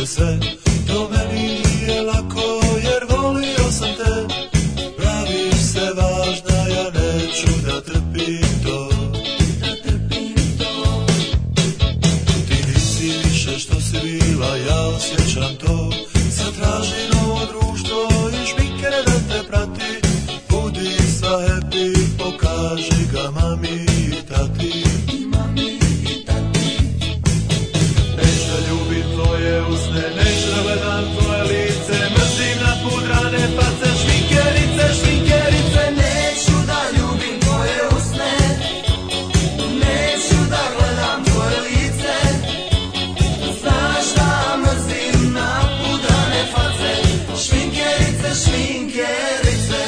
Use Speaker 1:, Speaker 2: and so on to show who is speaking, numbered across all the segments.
Speaker 1: sve, to meni nije lako jer volio sam te. Praviš se važna, ja neću da trpim to. Ti nisi više što si bila, ja osjećam to. Sad traži novo društvo i šminkere da te prati. Budi sva happy, pokaži ga mami i tati. Neću da ljubim tvoje usne, neću da gledam tvoje lice. Mrzim napudrane face, šminkerice, šminkerice. Neću da ljubim tvoje usne, neću da gledam tvoje lice. Znaš da mrzim napudrane face, šminkerice, šminkerice.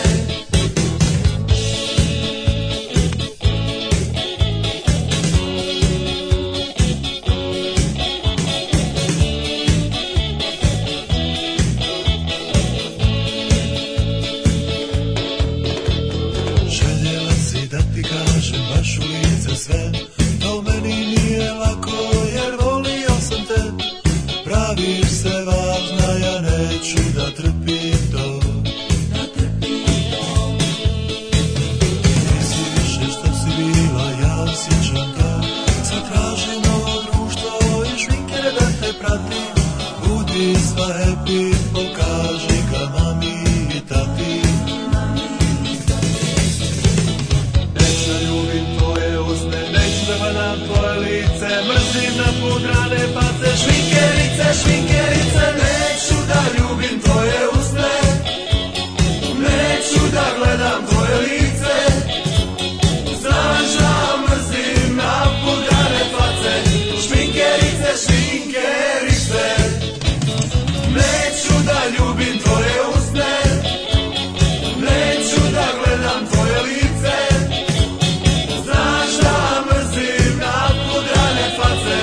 Speaker 1: Željela si da ti kažem baš u lice sve, to meni nije lako jer volio sam te. Praviš se važna, ja neću da trpim to. Nisi više što si bila, ja osjećam to. Sad traži novo društvo i šminkere da te prati. Budi sva happy, pokaži ga mami i tati. Neću da ljubim tvoje usne, neću da gledam tvoje lice. Mrzim napudrane face, šminkerice, šminkerice. Neću da ljubim tvoje usne, neću da gledam tvoje lice. Znaš da mrzim napudrane face, šminkerice, šminkerice. Neću da ljubim tvoje usne, neću da gledam tvoje lice. Znaš da mrzim napudrane face,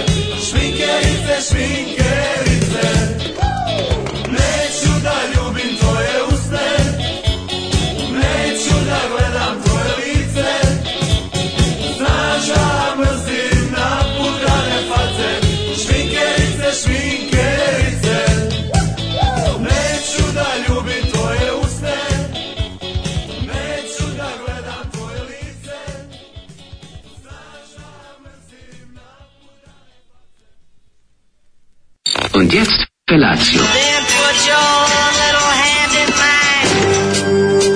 Speaker 1: šminkerice, šminkerice. Neću da ljubim tvoje usne, neću da gledam tvoje lice. Znaš da mrzim napudrane face, šminkerice, šminkerice. Neću da ljubim tvoje usne, neću da gledam tvoje lice. Znaš da mrzim napudrane.
Speaker 2: Und jetzt Felatio.
Speaker 3: Then put your little hand in mine.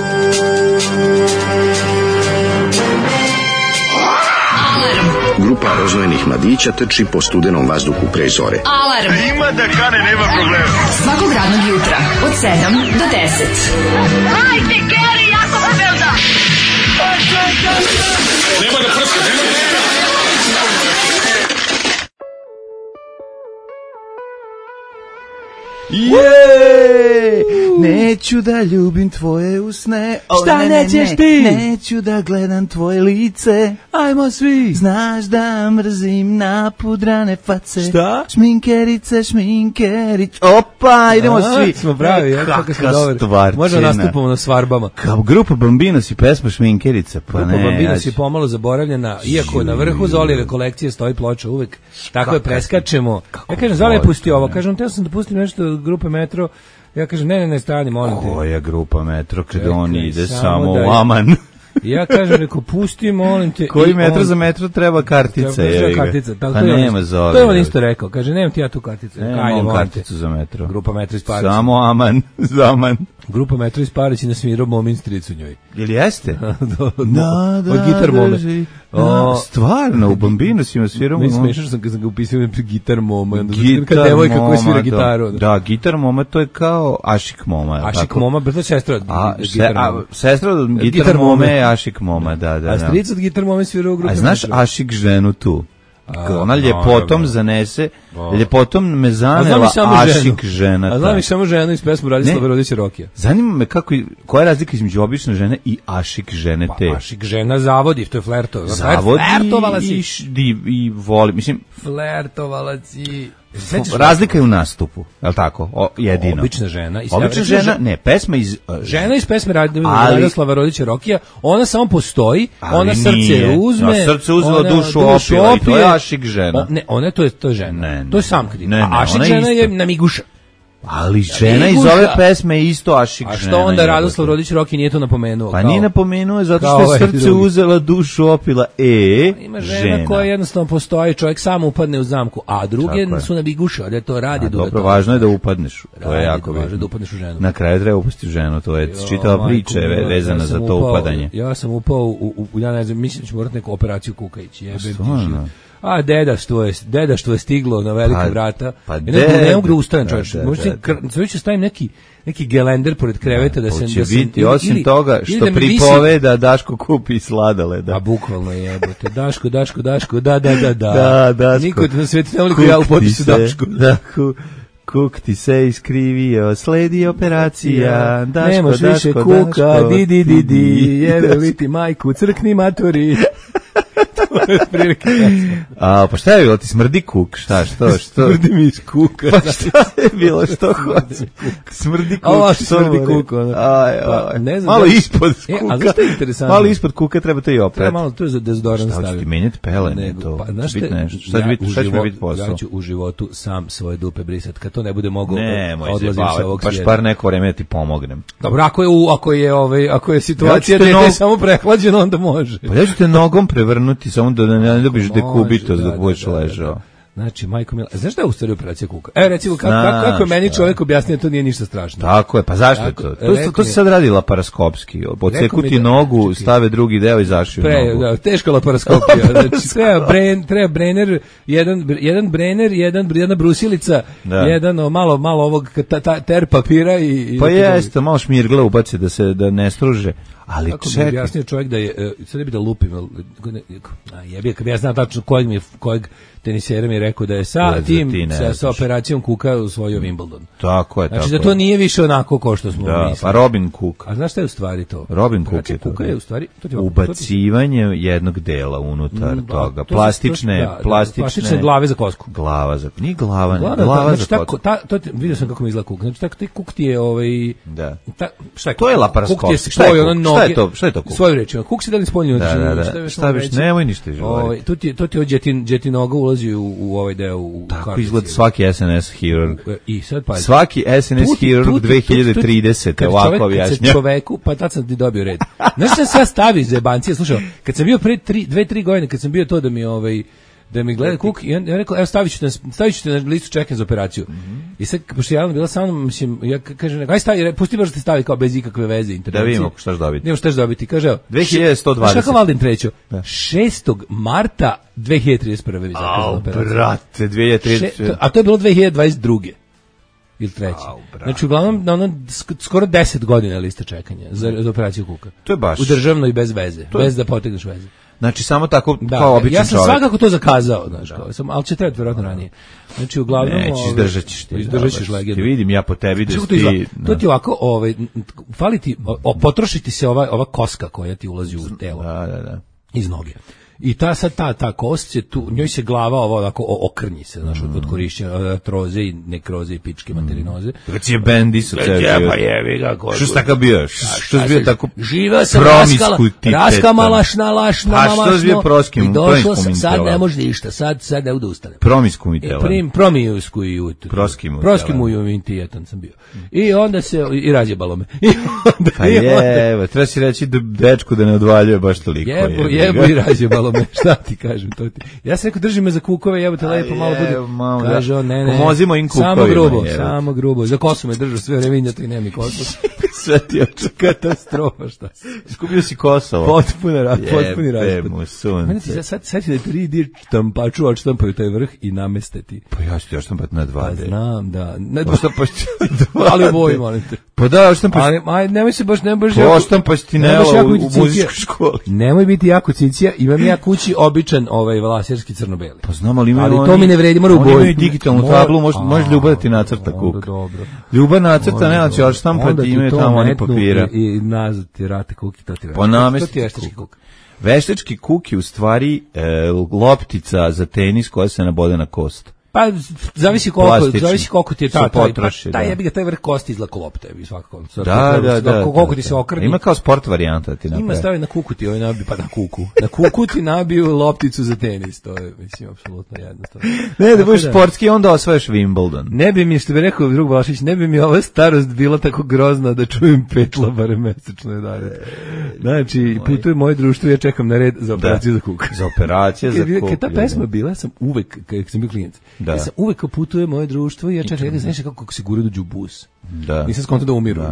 Speaker 2: Grupa rozvojenih mladića trči po studenom vazduhu pre zore.
Speaker 4: Alarm.
Speaker 5: Ima da kane, nema problema.
Speaker 4: Svakog radnog jutra od 7 do 10.
Speaker 3: Hajde, Geri, jako se velda.
Speaker 5: Nema da prska, nema da prska.
Speaker 6: Jej! Neću da ljubim tvoje usne.
Speaker 7: Šta nećeš ti?
Speaker 6: Neću da gledam tvoje lice.
Speaker 7: Ajmo svi.
Speaker 6: Znaš da mrzim napudrane face.
Speaker 7: Šta?
Speaker 6: Šminkerice, šminkerić. Opa, idemo svi.
Speaker 7: Smo pravi, kako smo dobri. Možemo nastupamo na svarbama.
Speaker 6: Kao grupa Bambinos i pesma Šminkerica. Pa
Speaker 7: Grupa
Speaker 6: ne,
Speaker 7: Bambinos je pomalo zaboravljena, iako na vrhu Zolijeve kolekcije stoji ploča uvek. Tako je preskačemo. Ja kažem, Zoli je pustio ovo. Kažem, teo sam da pustim nešto od grupe Metro. Ja kažem, ne, stani, molim te.
Speaker 6: Koja grupa Metro, kada on ide
Speaker 7: samo
Speaker 6: samo
Speaker 7: da je-
Speaker 6: u Aman.
Speaker 7: Ja kažem, reko, pusti, molim te.
Speaker 6: Koji
Speaker 7: I
Speaker 6: metro
Speaker 7: on-
Speaker 6: za metro treba kartica?
Speaker 7: Treba kartica.
Speaker 6: Pa
Speaker 7: To je on
Speaker 6: nema
Speaker 7: isto-
Speaker 6: Zoli.
Speaker 7: To je on isto rekao. Kaže, nemam ti ja tu karticu. Ajde,
Speaker 6: Nemam
Speaker 7: molim te.
Speaker 6: karticu za metro.
Speaker 7: Grupa Metro iz Parića.
Speaker 6: Samo Aman, Zaman.
Speaker 7: Grupa Metro iz Parića nasvirao Momin stric u njoj.
Speaker 6: Ili jeste?
Speaker 7: Od Gitar Mome.
Speaker 6: Stvarno, u Bambinosima sviramo.
Speaker 7: Mi smešao što sam ga upisao Gitar Moma. Onda
Speaker 6: Gitar
Speaker 7: kad devojka koja svira
Speaker 6: Moma,
Speaker 7: gitaru.
Speaker 6: Da, Gitar Moma, to je kao Ašik Moma. je li
Speaker 7: Ašik
Speaker 6: tako?
Speaker 7: Moma, brzo sestra od Gitar Moma.
Speaker 6: Sestra od
Speaker 7: Gitar
Speaker 6: Gitar
Speaker 7: Mome.
Speaker 6: Mome je Ašik Moma, da.
Speaker 7: A stric od Gitar Mome svira u grupi.
Speaker 6: A znaš
Speaker 7: Metro.
Speaker 6: Ašik ženu tu? Ona ljepotom
Speaker 7: naravno.
Speaker 6: zanese, ljepotom me
Speaker 7: A znam i
Speaker 6: zanela
Speaker 7: samo
Speaker 6: Ašik žena.
Speaker 7: A znam
Speaker 6: ta.
Speaker 7: i samo ženu iz pesmu Radislava
Speaker 6: Ne.
Speaker 7: Rodića Rokija.
Speaker 6: Zanima me koja je razlika između obične žene i Ašik žene te.
Speaker 7: Pa Ašik žena zavodi, to je flerto.
Speaker 6: Zavodi
Speaker 7: Flertovala si.
Speaker 6: i voli, mislim,
Speaker 7: Flertovala si.
Speaker 6: Razlika je u nastupu, je li tako? Jedino.
Speaker 7: Obična žena.
Speaker 6: Obična žena, ne, pesma iz...
Speaker 7: Žena iz pesme Radoslava Rodića Rokija, ona samo postoji, ona srce uzme...
Speaker 6: Srce uzela, dušu opila i to je Ašik žena.
Speaker 7: Ne, ona to je žena. To je sam kriv.
Speaker 6: Ne,
Speaker 7: Ašik žena je namiguša.
Speaker 6: Ali žena iz ove pesme je isto Ašik žena.
Speaker 7: A što onda Radoslav Rodić Roki nije to napomenuo?
Speaker 6: Pa nije napomenuo zato što je srce uzela, dušu opila.
Speaker 7: Ima žena koja jednostavno postoji, čovjek sam upadne u zamku, a druge su nabiguše, da to radi.
Speaker 6: Dobro, važno je da upadneš. To je jako
Speaker 7: važno da upadneš u ženu.
Speaker 6: Na kraju treba upasti u ženu, to je čitava priča vezana za to upadanje.
Speaker 7: Ja sam upao ja ne znam, mislim da ću morati neku operaciju kuka ići. A deda što je stiglo na velike vrata. Ne mogu da ustanem, čovječe. Možda ću stavim neki gelender pored kreveta da se...
Speaker 6: Hoće biti, osim toga što pripoveda Daško kupi sladoleda.
Speaker 7: A bukvalno jebote. Daško, da. Niko na svijetu ne voli ko ja u potisu Daško.
Speaker 6: Kuk ti se iskrivio, sledi operacija. Daško,
Speaker 7: nemaš više kuka, di, jebe li ti majku, crkni matori.
Speaker 6: Pa šta je bilo, ti smrdi kuk, što?
Speaker 7: Smrdi mi iz kuka.
Speaker 6: Pa šta je bilo, što hoće? Smrdi kuk,
Speaker 7: smrdi kuk.
Speaker 6: Malo ispod kuka.
Speaker 7: Ali što je interesantno?
Speaker 6: Malo ispod kuka treba to i oprati.
Speaker 7: Treba malo, to je za dezodorans staviti.
Speaker 6: Šta ću ti menjati pelene, to? Šta će mi biti posao?
Speaker 7: Ja ću u životu sam svoje dupe brisati, kad to ne bude mogao
Speaker 6: odlazim sa ovog svijeta. Baš par neko vreme da ti pomognem.
Speaker 7: Dobro, ako je situacija da je samo prehlađeno, onda može.
Speaker 6: Pa ja ću te nogom prevrnuti, samo da ne dobiš dekubitos dok budeš ležao.
Speaker 7: Znači, majko mila, znaš šta je u stvari operacija kuka? Recimo, kako je meni čovjek objasnio, to nije ništa strašno.
Speaker 6: Tako je, pa zašto je to? To se sad radi laparaskopski. Odseku ti nogu, stave drugi deo i zašiju nogu.
Speaker 7: Da, teška laparaskopija. Znači, treba brener, jedan brener, jedna brusilica, jedan malo ovog ter papira i...
Speaker 6: Pa jeste, malo šmirgle ubaci da ne struže. Ali
Speaker 7: kako bi objasnio čovjek da je, sad ne bi da lupim, kad bi ja znao tačno kojeg tenisera mi je rekao da je sa operacijom kuka osvojio Wimbledon.
Speaker 6: Tako je,
Speaker 7: znači da to nije više onako kao što smo mislili.
Speaker 6: Pa Robin Cook.
Speaker 7: A znaš šta je u stvari to?
Speaker 6: Robin Cook je to.
Speaker 7: Kuka je u stvari
Speaker 6: ubacivanje jednog dela unutar toga. Plastične
Speaker 7: glave za kosku.
Speaker 6: Nije glava za kosku.
Speaker 7: Vidio sam kako mi izgleda kuk. Znači taj kuk ti je šta je?
Speaker 6: To je laparaskop. Šta je to kuk?
Speaker 7: Svoju reč. Kuk se da li spoljno.
Speaker 6: Šta biš, nemoj ništa izgovoriti.
Speaker 7: To ti je džetinoga ulazi u ovaj deo.
Speaker 6: Tako izgleda svaki SNS hirurg.
Speaker 7: I sad pa
Speaker 6: svaki SNS hirurg 2030. ovako objašnja.
Speaker 7: Čoveku, pa tad sam ti dobio red. Znaš šta se stavi za jebancije? Slušaj, kad sam bio pre 2-3 godine, kad sam bio to da mi gleda kuk, i ja rekao, evo stavit ću te na listu čekanja za operaciju. I sad, pošto je bila sa mnom, mislim, ja kažem, aj stavi, pusti baš da te stavi kao bez ikakve veze intervencije.
Speaker 6: Da vidimo šta ćeš dobiti.
Speaker 7: Nemo šta ćeš dobiti, kaže, evo.
Speaker 6: 2120.
Speaker 7: Šta kao Valdin trećo? 6. marta 2031. vi zakazala operaciju.
Speaker 6: Brate, 2030.
Speaker 7: A to je bilo 2022. Ili treći. Znači, uglavnom, skoro 10 godina lista čekanja za operaciju kuka.
Speaker 6: To je baš.
Speaker 7: U državno i bez veze, bez da potegneš veze.
Speaker 6: Znači, samo tako kao običan čovjek.
Speaker 7: Ja sam svakako to zakazao, znaš, ali će trebati vjerovatno ranije. Znači, uglavnom...
Speaker 6: Neći, izdržat ćeš ti.
Speaker 7: Izdržat ćeš legendu.
Speaker 6: Ti vidim ja po tebi da ti...
Speaker 7: To ti ovako, fali ti, potrošiti se ova koska koja ti ulazi u telo.
Speaker 6: Da.
Speaker 7: Iz noge. I ta kost će tu, njoj se glava ovako okrnji se, znaš, od korišćenja artroze i nekroze i pičke materinoze.
Speaker 6: Kad si je bendi su ceo život.
Speaker 7: Pa jebi ga, ko.
Speaker 6: Što si tako bio? Što si bio tako
Speaker 7: živeo sam raskama lašna,
Speaker 6: a što si bio proskim?
Speaker 7: I došlo sam, sad ne može ništa, sad ne bude ustane.
Speaker 6: Promiskuitelan.
Speaker 7: Proskimujuintijetan sam bio. I onda se, i razjebalo me.
Speaker 6: Pa jeba, treba si reći dečku da ne odvaljuje baš toliko.
Speaker 7: Jebo i razjebalo me, šta ti kažem, to ti. Ja sam rekao, drži me za kukove, jebote, lepo malo bude. Kaže on, ne.
Speaker 6: Pomozimo im kukovima.
Speaker 7: Samo grubo. Za kosu me držao sve vreme, to i nema mi kosu.
Speaker 6: Sve ti oču.
Speaker 7: Katastrofa, šta.
Speaker 6: Iskupio si Kosovo.
Speaker 7: Potpuni raspad.
Speaker 6: Jebe mu sunce.
Speaker 7: Sad ti da 3D štampaču odštampaju taj vrh i nameste ti.
Speaker 6: Pa ja ću ti odštampati na 2D.
Speaker 7: Pa znam, da.
Speaker 6: Odštampaš ti 2D.
Speaker 7: Ali ovoj, molim te.
Speaker 6: Pa da, odštampaš.
Speaker 7: Ali nemoj se baš,
Speaker 6: odštampaš ti Nela u muzičkoj školi.
Speaker 7: Nemoj biti jako cicija, imam ja kući običan laserski crno-beli.
Speaker 6: Pa znam, ali imaju
Speaker 7: to mi ne vredi, mora u boju.
Speaker 6: Oni imaju digitalnu tablu, može Ljubav da ti nacrta kuk.
Speaker 7: Dobro.
Speaker 6: Ljubav nacrta, ne, znači odštampati, imaju tamo oni papira.
Speaker 7: I nazad ti rate kuki, to ti vredi.
Speaker 6: Po namesti.
Speaker 7: To ti je veštački kuk.
Speaker 6: Veštački kuk je u stvari loptica za tenis koja se nabode na kost.
Speaker 7: Pa zavisi koliko ti je taj jebi ga taj vrh kosti izlako lopte bi svakako. Koliko ti se okrni.
Speaker 6: Ima kao sport varijanta ti napravi.
Speaker 7: Ima stavi na kuku ti nabi pa na kuku. Na kuku ti nabiju lopticu za tenis, to je mislim apsolutno jednostavno.
Speaker 6: Ne, da budeš sportski onda osvajaš Wimbledon.
Speaker 7: Ne bi mi što bi rekao drug Vlašić, ne bi mi ova starost bila tako grozna da čujem petla barem mesečno je dalje. Znači, putuje moje društvo, ja čekam na red za operaciju za kuk.
Speaker 6: Za operaciju za kuk.
Speaker 7: Kad ta pesma bila, sam uvek kad sam bio klijent. Ja sam uvek putuje moje društvo i ja čekam, znaš kako se gura dođu u bus.
Speaker 6: Da.
Speaker 7: Nisam skonto da umiru.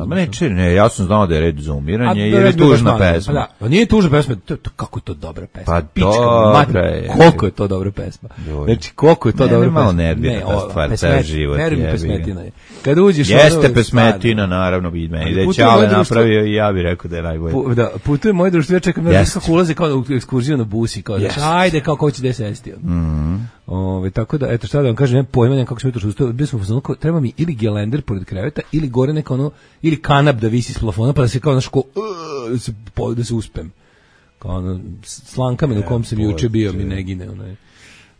Speaker 6: Ne, ja sam znao da je red za umiranje jer je tužna pesma.
Speaker 7: Da, pa nije tužna pesma, kako je to dobra pesma.
Speaker 6: Pa dobra je.
Speaker 7: Koliko je to dobra pesma. Znači, koliko je to dobra pesma.
Speaker 6: Malo nervira ta stvar, ceo život.
Speaker 7: Pesmetina je. Kad uđeš
Speaker 6: jeste pesmetina, naravno, vidi meni. Da je Ćale napravio i ja bih rekao da je najbolje.
Speaker 7: Da, putuje moje društvo, ja čekam na kako ulaze kao u ekskurziju na busi, kao da ajde, kao ko će da sesti. Tako da, eto šta da vam kažem, pojma kako smo jutro ustao, bio smo u treba mi ili gelender pored kreveta, ili gore neko ono, ili kanap da visi s plafona, pa da se kao naš da se uspem. Kao ono, Slankamen u kom sam juče bio mi ne gine, onaj.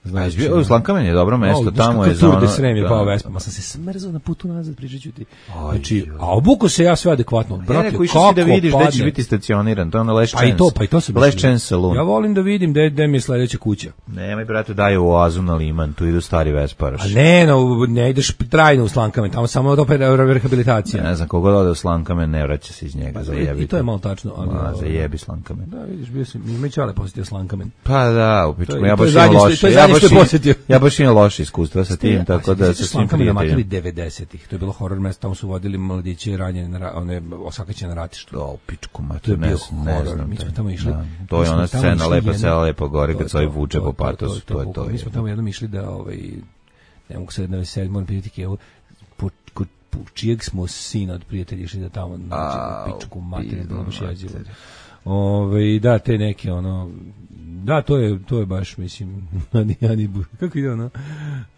Speaker 6: Znači, Slankamen je dobro mesto, tamo je
Speaker 7: za ono... Tour de Srem je pao Vespa, ma sam se smrzao na putu nazad, pričat ću ti. Znači, a obuko se ja sve adekvatno. Brate, kako
Speaker 6: išao si da vidiš gde ćeš biti stacioniran, to je ono Last Chance.
Speaker 7: Pa i to se
Speaker 6: Last Chance Saloon.
Speaker 7: Ja volim da vidim gde mi je sledeća kuća.
Speaker 6: Nemoj, brate, daju oazu na Liman, tu idu stari Vesparaš.
Speaker 7: A ne ideš trajno u Slankamen, tamo samo opet rehabilitacija.
Speaker 6: Ne znam, kogo ode u Slankamen, ne vraća se iz njega, zajebi.
Speaker 7: I to je malo tačno.
Speaker 6: Zajebi Slankamen.
Speaker 7: Da, vidiš, bio sam, ima i Ćale posjetio Slankamen.
Speaker 6: Pa da, ja baš imam loše iskustva sa tim, tako da sa svim prijateljima.
Speaker 7: 90-ih, to je bilo horor mesto, tamo su vodili mladiće ranjene, one osakaćene na ratištu.
Speaker 6: O, pičku, ma
Speaker 7: to je bio horor, mi smo tamo išli.
Speaker 6: To je ona scena, lepa sela, lepo gore, kad se ovaj vuče po patosu, to je to.
Speaker 7: Mi smo tamo jednom išli da, ne mogu se da veseli, moram pitati po čijeg smo sina od prijatelja išli da tamo nađemo pičku materiju, da baš jezivo. Da, te neke, da, to je baš, mislim, kako ide ono,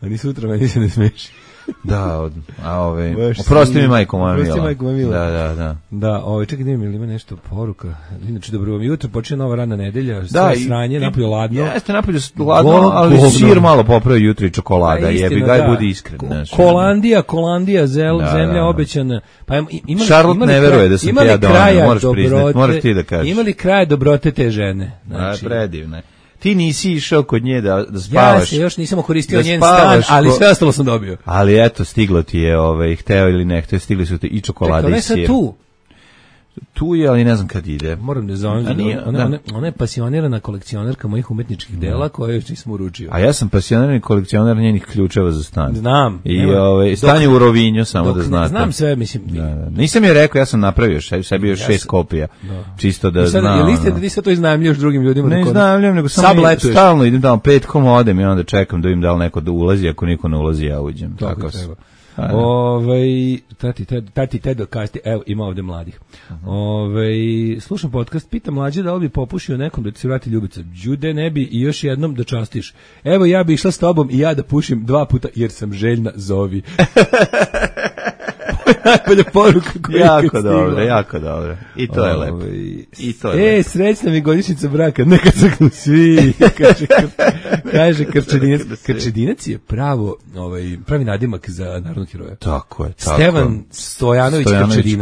Speaker 7: ani sutra meni se ne smeši.
Speaker 6: Da, oprosti mi majko moja mila.
Speaker 7: Oprosti majko moja mila.
Speaker 6: Da.
Speaker 7: Da, čekaj, da ima nešto poruka. Inače, dobro vam jutro, počne nova radna nedelja, sve sranje, napolje ladno.
Speaker 6: Jeste napolje ladno, ali sir malo popravio jutro i čokolada, jebi ga, budi iskren.
Speaker 7: Kolandija, zemlja obećana.
Speaker 6: Charlotte ne veruje da sam ti ja donio, moraš priznati, moraš ti da kažeš.
Speaker 7: Imali kraj dobrote te žene?
Speaker 6: Predivne. Ti nisi išao kod nje da spavaš.
Speaker 7: Ja se još nisam koristio njen stan, ali sve ostalo sam dobio.
Speaker 6: Ali eto, stiglo ti je, hteo ili ne hteo, stigli su ti i čokolade i sir. Tu je, ali ne znam kad ide.
Speaker 7: Moram da zovem. Ona je pasionirana kolekcionerka mojih umetničkih dela koje još nisam uručio.
Speaker 6: A ja sam pasionirani kolekcioner njenih ključeva za stan.
Speaker 7: Znam.
Speaker 6: I stanje u Rovinju, samo da znate.
Speaker 7: Znam sve, mislim.
Speaker 6: Nisam je rekao, ja sam napravio sebi još 6 kopija. Čisto da znam.
Speaker 7: Je li ste da ti to iznajmljuješ drugim ljudima?
Speaker 6: Ne iznajmljujem, nego samo stalno idem tamo petkom, odem i onda čekam da vidim da li neko da ulazi, ako niko ne ulazi, ja uđem.
Speaker 7: Tako treba. Tati Tedo kasti, evo ima ovde mladih. Slušam podcast, pita mlađe da li bi popušio nekom da ti se vrati ljubica. Đude ne bi i još jednom da častiš. Evo ja bi išla s tobom i ja da pušim 2 puta jer sam željna, zovi. Najbolja poruka koja
Speaker 6: jako dobro. I to je lepo.
Speaker 7: Srećna mi godišnjica braka, neka saknu svi, kaže Krčedinac. Krčedinac je pravi nadimak za narodnog heroja.
Speaker 6: Tako je.
Speaker 7: Stevan Stojanović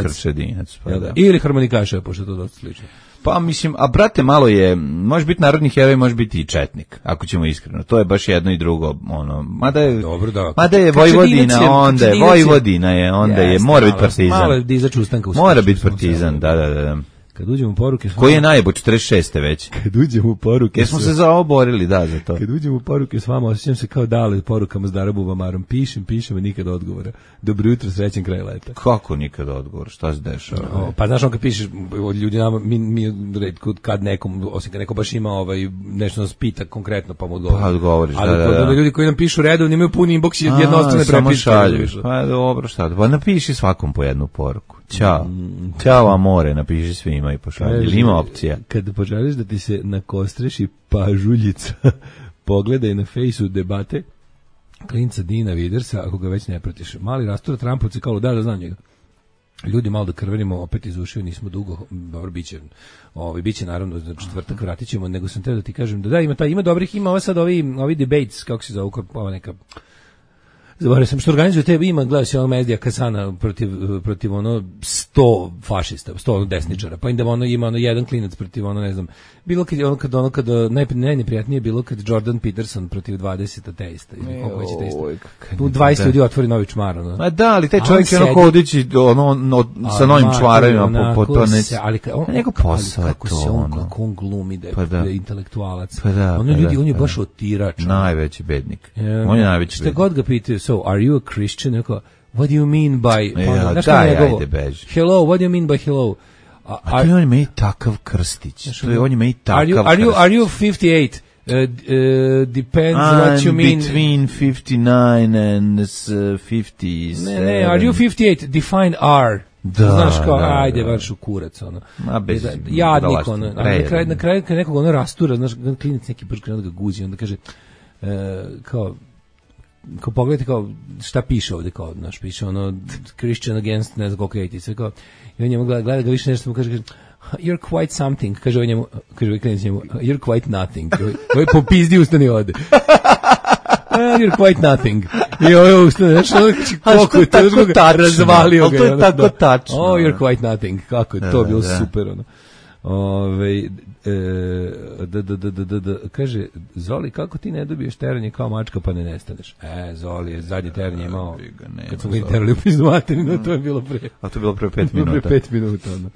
Speaker 7: Krčedinac. Ili harmonikaša, pošto je to dosta slično.
Speaker 6: Pa mislim, a brate, malo je, može biti narodni heroj, može biti i četnik, ako ćemo iskreno. To je baš jedno i drugo, mada je Vojvodina, onda je, mora biti partizan.
Speaker 7: Malo je dizač ustanka.
Speaker 6: Mora biti partizan, da.
Speaker 7: Kad uđemo u poruke...
Speaker 6: Koji je najbolj, 46. već?
Speaker 7: Kad uđemo u poruke...
Speaker 6: Jesmo se za ovo borili, da, za to.
Speaker 7: Kad uđemo u poruke s vama, osjećam se kao dale porukama s Darabu Vamarom. Pišem, a nikad odgovora. Dobro jutro, srećen kraj leta.
Speaker 6: Kako nikad odgovor? Šta se dešava?
Speaker 7: Pa znaš, kad pišeš ljudi nama, mi kad nekom, osim kad neko baš ima nešto nas pita konkretno, pa mu odgovori.
Speaker 6: Pa odgovoriš,
Speaker 7: ali ljudi koji nam pišu redovno imaju puni inbox i jednostavne prepiske.
Speaker 6: Pa dobro, šta? Pa napiši svakom po jednu poruku. Ćao amore, napiši svima i pošalji. Ili ima opcija?
Speaker 7: Kad poželiš da ti se nakostreši pažuljica, pogledaj na fejsu debate klinca Dina Vidersa, ako ga već ne pratiš. Mali rastura Trampovci kao da znam njega. Ljudi malo da krvenimo, opet iz ušiju, nismo dugo, dobro, biće naravno za četvrtak, vratit ćemo, nego sam teo da ti kažem da ima dobrih, ima ovo sad ovi debates, kako se zove, ova neka Zaboravio sam što organizuje te, ima, gledao se ono Mezdija Kasana protiv ono 100 fašista, 100 desničara, pa onda ono ima ono jedan klinac protiv ono, ne znam, bilo kad najneprijatnije bilo kad Jordan Peterson protiv 20 ateista, ili koliko će ateista. Tu 20 ljudi otvori novi čmar, ono.
Speaker 6: Ma da, ali taj čovjek je ono hodići sa novim čmarovima po to ne.
Speaker 7: Ali
Speaker 6: nego posao je to,
Speaker 7: kako on glumi da je intelektualac. On je baš otirač.
Speaker 6: Najveći bednik. On je najveći bednik.
Speaker 7: Šta god ga pitaju, so, are you a Christian? What do you mean by...
Speaker 6: Ajde, beži.
Speaker 7: Hello, what do you mean by hello?
Speaker 6: A to je on ima i takav krstić. To je on ima i takav krstić.
Speaker 7: Are you 58? Depends what you mean.
Speaker 6: Between 59 and 50.
Speaker 7: Ne, are you 58? Define R.
Speaker 6: Da,
Speaker 7: znaš kao, ajde, varš u kurac, ono. Jadnik, ono. Na kraju kad nekog ono rastura, znaš, klinac neki brž krenu da ga guzi, onda kaže, kao pogledajte kao šta piše ovde, kao, znaš, piše ono Christian against, ne znam koliko je sve, kao, i on njemu gleda ga više nešto, mu kaže, you're quite something, kaže ovaj klinac njemu, you're quite nothing, ovaj popizdi ustani ode. You're quite nothing. I ovo ustane, znaš, koliko je to razvalio ga.
Speaker 6: Ali to je tako tačno.
Speaker 7: Oh, you're quite nothing. Kako je to bilo super, ono. Kaže, Zoli, kako ti ne dobiješ teranje kao mačka pa ne nestaneš? Zoli je zadnje teranje imao, kad smo ga terali u pizdu materinu, to je bilo pre.
Speaker 6: A to je bilo pre 5 minuta.
Speaker 7: Pre 5 minuta, ono.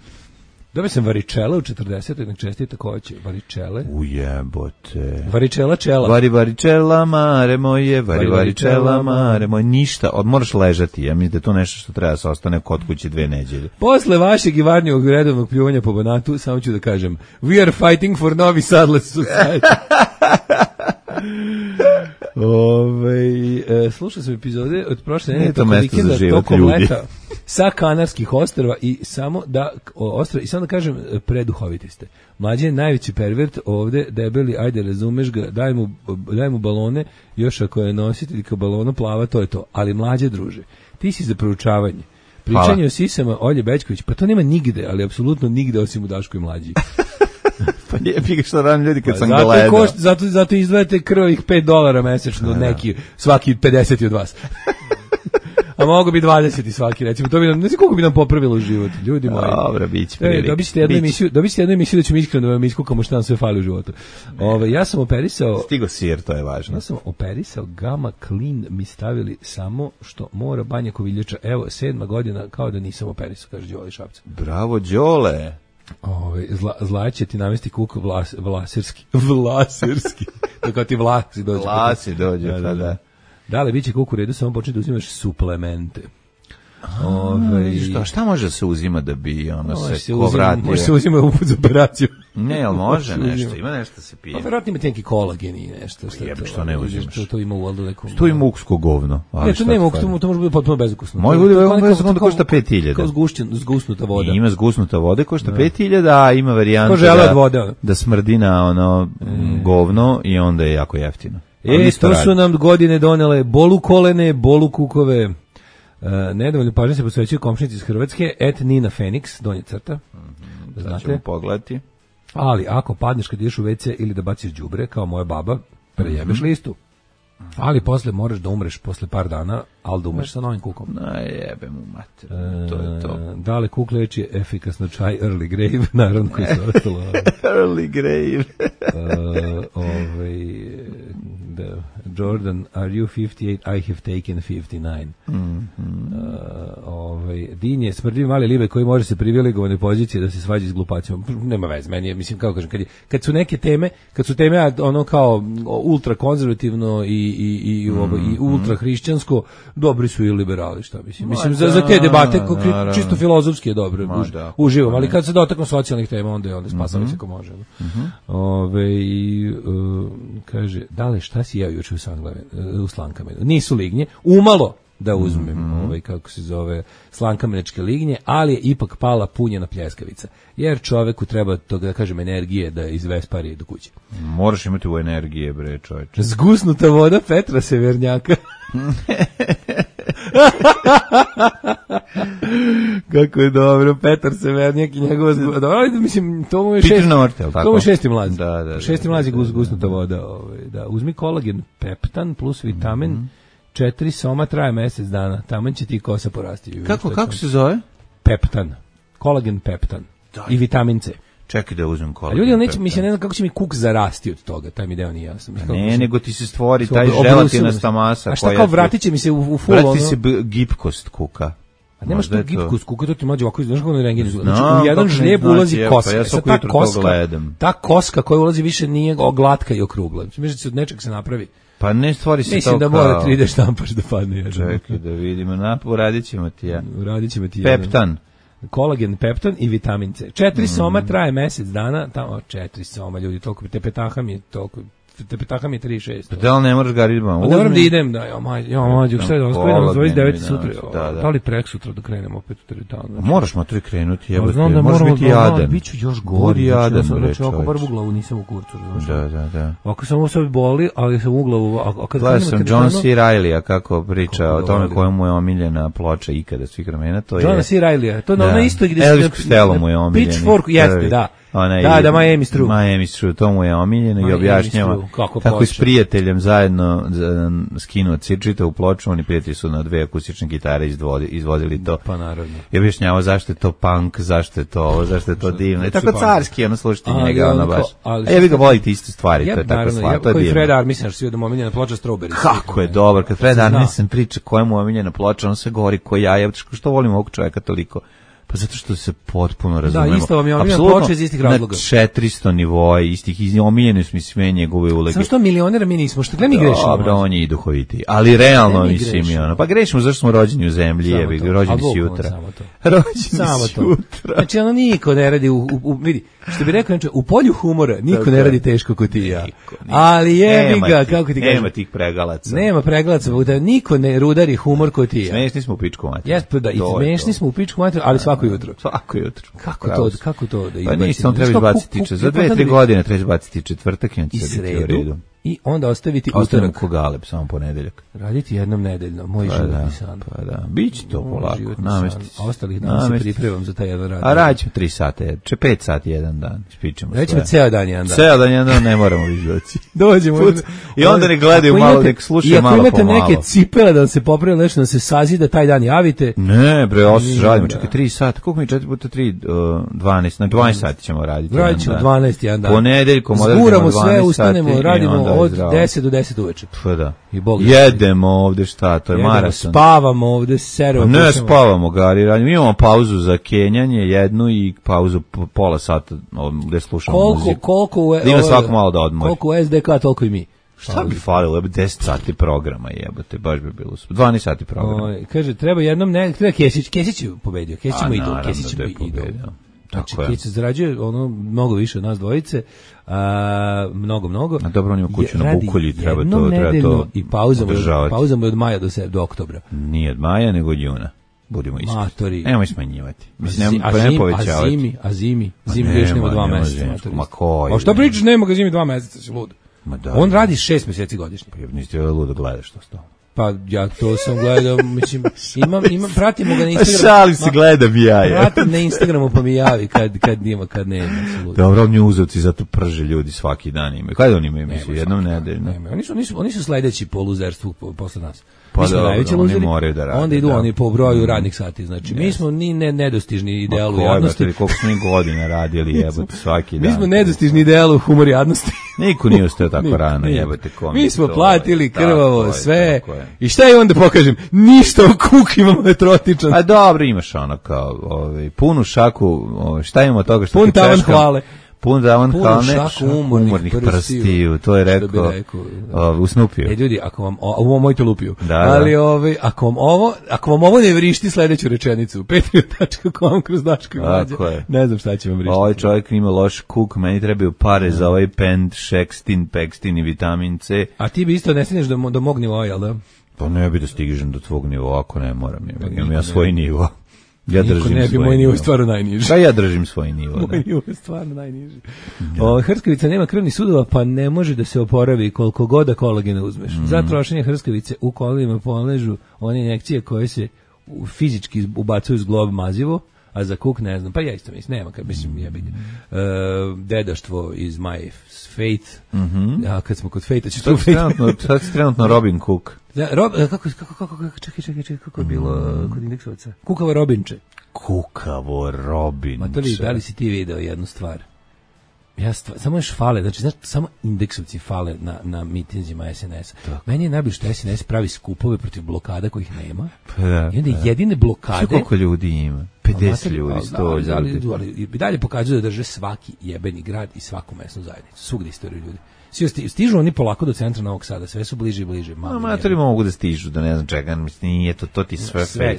Speaker 7: Dobio sam varičela u 40. nek čestita koće. Varičele.
Speaker 6: Ujebote.
Speaker 7: Varičela čela.
Speaker 6: Varičela mare moje, varičela mare moje. Ništa, moraš ležati. Ja mislim da je to nešto što treba se ostane kod kuće 2 nedelje.
Speaker 7: Posle vašeg i varnjog redovnog pljuvanja po Banatu, samo ću da kažem, we are fighting for Novi Sadless Society. Slušao sam epizode od prošle nedelje tokom vikenda, tokom leta sa Kanarskih ostrva i samo da kažem, preduhoviti ste. Mlađe je najveći pervert ovde, debeli, ajde razumeš ga, daj mu balone, još ako je nositelj kao balona plava, to je to. Ali mlađe, druže, ti si za proučavanje. Pričanje o sisama Olje Bećković, pa to nema nigde, ali apsolutno nigde osim u Daškoj mlađi.
Speaker 6: Pa lijepi ga što radim ljudi kad sam gledao.
Speaker 7: Zato izdvajate krvih $5 mesečno, neki, svaki 50 od vas. A mogu bi 20 svaki, recimo. To bi nam, ne znam koliko bi nam popravilo život, ljudi moji.
Speaker 6: Dobro, biće prilike.
Speaker 7: Dobite jednu emisiju da ćemo iskreno da vam iskukamo šta nam sve fali u životu. Ja sam operisao...
Speaker 6: Stigo sir, to je važno.
Speaker 7: Ja sam operisao Gama Clean, mi stavili samo što mora Banja Koviljača. Evo, 7. godina, kao da nisam operisao, kaže Đole Šapca.
Speaker 6: Bravo, Đole!
Speaker 7: Zla će ti navesti kuk vlasirski. To kao ti vlasi dođe.
Speaker 6: Vlasi dođe, da.
Speaker 7: Da li biće kuk u redu, samo početi da uzimaš suplemente.
Speaker 6: Šta može se uzima da bi se ko vratio?
Speaker 7: Može se uzima uput za operaciju.
Speaker 6: Ne, ali može nešto, ima nešto se pije.
Speaker 7: Pa vjerojatno ima neki kolagen i nešto.
Speaker 6: Što ne uzimaš?
Speaker 7: To ima u valdu nekom.
Speaker 6: To ima uksko govno.
Speaker 7: Ne, to nema uksko, to može biti potpuno bezukusno.
Speaker 6: Može biti bezukusno, košta 5.000.
Speaker 7: Kao zgusnuta voda.
Speaker 6: Ima zgusnuta voda, košta 5.000, a ima varijanta da smrdi na govno i onda je jako jeftino.
Speaker 7: To su nam godine donele bolu kolene, bolu kukove. Nedovoljno pažnje se posvećuju komšinici iz Hrvatske, Nina Fenix, donje crta.
Speaker 6: Da ćemo pogledati.
Speaker 7: Ali ako padneš kad ideš u WC ili da baciš đubre, kao moja baba, prejebeš listu. Ali posle moraš da umreš posle par dana, ali da umreš sa novim kukom.
Speaker 6: Jebe mu mater, to je to.
Speaker 7: Da li kuk leči efikasno čaj Early Grave, naravno koji se ostalo.
Speaker 6: Early Grave.
Speaker 7: Jordan, are you 58? I have taken 59. Din je smrdiv mali libe koji može se privilegovane pozicije da se svađa s glupacima. Nema veze, meni je, mislim, kako kažem, kad su neke teme, ono kao ultra konzervativno i ultra hrišćansko, dobri su i liberali, šta mislim. Mislim, za te debate, čisto filozofski je dobro, uživam, ali kad se dotaknu socijalnih tema, onda spasali se ko može. Kaže, dale, šta si jeo juče u Slankamenu? Nisu lignje, umalo da uzmem, kako se zove, slankameničke lignje, ali je ipak pala punjena pljeskavica. Jer čoveku treba, to da kažem, energije da izvespari do kuće.
Speaker 6: Moraš imati u energije, bre, čoveče.
Speaker 7: Zgusnuta voda Petra Severnjaka. Kako je dobro, Petar Severnjak i njegova mislim, to mu je šesti mlazi. Šesti mlazi gusnuta voda. Da, uzmi kolagen, peptan plus vitamin 4 soma traje mesec dana, taman će ti kosa porasti.
Speaker 6: Kako se zove?
Speaker 7: Peptan. Kolagen peptan. I vitamin C.
Speaker 6: Čekaj da uzmem kolagen.
Speaker 7: A ljudi neće, mislim, ne znam kako će mi kuk zarasti od toga, taj mi deo nije jasno.
Speaker 6: Ne, nego ti se stvori taj želatinasta masa.
Speaker 7: A šta kao vratit će mi se u full ono?
Speaker 6: Vratit se gipkost kuka.
Speaker 7: A nemaš tu gipkost kuka, to ti mlađe ovako, znaš kako na rengenu izgleda. Znači, u jedan žlijeb ulazi koska. Ta koska koja ulazi više nije glatka i okrugla. Mislim da se od nečeg se napravi.
Speaker 6: Pa ne stvori se
Speaker 7: mislim
Speaker 6: to
Speaker 7: da mora 3D štampaš da padne.
Speaker 6: Čekaj da vidimo, uradit ćemo ti ja.
Speaker 7: Peptan. Kolagen, peptan i vitamin C. 4 soma traje mesec dana, tamo 4 soma ljudi, toliko te petaham je toliko. Tepetaha mi je 3,6.
Speaker 6: Da li ne moraš ga ridbama?
Speaker 7: Ne moram da idem, da, mađu, šta je da vas krenemo 29. sutra, da li prek sutra da krenemo opet u teretanu?
Speaker 6: Moraš matri krenuti, jebate, možeš biti jadan.
Speaker 7: Biću još gori, jadan, znači oko bar u glavu nisam u kurcu.
Speaker 6: Da.
Speaker 7: Ako sam ovo sad boli, ali sam u glavu.
Speaker 6: Gledao sam John C. Reilly-a kako priča o tome koja mu je omiljena ploča ikada svih vremena, to je...
Speaker 7: John C. Reilly-a, to na isto gdje...
Speaker 6: Elvis Costello mu je omiljeni.
Speaker 7: Pitchfork, jeste, da. Da, Miami's True.
Speaker 6: Miami's True, to mu je omiljeno i objašnjava kako je s prijateljem zajedno skinuo čitavu ploču, oni prijatelji su na 2 akustične gitare izvodili to.
Speaker 7: Pa naravno.
Speaker 6: I objašnjava zašto je to punk, zašto je to ovo, zašto je to divno. I tako carski, slušajte njega, ono baš. A vi ga volite iste stvari, to je tako slatko, to je divno.
Speaker 7: Fred Armisen, što si da mu omiljena ploča Strawberry.
Speaker 6: Kako je dobar, kad Fred Armisen priča koja mu je omiljena ploča, on se govori ko ja, što volim ovog čovjeka toliko. Pa zato što se potpuno razumemo.
Speaker 7: Da, isto vam je omiljena ploča iz istih razloga.
Speaker 6: Na 400 nivoa istih, omiljeni su mi sve njegove uloge.
Speaker 7: Samo što milionera mi nismo, što mi grešimo.
Speaker 6: Dobro, on je i duhoviti. Ali realno mislim je ono. Pa grešimo zašto smo rođeni u zemlji, rođeni si jutra. Rođeni si jutra.
Speaker 7: Znači ono niko ne radi, vidi, što bi rekao, u polju humora niko ne radi teško ko ti i ja. Ali jebi ga, kako ti kažem.
Speaker 6: Nema tih pregalaca.
Speaker 7: Nema pregalaca, niko ne rudari humor ko ti i ja.
Speaker 6: Smešni smo u pičku materiju.
Speaker 7: Jeste, da, i smešni smo u pičku materiju, ali svako jutro. Kako to da
Speaker 6: pa nisi, on treba izbaciti za 2-3 godine treba izbaciti četvrtak i
Speaker 7: sredu i onda ostaviti utorak
Speaker 6: ko Galeb, samo ponedeljak.
Speaker 7: Raditi jednom nedeljno, moj životni san.
Speaker 6: Pa da, biće to polako, namesti.
Speaker 7: A ostalih dana se pripremam za taj jedan rad.
Speaker 6: A radit ćemo 3 sata, 5 sati jedan dan, ispričamo sve.
Speaker 7: Rećemo ceo dan jedan dan.
Speaker 6: Ceo dan jedan dan ne moramo izdoći.
Speaker 7: Dođemo.
Speaker 6: I onda ne gledaju malo, nek slušaju malo po malo.
Speaker 7: I ako imate neke cipele da se popravi nešto, da se sazida taj dan, javite.
Speaker 6: Ne, bre, ovo se žalimo, čekaj 3 sata, koliko mi 4 puta 3, 12, na 12 sati ćemo raditi.
Speaker 7: Radit ćemo 12 jedan dan.
Speaker 6: Ponedeljkom odradimo 12 sati.
Speaker 7: Zguramo sve, ustanemo, radimo od 10 do 10 uveče.
Speaker 6: Pa da. Jedemo ovde šta, to je maraton.
Speaker 7: Spavamo ovde, seramo.
Speaker 6: Ne spavamo, Gari, radimo. Imamo pauzu za kenjanje, jednu i pauzu pola sata gde slušamo muziku.
Speaker 7: Koliko
Speaker 6: ima svako malo da odmori.
Speaker 7: Koliko u SDK, toliko i mi.
Speaker 6: Šta bi falilo, 10 sati programa jebote, baš bi bilo 12 sati programa.
Speaker 7: Kaže, treba jednom, treba Kesić je pobedio, Kesić mu idu, Kesić mu idu. Znači, Kesić zarađuje ono mnogo više od nas dvojice, mnogo.
Speaker 6: A dobro, on ima kuću na Bukolji, treba to
Speaker 7: i pauza mu je od maja do oktobra.
Speaker 6: Nije od maja, nego od juna. Budimo iskreni. Nemoj smanjivati.
Speaker 7: A zimi još nema 2 meseca.
Speaker 6: Ma koji?
Speaker 7: A šta pričaš, nema ga zimi 2 meseca, si lud. On radi 6 meseci godišnje.
Speaker 6: Niste ludo gledaš to stalo.
Speaker 7: Pa ja to sam gledao, mislim, pratimo ga na Instagramu.
Speaker 6: Šalim se, gledam ja.
Speaker 7: Pratim na Instagramu pa mi javi kad nema.
Speaker 6: Dobro, oni uzavci zato prže ljudi svaki dan imaju. Kada oni imaju emisiju? Jednom nedeljno?
Speaker 7: Oni su sledeći po luzerstvu posle nas.
Speaker 6: Pa da, oni moraju da rade.
Speaker 7: Onda idu oni po broju radnih sati. Znači, mi smo ni nedostižni idealu jadnosti.
Speaker 6: Koliko smo mi godina radili, jebote, svaki dan.
Speaker 7: Mi smo nedostižni idealu humor jadnosti.
Speaker 6: Niko nije ostao tako rano, jebote, komik.
Speaker 7: Mi smo platili krvavo sve. I šta je onda pokažem? Ništa, kuk imamo vetrotičan.
Speaker 6: A dobro, imaš ono kao punu šaku, šta imamo toga što
Speaker 7: ti češkam? Hvale.
Speaker 6: Pun šaku umornih prstiju, to je rekao u Snupiju.
Speaker 7: Ljudi, ako vam ovo mojte lupiju. Ali ako vam ovo ne vrišti sledeću rečenicu, patreon.com kroz Daško i Mlađa. Ne znam šta će vam vrištiti.
Speaker 6: Ovaj čovjek ima loš kuk, meni trebaju pare za ovaj pend, šekstin, pekstin i vitamin C.
Speaker 7: A ti bi isto ne stigneš do mog nivoa, jel da?
Speaker 6: Pa ne bi da stižem do tvog nivoa, ako ne moram. Imam ja svoj nivo. Ja
Speaker 7: držim ne bi moj nivo stvarno najniži.
Speaker 6: Pa ja držim svoj nivo.
Speaker 7: Moj nivo je stvarno najniži. Hrskavica nema krvnih sudova, pa ne može da se oporavi koliko god da kolagena uzmeš. Za trošenje hrskavice u kolenima poležu one injekcije koje se fizički ubacuju s glob mazivo, a za Cook ne znam, pa ja isto mislim, nema, kad mislim, jebi ga. Dedaštvo iz My Fate, a kad smo kod Fate-a ću tu Fate.
Speaker 6: Sad si trenutno Robin Cook.
Speaker 7: Da, čekaj, kako je bilo kod indeksovaca? Kukavo Robinče.
Speaker 6: Kukavo Robinče.
Speaker 7: Ma to li, da li si ti video jednu stvar? Samo još fale, znači samo indeksovci fale na mitinzima SNS-a. Meni je najbolje što SNS pravi skupove protiv blokada kojih nema.
Speaker 6: Pa da,
Speaker 7: i onda jedine blokade...
Speaker 6: Koliko ljudi ima? 50 ljudi, 100 ljudi.
Speaker 7: Ali i dalje pokazuju da drže svaki jebeni grad i svaku mesnu zajednicu. Svugde istoriju ljudi. Stižu oni polako do centra Novog Sada, sve su bliže i bliže.
Speaker 6: Amatori mogu da stižu, da ne znam čega, nije to ti sve fake.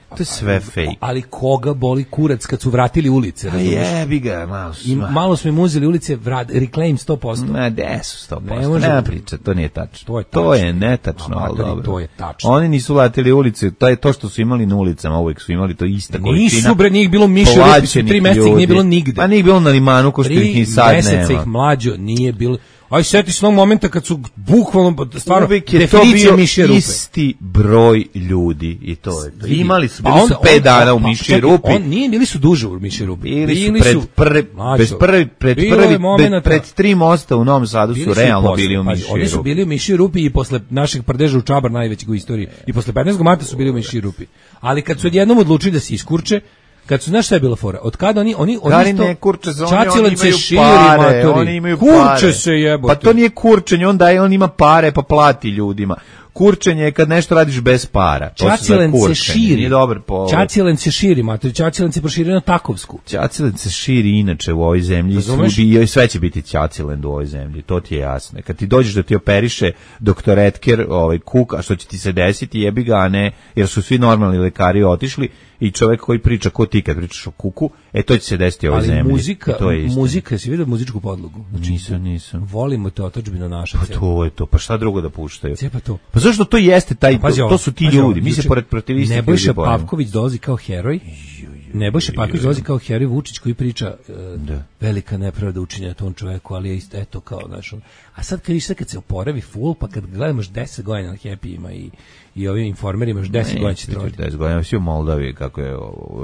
Speaker 6: To je sve fake.
Speaker 7: Ali koga boli kurac kad su vratili ulice, razumiješ?
Speaker 6: Jebi ga,
Speaker 7: malo smo im uzeli ulice, reclaim 100%.
Speaker 6: Ma, gde su 100%? Nema priča, to nije tačno. To je netačno, ali dobro.
Speaker 7: To je tačno.
Speaker 6: Oni nisu vratili ulice, to je to što su imali na ulicama, uvijek su imali to ista količina.
Speaker 7: Nisu bre, njih bilo miše rupi, 3 meseca ih nije bilo nigde.
Speaker 6: Pa nije bilo na limanu, ko što ih ni sad nema.
Speaker 7: 3 meseca ih mlađo nije bilo. Aj, sjeti se onog momenta kad su bukvalno, stvarno,
Speaker 6: uvijek je to bio isti broj ljudi i to je to. Imali su, bili su 5 dana u mišji rupi.
Speaker 7: Bili su duže u mišji rupi.
Speaker 6: Bili su pred 3 mosta u Novom Sadu su realno bili u mišji rupi.
Speaker 7: Oni su bili u mišji rupi i posle našeg prdeža u Čabar, najvećeg u istoriji, i posle 15. marta su bili u mišji rupi. Ali kad su odjednom odlučili da se iskurče, kad su, znaš šta je bila fora? Od kada oni
Speaker 6: ne kurče se, oni imaju pare.
Speaker 7: Kurče se jebote.
Speaker 6: Pa to nije kurčenje, on ima pare pa plati ljudima. Kurčenje je kad nešto radiš bez para.
Speaker 7: Čacilen se širi.
Speaker 6: Nije dobar po...
Speaker 7: Čacilen se širi, mater. Čacilen se proširio na Takovsku.
Speaker 6: Čacilen se širi inače u ovoj zemlji. I sve će biti Čacilen u ovoj zemlji. To ti je jasno. Kad ti dođeš da ti operiše doktor Etker, Kuk, a što će ti se desiti, jebi ga, a ne, jer su svi normalni lekari otišli i čovjek koji priča ko ti kad pričaš o Kuku, to će se desiti u ovoj zemlji.
Speaker 7: Ali muzika, si vidio muzičku podlogu?
Speaker 6: Znači, nisam.
Speaker 7: Volimo te otadžbinu naša.
Speaker 6: Pa to je to, pa šta drugo da puštaju?
Speaker 7: Pa to.
Speaker 6: Pa zašto to jeste taj, to su ti ljudi, mi se pored protivistih ljudi
Speaker 7: Nebojša Pavković dolazi kao heroj, Nebojša Pavković dolazi kao heroj, Vučić koji priča velika nepravda učinjena tom čoveku, ali je isto, eto kao, znaš, a sad kad se oporavi full, pa kad gledamo 10 godina na Happy-ima i ovim informerima, još 10 godina će trojiti. 10
Speaker 6: godina, svi u Moldaviji, kako je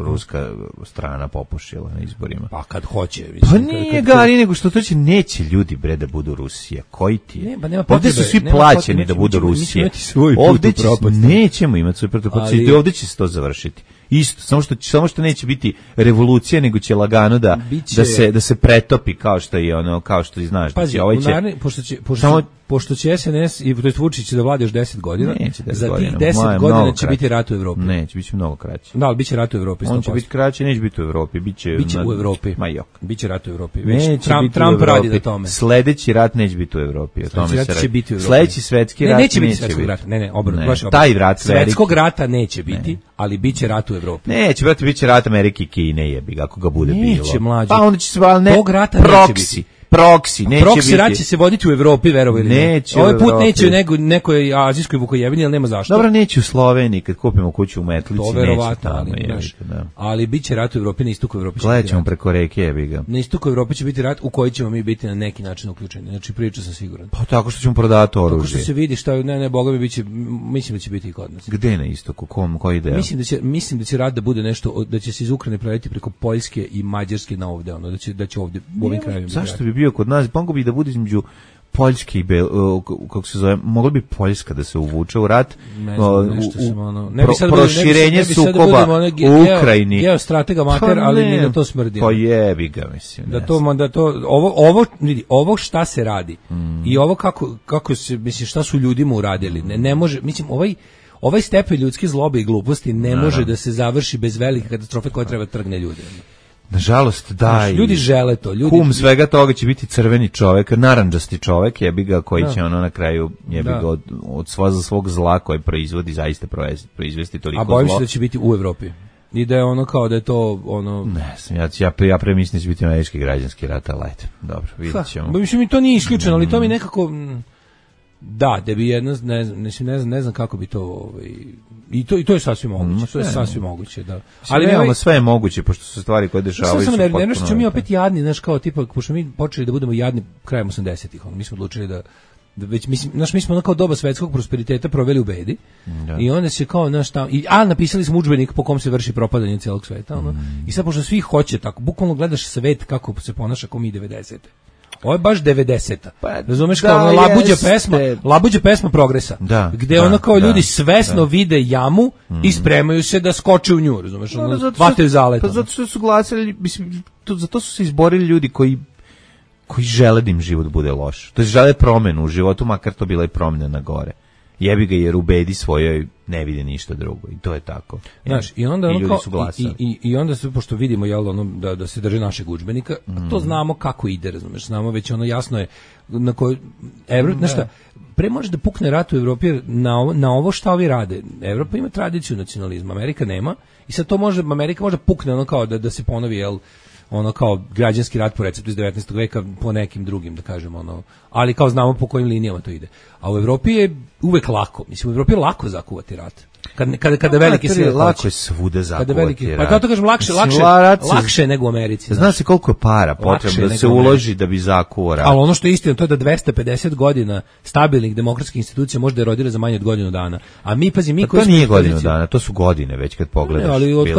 Speaker 6: ruska strana popušila na izborima.
Speaker 7: Pa kad hoće.
Speaker 6: Pa nije gari, nego što to će, neće ljudi bre da budu Rusija. Koji ti je? Ovdje su svi plaćeni da budu Rusije. Ovdje nećemo imati svoj put, ovdje će se to završiti. Isto, samo što neće biti revolucija, nego će lagano da se pretopi kao što je ono, kao što znaš.
Speaker 7: Pazi, pošto će SNS i Vučić da vlada još 10 godina, za tih 10 godina će biti rat u Evropi.
Speaker 6: Neće, biće mnogo kraće.
Speaker 7: Da, ali biće rat u Evropi.
Speaker 6: On će biti kraće, neće biti u Evropi. Biće
Speaker 7: u Evropi.
Speaker 6: Ma jok.
Speaker 7: Biće rat u Evropi. Trump radi na tome.
Speaker 6: Sledeći rat neće biti u Evropi. Sledeći svetski rat
Speaker 7: neće biti svetskog rata. Ne, obrnuto.
Speaker 6: Taj rat
Speaker 7: svetskog rata neće biti, ali biće rat u Evropi.
Speaker 6: Neće, brate, biće rat Amerike i Kine, jebi, ako ga bude bilo.
Speaker 7: Neće, mlađe.
Speaker 6: Pa onda će se, ali ne, proksi, neće
Speaker 7: biti. Rat će se voditi u Evropi, verovo ili ne. Ovaj put neće nekoj azijskoj Vukojebini, ali nema zašto.
Speaker 6: Dobro, neće u Sloveniji, kad kupimo kuću u Metlici,
Speaker 7: to verovatno, ali bit će rat u Evropi, na istoku Evropi.
Speaker 6: Gledat ćemo preko reke, jebi ga.
Speaker 7: Na istoku Evropi će biti rat u koji ćemo mi biti na neki način uključeni. Znači, priča sam siguran.
Speaker 6: Pa tako što ćemo prodati oružje.
Speaker 7: Tako što se vidi šta, ne, boga mi biće, mislim da će biti i kod nas.
Speaker 6: Gde na istoku, koji deo?
Speaker 7: Mislim da će rat da bude nešto, da će se iz Ukrajine preletiti preko Poljske i Mađarske na ovde, ono, da će ovde u ovim krajevima.
Speaker 6: Zašto bi bio kod nas? Moglo bi da bude između Poljske i kako se zove, mogla bi Poljska da se uvuče u rat, proširenje sukoba u Ukrajini.
Speaker 7: Geostratega mater, ali mi da to smrdi.
Speaker 6: Pa jebi ga, mislim.
Speaker 7: Ovo šta se radi i ovo kako se, mislim, šta su ljudima uradili, ne može, mislim, ovaj stepen ljudske zlobe i gluposti ne može da se završi bez velike katastrofe koja treba trgne ljude.
Speaker 6: Nažalost, da.
Speaker 7: Ljudi žele to.
Speaker 6: Kum svega toga će biti crveni čovek, narandžasti čovek, jebi ga, koji će ono na kraju, jebi ga, od svog zla koje proizvodi, zaista proizvesti toliko zlo.
Speaker 7: A bojim se da će biti u Evropi. I da je ono kao da je to ono...
Speaker 6: Ne znam, ja premislim da će biti američki građanski rat, ali ajde, dobro, vidjet ćemo.
Speaker 7: Mislim, mi to nije isključeno, ali to mi nekako... Da bi jedno, ne znam kako bi to... I to je sasvim moguće, to je sasvim moguće, da.
Speaker 6: Ali sve je moguće, pošto su stvari koje dešavaju su potpuno...
Speaker 7: Nešto ćemo mi opet jadni, znaš, kao tipa, pošto mi počeli da budemo jadni krajem 80-ih, mi smo odlučili već mislim, mi smo kao doba svetskog prosperiteta proveli u bedi. I onda se kao napisali smo udžbenik po kom se vrši propadanje celog sveta, I sad pošto svi hoće tako, bukvalno gledaš svet kako se ponaša kao mi 90. Ovo je baš 90-a. Razumeš, kao labuđa pesma progresa. Gde ono kao ljudi svesno vide jamu i spremaju se da skoče u nju, razumeš, vataju zalet.
Speaker 6: Pa zato što su glasali, mislim, zato su se izborili ljudi koji žele da im život bude loš. To je žele promenu u životu, makar to bila i promjena na gore. Jebi ga, jer u bedi svojoj ne vide ništa drugo i to je tako.
Speaker 7: Znaš, i onda ono kao, i onda se, pošto vidimo da se drže našeg udžbenika, to znamo kako ide, razumeš, znamo već ono jasno je na kojoj nešto, pre može da pukne rat u Evropi na ovo šta ovi rade. Evropa ima tradiciju nacionalizma, Amerika nema, i sad to Amerika može pukne ono kao da se ponovi, ono kao građanski rat po receptu iz 19. veka po nekim drugim, da kažemo, ali kao znamo po kojim linijama to ide. A u Evropi je uvek lako, mislim, u Evropi je lako zakuvati rat. Kada veliki sile
Speaker 6: lako je svuda zakuvati rat.
Speaker 7: Pa kao to kažem, lakše nego u Americi.
Speaker 6: Zna se koliko je para potrebno da se uloži da bi zakuo rat.
Speaker 7: Ali ono što je istina, to je da 250 godina stabilnih demokratskih institucija može da erodira za manje od godinu dana. A mi, pazi,
Speaker 6: to nije godinu dana, to su godine već kad pogledaš.
Speaker 7: Ali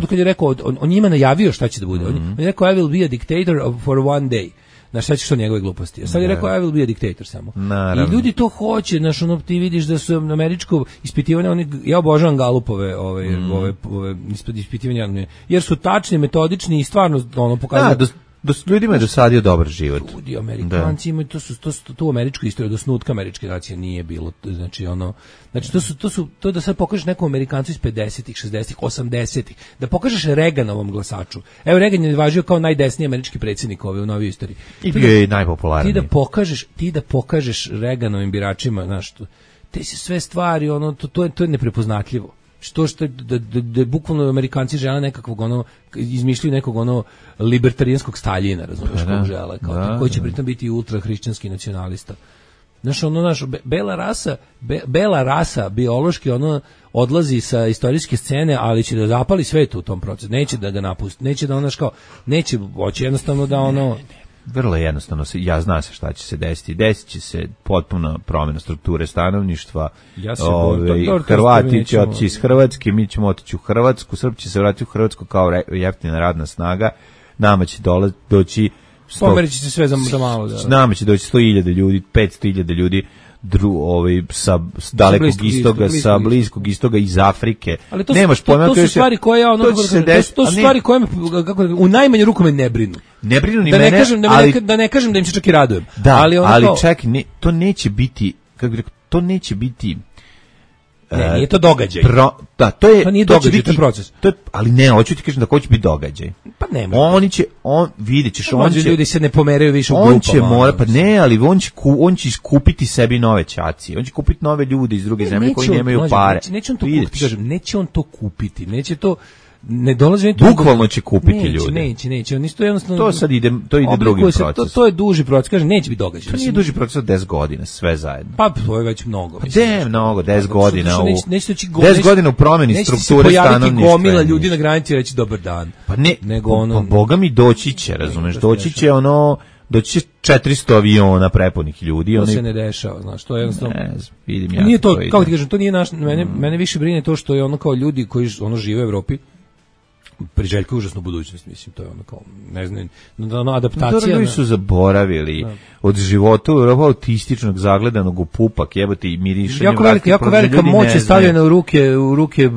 Speaker 7: kad je rekao, on njima najavio šta će da bude. On je rekao, I will be a dictator for one day. Znaš, šta ćeš to njegove gluposti? Sad je rekao, I will be a dictator samo.
Speaker 6: Naravno.
Speaker 7: I ljudi to hoće, znaš, ti vidiš da su američko ispitivanje, ja obožavam Galupove ove ispitivanja, jer su tačni, metodični i stvarno pokazuju.
Speaker 6: Ljudima je dosadio dobar život.
Speaker 7: Ljudi, Amerikanci imaju, to u američkoj istoriji, do snutka američke nacije nije bilo, znači to da sad pokažeš nekom Amerikancu iz 50-ih, 60-ih, 80-ih, da pokažeš Reaganovom glasaču. Evo, Reagan je važio kao najdesniji američki predsjednik u novoj istoriji.
Speaker 6: I bio je najpopularniji.
Speaker 7: Ti da pokažeš Reaganovim biračima, znaš, te se sve stvari, to je neprepoznatljivo. Što da bukvalno Amerikanci žele nekakvog izmišljaju nekog libertarijanskog Staljina, razumiješ, kog žele, koji će pritom biti ultrahrišćanski nacionalista. Znaš, bela rasa biološki odlazi sa istorijske scene, ali će da zapali svet u tom procesu, neće da ga napusti, neće da neće hoće jednostavno da
Speaker 6: Vrlo jednostavno, zna se šta će se desiti. Desit će se potpuna promjena strukture stanovništva. Hrvati će otići iz Hrvatske, mi ćemo otići u Hrvatsku, Srbi će se vratiti u Hrvatsku kao jeftina radna snaga, nama će doći
Speaker 7: pomerići se sve za malo.
Speaker 6: Nama će doći 100.000 ljudi, 500.000 ljudi sa dalekog istoga, sa bliskog istoga, iz Afrike.
Speaker 7: Ali to su stvari koje to su stvari koje u najmanju ruku me ne brinu.
Speaker 6: Ne brinu ni mene,
Speaker 7: da ne kažem da im se čak i radujem.
Speaker 6: Da, ali čak to neće biti, kako bih rekao, to neće biti.
Speaker 7: Nije to događaj.
Speaker 6: To nije događaj, to je proces. Ali ne, hoću ti kažem da hoće biti događaj.
Speaker 7: Pa nema.
Speaker 6: Vidjet ćeš,
Speaker 7: ljudi se ne pomeraju više u grupama.
Speaker 6: On će mora, pa ne, ali on će iskupiti sebi nove ćaci. On će kupiti nove ljude iz druge zemlje koji nemaju pare.
Speaker 7: Neće on to kupiti, kažem, neće on to kupiti, neće to. Ne dolazi
Speaker 6: bukvalno će kupiti ljude.
Speaker 7: Neće, oni isto jednostavno.
Speaker 6: To sad ide drugim procesom.
Speaker 7: To je duži proces, kaže, neće biti događaj.
Speaker 6: To nije duži proces od 10 godina, sve zajedno.
Speaker 7: Pa to je već mnogo.
Speaker 6: Mnogo, 10 godina. 10 godina u promjeni strukture stanovništva.
Speaker 7: Neće se pojaviti gomila ljudi na granici i reći dobar dan.
Speaker 6: Pa ne, pa boga mi doći će, razumeš, doći će 400 aviona prepunih ljudi.
Speaker 7: To se ne dešava, znaš, to je jednostavno.
Speaker 6: Vidim ja.
Speaker 7: Nije to, kako ti kažem, to nije mene više brine to što je kao ljudi koji žive u Evropi priželjkuju užasnu budućnost, mislim, to je kao, ne znam, adaptacija.
Speaker 6: Ljudi su zaboravili od života u Evropa autističnog zagledanog u pupak, jebate i mirišanje.
Speaker 7: Jako velika moć je stavljena u ruke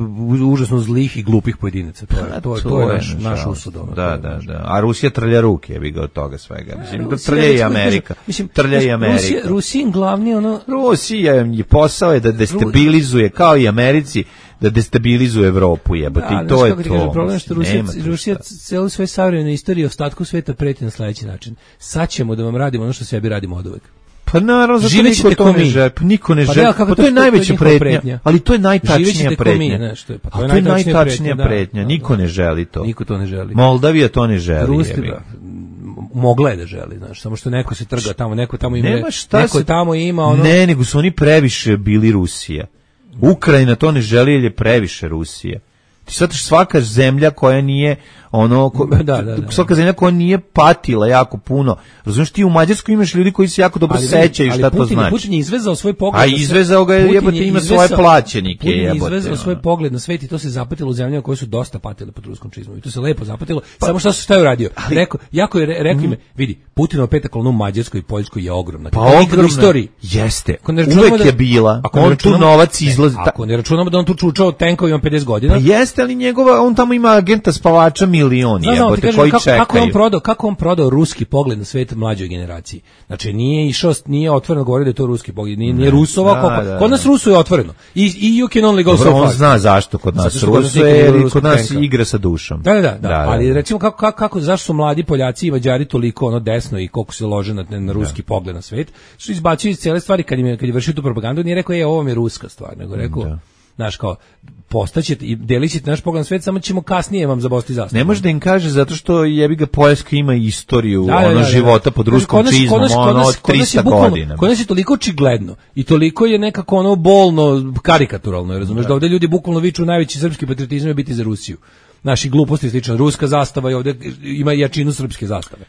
Speaker 7: užasno zlih i glupih pojedinaca. To je naš usud.
Speaker 6: Da. A Rusija trlja ruke, jebi ga od toga svega. Mislim, trlja i Amerika. Trlja i Amerika.
Speaker 7: Rusijin glavni
Speaker 6: Rusija je posao je da destabilizuje, kao i Americi, da destabilizuje Evropu, jebote, i to je to.
Speaker 7: Problem je što Rusija celu svoju savremenu istoriju ostatku sveta preti na sledeći način. Sad ćemo da vam radimo ono što sebi radimo oduvek.
Speaker 6: Pa naravno, zato niko ne želi. Pa to je najveća pretnja, ali to je najtačnija pretnja. To je najtačnija pretnja, niko ne želi to.
Speaker 7: Niko to ne želi.
Speaker 6: Moldavija to ne želi.
Speaker 7: Mogla je da želi, znaš, samo što neko se trga tamo, neko tamo ima
Speaker 6: Ne, nego su oni previše bili Rusija. Ukrajina to ne želi jer je previše Rusija. Ti shvataš, svaka zemlja koja nije svaka zemlja koja nije patila jako puno. Razumiješ, ti u Mađarskoj imaš ljudi koji se jako dobro sećaju šta to znači.
Speaker 7: Putin je izvezao svoj pogled.
Speaker 6: A izvezao ga je, jebote, ima svoje plaćenike.
Speaker 7: Putin je izvezao svoj pogled na svet i to se zapatilo u zemljama koje su dosta patile pod ruskom čizmom. I to se lepo zapatilo. Samo šta je uradio? Rekao im, vidi, Putinova peta kolona u Mađarskoj i Poljskoj je ogromna.
Speaker 6: Pa ogromna u istoriji. Jeste. Uvek je bila. On tu novac izlazi.
Speaker 7: Ako ne računamo da on tu čučao tenkovima 50 godina.
Speaker 6: Pa jeste, ali on tamo ima agenta spavača milioni, jebote, koji čekaju.
Speaker 7: Kako on prodao ruski pogled na svet mlađoj generaciji? Znači, nije otvoreno govorio da je to ruski pogled, nije rusovao. Kod nas Rusu je otvoreno. I you can only go so far.
Speaker 6: On zna zašto kod nas Rusu je, jer kod nas igra sa dušom.
Speaker 7: Da. Ali recimo, zašto su mladi Poljaci i Mađari toliko desno i koliko se lože na ruski pogled na svet, su izbačili iz cijele stvari kad je vršio tu propagandu, nije rekao, ovo mi je ruska stvar, nego rekao, znaš, kao, postaćete i delit ćete naš pogled na svet, samo ćemo kasnije vam zabosti zastavu.
Speaker 6: Ne može da im kaže zato što jebi ga Poljska ima istoriju života pod ruskom čizmom, od 300 godina.
Speaker 7: Kod nas je toliko očigledno i toliko je nekako bolno karikaturalno, razumeš, da ovdje ljudi bukvalno viču najveći srpski patriotizam je biti za Rusiju. Naši gluposti slično, ruska zastava i ovdje ima jačinu srpske zastave.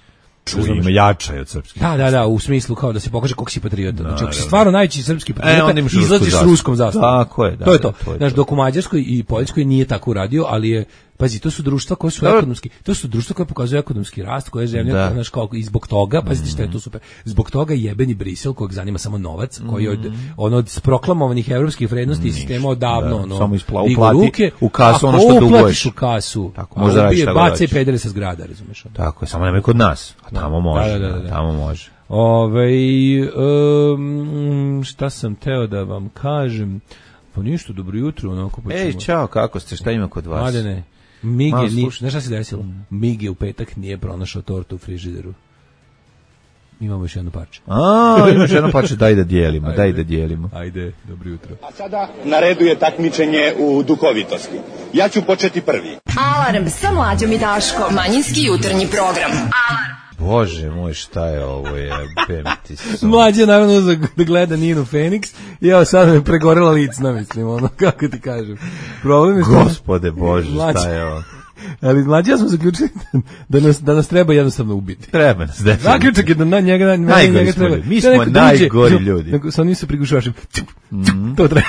Speaker 6: Ima jača je od srpskih.
Speaker 7: Da, u smislu kao da se pokaže koliko si patriota. Znači, ako si stvarno najveći srpski patriota, izlaziš s ruskom zastavom.
Speaker 6: Tako je, da.
Speaker 7: To je to. Znaš, dok u Mađarskoj i Poljskoj nije tako uradio, ali je, pazi, to su društva koje su ekonomski, to su društva koje pokazuju ekonomski rast, koje je zemlja, znaš, kao i zbog toga, pazite što je to super, zbog toga jebeni Brisel, kojeg zanima samo novac, koji od proklamovanih evropskih vrednosti i sistema odavno,
Speaker 6: samo digu ruke, u kasu ono što duguješ.
Speaker 7: U kasu,
Speaker 6: tako, može raditi šta
Speaker 7: bace i pedere sa zgrada, razumeš?
Speaker 6: Tako je, samo nemoj kod nas, a tamo može, tamo može.
Speaker 7: Šta sam teo da vam kažem? Pa ništa, dobro jutro, onako počemo.
Speaker 6: Ej, čao, kako ste, šta ima kod vas?
Speaker 7: Mladene, Mige, znaš šta se desilo? Mige u petak nije pronašao tortu u frižideru. Imamo još jedno parče.
Speaker 6: Imaš jedno parče, daj da dijelimo.
Speaker 7: Ajde, dobro jutro.
Speaker 8: A sada na redu je takmičenje u duhovitosti. Ja ću početi prvi.
Speaker 4: Alarm sa Mlađom i Daškom. Manjinski jutarnji program. Alarm.
Speaker 6: Bože moj, šta je ovo,
Speaker 7: Mlađe naravno da gleda Ninu Feniks i evo sad me pregorela licna, mislim, ono, kako ti kažem. Problem je
Speaker 6: Gospode Bože, šta je ovo?
Speaker 7: Ali Mlađe, ja smo zaključili da nas treba jednostavno ubiti.
Speaker 6: Treba nas, definitivno.
Speaker 7: Zaključak je da na njega treba.
Speaker 6: Mi smo najgori ljudi.
Speaker 7: Sa onim se prigušašim. To treba.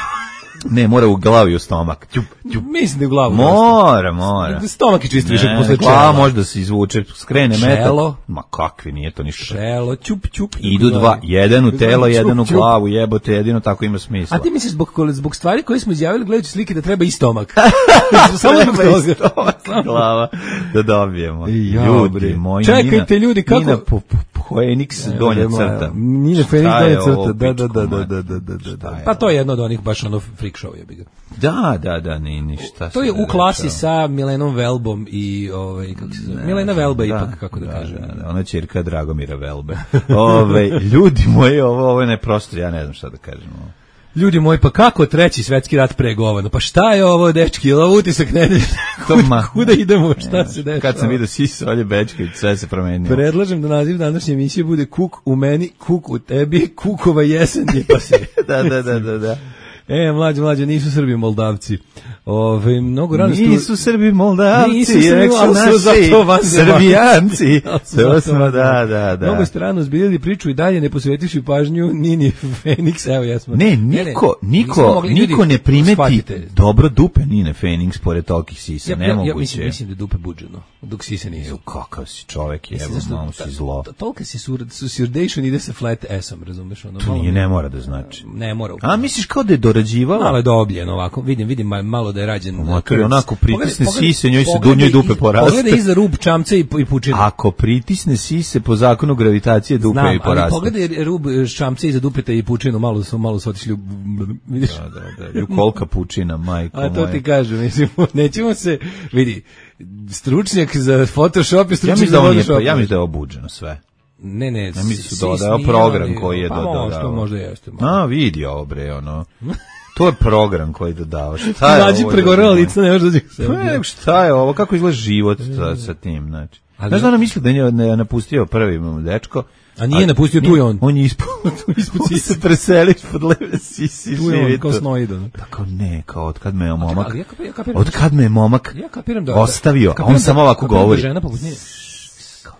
Speaker 6: Ne, mora u glavu i u stomak.
Speaker 7: Mislim da u glavu.
Speaker 6: Mora.
Speaker 7: Stomak je čisto više posle čela.
Speaker 6: Glava može da se izvuče, skrene metak.
Speaker 7: Šelo.
Speaker 6: Ma kakvi, nije to ništa.
Speaker 7: Šelo, ćup.
Speaker 6: Idu dva, jedan u telo, jedan u glavu, jebote, jedino tako ima smisla.
Speaker 7: A ti misliš zbog stvari koje smo izjavili gledajući slike da treba i stomak?
Speaker 6: Samo treba i stomak, glava, da dobijemo. Ljudi moji,
Speaker 7: čekajte ljudi, kako?
Speaker 6: Nina Feniks donja crta.
Speaker 7: Nina Feniks donja crta, da. Pa to je jedno od onih baš ono freak show je biga.
Speaker 6: Da, ništa.
Speaker 7: To je u klasi sa Milenom Velbom i kako se zove? Milena Velba ipak, kako da kažem.
Speaker 6: Ona ćerka Dragomira Velbe. Ljudi moji, ovo je neprosto, ja ne znam šta da kažem.
Speaker 7: Ljudi moji, pa kako treći svetski rat pregovano? Pa šta je ovo, dečki? Je li ovo utisak nedelje? Kuda idemo? Šta se dešava?
Speaker 6: Kad sam vidio Sisa, Olje Bečković, sve se promenilo.
Speaker 7: Predlažem da naziv današnje emisije bude Kuk u meni, Kuk u tebi, Kukova jesen je pa se.
Speaker 6: Da.
Speaker 7: Mlađe, nisu Srbi Moldavci. Mnogo rano
Speaker 6: nisu Srbi Moldavci, Srbijanci. To smo, da.
Speaker 7: Mnogo ste rano zbiljali priču i dalje ne posvetiši pažnju Nini Feniks, evo jesmo.
Speaker 6: Ne, niko ne primeti dobro dupe Nine Feniks pored tolikih sisa, nemoguće.
Speaker 7: Ja mislim da dupe buđeno, dok sise nisu.
Speaker 6: Kakav si čovek, evo, malo si zlo.
Speaker 7: Tolika si susirdation ide sa flat S-om, razumeš?
Speaker 6: To nije, ne mora da znači.
Speaker 7: Ne mora.
Speaker 6: A misliš kao da je dorađivala?
Speaker 7: Malo je dobljen ovako, vidim malo da je rađen.
Speaker 6: Onako pritisne sise, njoj se njoj dupe poraste.
Speaker 7: Pogledaj iza rub čamca i pučine.
Speaker 6: Ako pritisne sise po zakonu gravitacije dupe i poraste.
Speaker 7: Ali pogledaj rub čamca iza dupeta i pučinu, malo su otišli, vidiš?
Speaker 6: Da, kolika pučina, majko moja.
Speaker 7: A to ti kažem, mislim, nećemo se, vidi, stručnjak za Photoshop je stručnjak za Photoshop.
Speaker 6: Ja mislim da je obuđeno sve.
Speaker 7: Ne,
Speaker 6: ja mislim su dodao program koji je dodao.
Speaker 7: Pa možda jeste.
Speaker 6: Vidi ovo bre, ono. To je program koji dodao. Šta je
Speaker 7: ovo? Mlađi pregorela lica, ne može da
Speaker 6: šta je ovo? Kako izgleda život sa tim, znači? Znaš da ona misli da je napustio prvi dečko,
Speaker 7: a nije napustio, tu je on.
Speaker 6: On je ispod sise. Se preseli ispod leve sisi.
Speaker 7: Tu je on, kao snoidan.
Speaker 6: Tako ne, kao od kad me je momak, od kad me je momak ostavio, a on samo ovako govori.
Speaker 7: Žena poput nje.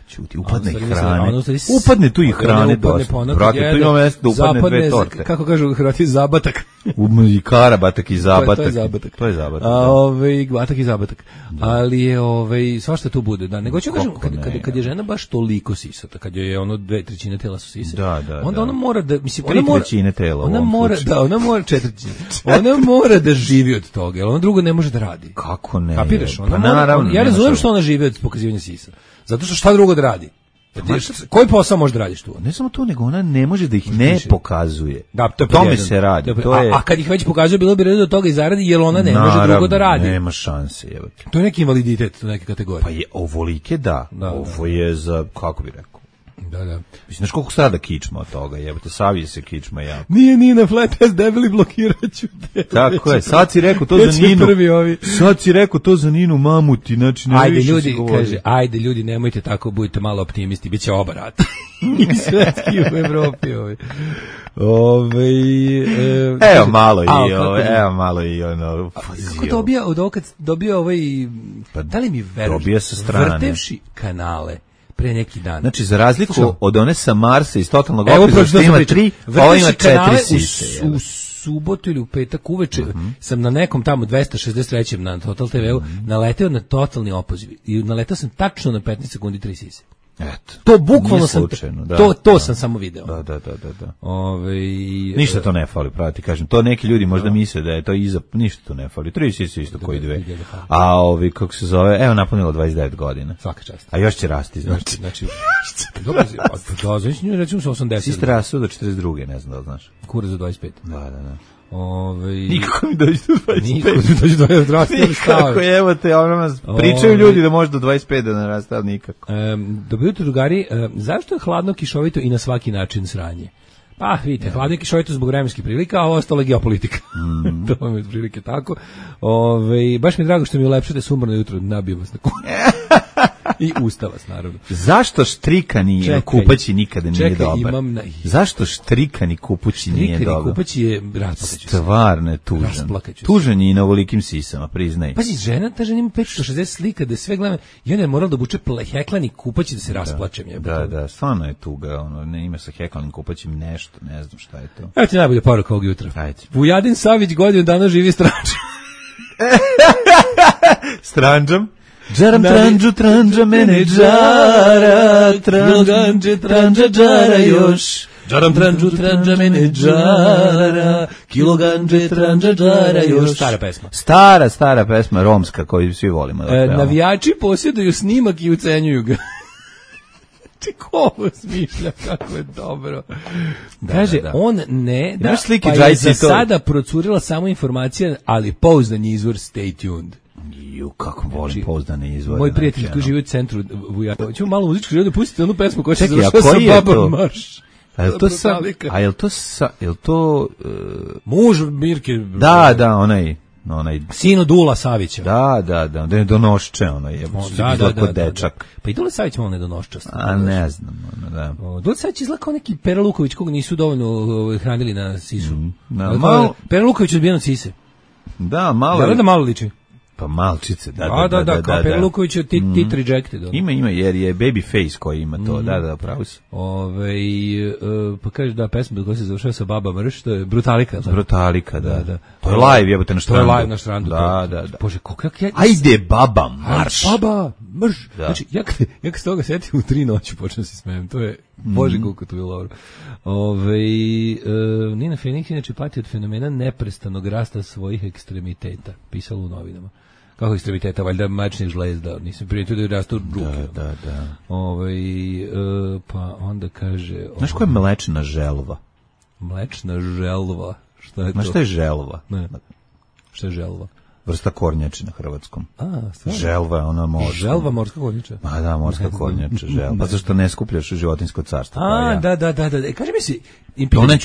Speaker 6: Čuti, upadne hrane. Upadne tu i hrane dosta. Brate, tu ima mjesto da upadne dve torte.
Speaker 7: Kako kažu Hrvati, zabatak.
Speaker 6: I karabatak i zabatak. To je zabatak.
Speaker 7: Batak i zabatak. Ali je, svašta tu bude. Da, nego ću kažem, kad je žena baš toliko sisata, kad je ono 2/3 tela su sise, onda ona mora da, mislim, ona mora
Speaker 6: 3/3 tela.
Speaker 7: Ona mora, da, ona mora 4/3. Ona mora da živi od toga, jer ona drugo ne može da radi.
Speaker 6: Kako ne?
Speaker 7: Kapiraš? Ja razumijem što ona živi od pokazivanja sisa. Zato što šta drugo da radi? Koji posao može da radiš tu?
Speaker 6: Ne samo to, nego ona ne može da ih ne pokazuje.
Speaker 7: Da, to je
Speaker 6: tome se radi.
Speaker 7: A kad ih već pokazuje, bilo bi redo od toga i zaradi, jer ona ne može drugo da radi.
Speaker 6: Nema šanse. Jebate.
Speaker 7: To je neki invaliditet, to je neke kategorije.
Speaker 6: Pa je ovolike, da. Ovo je za, kako bi rekao?
Speaker 7: Da.
Speaker 6: Mislim, znaš koliko sada kičma od toga, jebate, savije se kičma jako.
Speaker 7: Nije na flat test debeli, blokiraću te.
Speaker 6: Tako je, sad si rekao to za Ninu. Sad si rekao to za Ninu Mamuti, znači ne više ljudi, se govori.
Speaker 7: Kaže, ajde ljudi, nemojte tako, budite malo optimisti, bit će oba rata. I svetski u Evropi.
Speaker 6: Evo malo i ono.
Speaker 7: Kako dobio da li mi veruješ?
Speaker 6: Dobio sa strane.
Speaker 7: Vrtevši kanale pre neki dan.
Speaker 6: Znači, za razliku od one sa Marsa iz totalnog opisa, što ima 3, ovo ima 4 sise.
Speaker 7: U subotu ili u petak uveče sam na nekom tamo 263. na Total TV-u naleteo na totalni opoziv. I naleteo sam tačno na 15 sekundi 3 sise.
Speaker 6: Eto.
Speaker 7: To bukvalno sam to sam samo video.
Speaker 6: Da. Ništa to ne fali, pravo ti kažem. To neki ljudi možda misle da je to ništa to ne fali. 3 sise isto koji dve. A kako se zove, evo napunilo 29 godina.
Speaker 7: Svaka čast.
Speaker 6: A još će rasti, znači.
Speaker 7: Dobro, znači nju rećemo sa 80.
Speaker 6: Siste rasu do 42. ne znam da li znaš.
Speaker 7: Kura za 25.
Speaker 6: Da.
Speaker 7: Nikako
Speaker 6: mi dođe do 25.
Speaker 7: Nikako,
Speaker 6: evo te, pričaju ljudi da može do 25 da naraste, ali nikako.
Speaker 7: Dobro jutro, drugari, zašto je hladno, kišovito i na svaki način sranje? Pa, vidite, hladno i kišovito zbog vremenskih prilika, a ovo ostalo je geopolitika. To vam je prilike tako. Baš mi je drago što mi ulepšate sumorno jutro, nabijem vas na kuću. I ustava vas, naravno.
Speaker 6: Zašto štrikani kupaći nikada nije dobar? Zašto štrikani kupaći nije dobar?
Speaker 7: Štrikani kupaći je rasplakaću.
Speaker 6: Stvarno je tužan. Tužan je i na ovolikim sisama, priznaj.
Speaker 7: Pazi, ta žena ima 560 slika da sve gledam i ona je morala da obuče heklani kupaći da se rasplačem.
Speaker 6: Da, stvarno je tuga. Ne ima sa heklanim kupaćim nešto, ne znam šta je to.
Speaker 7: Evo ti najbolja poruka ovog jutra.
Speaker 6: Ajde.
Speaker 7: Vujadin Savić godinu dana živi stranđom.
Speaker 6: Stranđom? Džaram tranđa mene džara, tranđa još.
Speaker 7: Džaram tranđa mene džara, kiloganđe tranđa još. Stara pesma.
Speaker 6: Stara pesma, romska, koju svi volimo.
Speaker 7: Navijači posjeduju snimak i ucenjuju ga. Ko ovo smišlja, kako je dobro. Kaže, on ne, pa je za sada procurila samo informacija, ali pouzdan izvor, stay tuned.
Speaker 6: Kako volim pouzdane izvore.
Speaker 7: Moj prijatelj koji živi u centru Vujana. Ćemo malo muzičku želju da pustite onu pesmu koja se završava sa Babom Marš.
Speaker 6: A je to
Speaker 7: muž Mirke?
Speaker 6: Da, onaj
Speaker 7: sino Dula Savića.
Speaker 6: Da, donošče ono je. Da, dečak.
Speaker 7: Pa i Dula Savić malo nedonoščast.
Speaker 6: A ne znam, da.
Speaker 7: Dula Savić izgleda kao neki Pera Luković koga nisu dovoljno hranili na sisu. Pera Luković odbijen od sise.
Speaker 6: Da, malo.
Speaker 7: Da malo liči.
Speaker 6: Pa malčice,
Speaker 7: da, kao Pera Luković je tit rejected.
Speaker 6: Ima, jer je Babyface koji ima to, da, pravo si.
Speaker 7: Pa kažeš da pesma koja se završava sa Baba Mrš, to je Brutalika.
Speaker 6: Brutalika, da. To je live, jebote, na štrandu.
Speaker 7: To je live na štrandu.
Speaker 6: Da.
Speaker 7: Bože, kako ja...
Speaker 6: Ajde, Baba Marš.
Speaker 7: Baba Mrš. Znači, ja kad se toga setim u 3 noći počnem se smijem, to je, bože, koliko to je dobro. Nina Fenik inače pati od fenomena neprestanog rasta svojih ekstremiteta, pisalo u novinama. Kako ekstremiteta, valjda mačnih žlezda, nisam primijetio da rastu ruke.
Speaker 6: Da.
Speaker 7: Pa onda kaže...
Speaker 6: Znaš koja je mlečna želva?
Speaker 7: Mlečna želva? Šta je to?
Speaker 6: Znaš šta je želva?
Speaker 7: Ne. Šta je želva?
Speaker 6: vrsta kornjače na hrvatskom.
Speaker 7: Stvarno?
Speaker 6: Želva je ona morska.
Speaker 7: Želva morska kornjača?
Speaker 6: Ma da, morska kornjača, želva. Pa zašto ne skupljaš životinjsko carstvo?
Speaker 7: Da. Kaži mi si...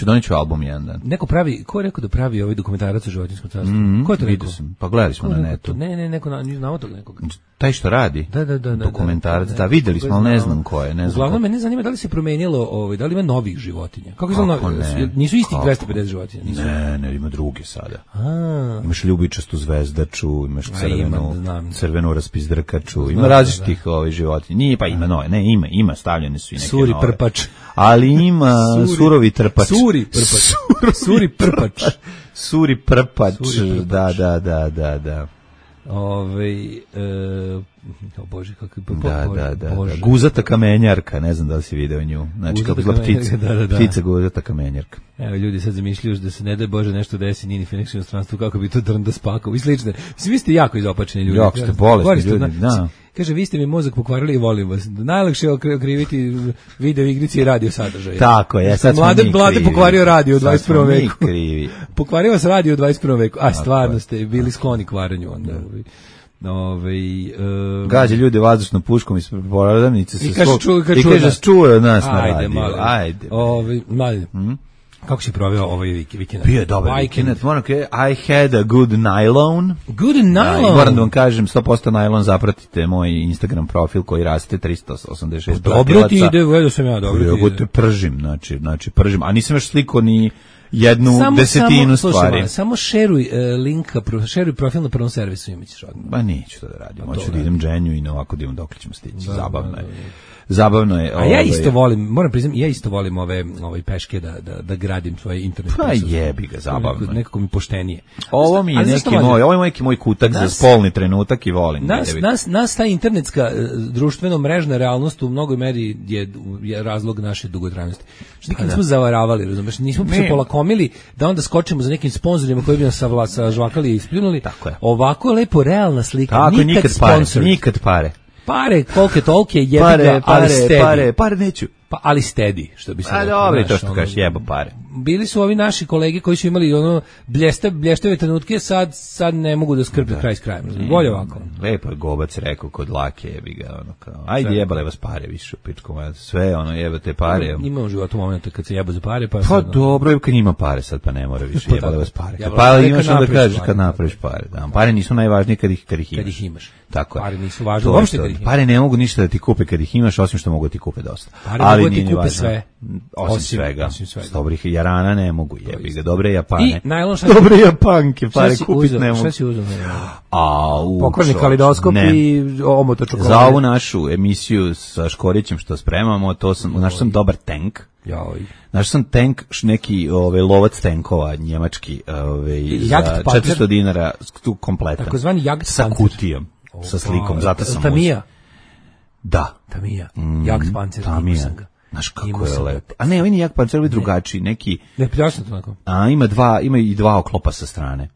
Speaker 6: Doneću album jedan dan.
Speaker 7: Neko pravi, ko je rekao da pravi ovaj dokumentarac o životinskom carstvu? Ko je to rekao?
Speaker 6: Pa gledali smo na netu.
Speaker 7: Ne, neko, znamo tog nekog.
Speaker 6: Taj što radi?
Speaker 7: Da.
Speaker 6: Dokumentarac, da, videli smo, ali ne znam ko je.
Speaker 7: Uglavnom, mene zanima da li se promenilo, da li ima novih životinja? Kako je novi? Nisu istih 250 životinja?
Speaker 6: Ne, ima druge sada. Imaš ljubičastu zvezdaču, imaš crvenu raspizdrkaču, ima različitih životinja. Nije, pa ima nove, ima, stavljene su i neke nove.
Speaker 7: Suri prpač.
Speaker 6: Ali ima surovi trpač.
Speaker 7: Suri prpač.
Speaker 6: Suri prpač, da.
Speaker 7: O Bože, kako je
Speaker 6: da. Guzata kamenjarka, ne znam da li si video nju. Znači, kako je ptica. Ptica guzata kamenjarka.
Speaker 7: Evo, ljudi sad zamišljaju da se ne daj Bože nešto desi Nini Phoenix u inostranstvu, kako bi to drnda spakao i slične. Vi ste jako izopačeni ljudi.
Speaker 6: Jako ste bolesni ljudi, da.
Speaker 7: Kaže, vi ste mi mozak pokvarili i volim vas. Najlakše je okriviti video igrici i radio sadržaje.
Speaker 6: Tako je, sad smo mi
Speaker 7: Mlade pokvario radio u 21. veku.
Speaker 6: Krivi.
Speaker 7: Pokvario vas radio u 21. veku. A stvarno ste bili skloni kvaranju onda.
Speaker 6: Gađa ljude vazdušnom puškom iz prodavnice
Speaker 7: i kaže
Speaker 6: čuje od nas na radiju. Ajde.
Speaker 7: Mali. Kako si proveo ovaj vikend?
Speaker 6: Bio je dobar vikend. Moram kaže, I had a good nylon.
Speaker 7: Good nylon?
Speaker 6: Da, moram da vam kažem, 100% nylon, zapratite moj Instagram profil koji raste 386 pratilaca.
Speaker 7: Dobro ti ide, vedo sam ja, dobro ti ide.
Speaker 6: Pržim, znači pržim. A nisam još sliko ni jednu desetinu stvari.
Speaker 7: Samo šeruj linka, šeruj profil na prvom servisu i mi ćeš odmah.
Speaker 6: Ba neću to da radim, hoću da idem dženju i na ovako da imam dokle ćemo stići. Zabavno je.
Speaker 7: A ja isto volim, moram priznati, ove peške da gradim svoje internet.
Speaker 6: Pa jebi ga, zabavno.
Speaker 7: Nekako mi poštenije.
Speaker 6: Ovo mi je neki moj kutak za spolni trenutak i volim.
Speaker 7: Nas ta internetska društveno mrežna realnost u mnogoj meri je razlog naše dugotrajnosti. Što nikad nismo zavaravali, razumeš, nismo se polakomili da onda skočimo za nekim sponzorima koji bi nas sažvakali i ispljunuli. Ovako je lepo realna slika,
Speaker 6: nikad pare.
Speaker 7: Pare, kolike tolke, jebi ga, ali stedi.
Speaker 6: Pare neću.
Speaker 7: Pa, ali stedi, što bi se rekao.
Speaker 6: A dobro, to što kažeš, jebo pare.
Speaker 7: Bili su ovi naši kolege koji su imali blještave trenutke, sad ne mogu da skrpe kraj s krajem. Bolje ovako.
Speaker 6: Lepo je Gobac rekao kod Lake, jebi ga, kao, ajde jebale vas pare više, pičko, sve, jebate pare.
Speaker 7: Ima u životu momenta kad se jeba za pare,
Speaker 6: pa dobro je kad ima pare, sad pa ne mora više, jebale vas pare. Pa imaš onda kažeš kad napraviš pare. Pare nisu najvažnije kad ih imaš. Tako je.
Speaker 7: Pare nisu važne uopšte kad ih imaš.
Speaker 6: Pare ne mogu ništa da ti kupe kad ih imaš, osim što mogu da ti kupe dosta.
Speaker 7: Pare mogu da ti kupe sve.
Speaker 6: Osim svega. Dobrih jarana ne mogu, jebi ga. Dobre Japane.
Speaker 7: I najlon
Speaker 6: dobre Japanke, pare kupiti ne mogu.
Speaker 7: Šta si uzeo? Pokvarni kalidoskop i omota čokolade.
Speaker 6: Za ovu našu emisiju sa Škorićem što spremamo, našao sam dobar tank. Našao sam tank, neki lovac tankova njemački, za 400 dinara, tu kompletan.
Speaker 7: Takozvani Jagd
Speaker 6: sa kutijom, sa slikom, zato sam
Speaker 7: Tamija.
Speaker 6: Da.
Speaker 7: Tamija. Jagd Panzer.
Speaker 6: Tamija. Znaš kako je lepo. A ne, ovaj nije Jak Panzer, ovaj drugačiji, neki...
Speaker 7: Ne, pljasno to onako.
Speaker 6: A ima i dva oklopa sa strane.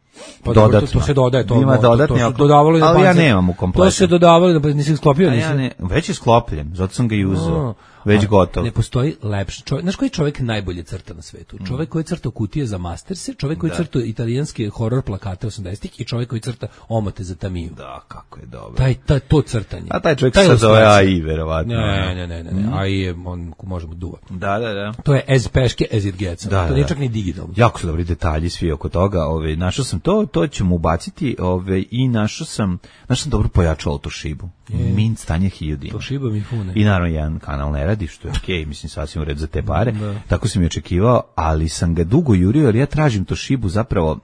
Speaker 7: Pa dodatno. To se dodaje.
Speaker 6: Ima dodatni oklop, ali ja nemam u kompletu.
Speaker 7: To se dodavalo, da nisi sklopio?
Speaker 6: Već je sklopljen, zato sam ga i uzeo. Već gotov.
Speaker 7: Ne postoji lepši čovjek. Znaš koji čovjek najbolje crta na svetu? Čovjek koji crta kutije za Masterse, čovjek koji crta italijanske horror plakate 80-ih i čovjek koji crta omote za Tamiju.
Speaker 6: Da, kako je dobro.
Speaker 7: To crtanje.
Speaker 6: A taj čovjek se zove AI, verovatno.
Speaker 7: Ne. AI je, on možemo duva.
Speaker 6: Da.
Speaker 7: To je as peške as it gets. To nije čak ni digitalno.
Speaker 6: Jako su dobri detalji svi oko toga. Našao sam to ćemo ubaciti i našao sam dobro pojačalo Toshibu. Mint stanje 1000.
Speaker 7: Toshiba mi fune.
Speaker 6: I naravno jedan kanal ne radi, što je okej, mislim sasvim u red za te pare. Tako sam i očekivao, ali sam ga dugo jurio, jer ja tražim Toshibu zapravo.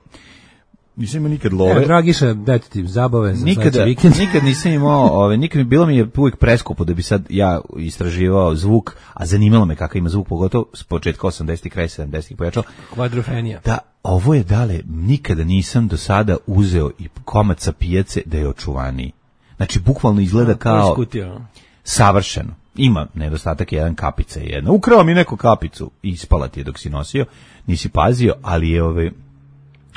Speaker 6: Nisam imao nikad love.
Speaker 7: Dragiša, dajte ti zabave za
Speaker 6: vikend. Nikad nisam imao, bilo mi je uvijek preskupo da bi sad ja istraživao zvuk, a zanimalo me kakav ima zvuk, pogotovo s početka 80-ih, kraj 70-ih pojačao.
Speaker 7: Kvadrofenija.
Speaker 6: Da, ovo je nikada nisam do sada uzeo i komad sa pijace da je očuvaniji. Znači, bukvalno izgleda kao savršeno. Ima nedostatak jedan kapica jedna. Ukrao mi neku kapicu i ispala ti je dok si nosio, nisi pazio, ali je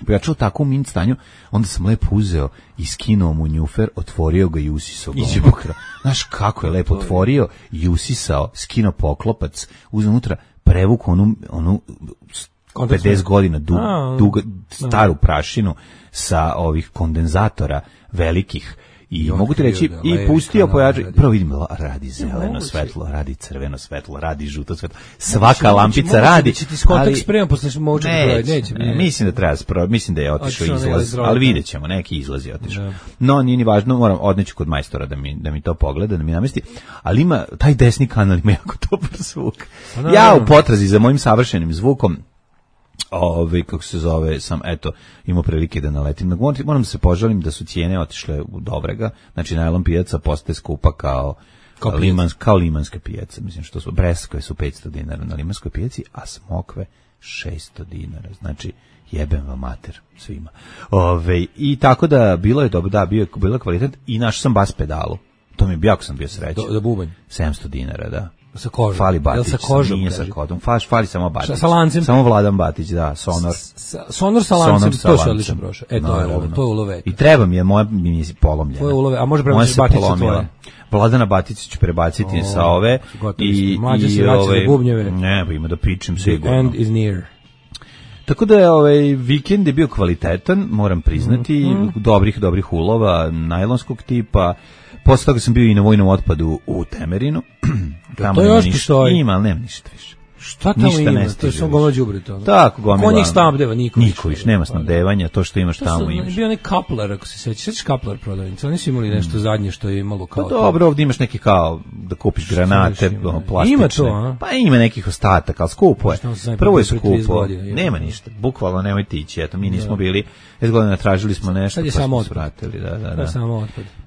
Speaker 6: pojačao tako u mint stanju, onda sam lepo uzeo i skinuo mu njufer, otvorio ga i usisao ga. Znaš kako je lepo otvorio i usisao, skinuo poklopac, uzeo unutra, prevukao onu 50 godina staru prašinu sa ovih kondenzatora velikih. I mogu ti reći, i pustio pojačaj, prvo vidim, radi zeleno svetlo, radi crveno svetlo, radi žuto svetlo, svaka lampica radi,
Speaker 7: ali spremam posle moću,
Speaker 6: mislim da treba, mislim da je otišao izlaz, ali vidjet ćemo, neki izlaz je otišao. No, nije ni važno, moram odneći kod majstora da mi to pogleda, da mi namesti, ali ima, taj desni kanal ima jako dobar zvuk. Ja u potrazi za mojim savršenim zvukom, kako se zove, sam imao prilike da naletim. Moram da se požalim da su cijene otišle u dobrega, znači najlon pijaca postaje skupa kao limanska pijaca, mislim što su breskve su 500 dinara na limanskoj pijaci, a smokve 600 dinara, znači jebem vam mater svima. I tako da bilo je dobro, da, bilo kvalitet i našao sam bas pedalu, to mi je jako sam bio srećan.
Speaker 7: Da bubanj?
Speaker 6: 700 dinara, da.
Speaker 7: Sa kožom.
Speaker 6: Fali Batić,
Speaker 7: sa kožom,
Speaker 6: nije sa kodom, fali samo Batić.
Speaker 7: Sa lancem?
Speaker 6: Samo Vladan Batić, da, sonor.
Speaker 7: Sonor sa lancem, to se odlično prošao. To je ulove.
Speaker 6: I treba mi je, moja mi je polomljena.
Speaker 7: To je ulove, a može prebaciš Batića tvoje?
Speaker 6: Vladana Batića ću prebaciti sa ove.
Speaker 7: Mlađe se vraća za bubnjeve.
Speaker 6: Ne, ima da pičem sigurno.
Speaker 7: The end is near.
Speaker 6: Tako da je vikend je bio kvalitetan, moram priznati, dobrih ulova, najlonskog tipa. Posle toga sam bio i na vojnom otpadu u Temerinu.
Speaker 7: To još postoji.
Speaker 6: Ima, ali nema ništa više.
Speaker 7: Šta tamo ima? To je samo gomila đubreta.
Speaker 6: Tako, gomila.
Speaker 7: Ko njih snabdeva? Niko
Speaker 6: više. Nema snabdevanja, to što imaš tamo imaš.
Speaker 7: Bio onaj Kaplar, ako se sećaš. Sećaš Kaplar prodavnica? Oni su imali nešto zadnje što je imalo kao...
Speaker 6: Pa dobro, ovdje imaš neki kao da kupiš granate, plastične.
Speaker 7: Ima to, a?
Speaker 6: Pa ima nekih ostataka, ali skupo je. Prvo je skupo. Nema ništa. Bukvalno nemojte ići. Eto, mi nismo bili. 10 godina tražili smo nešto.
Speaker 7: Sad je samo otpad.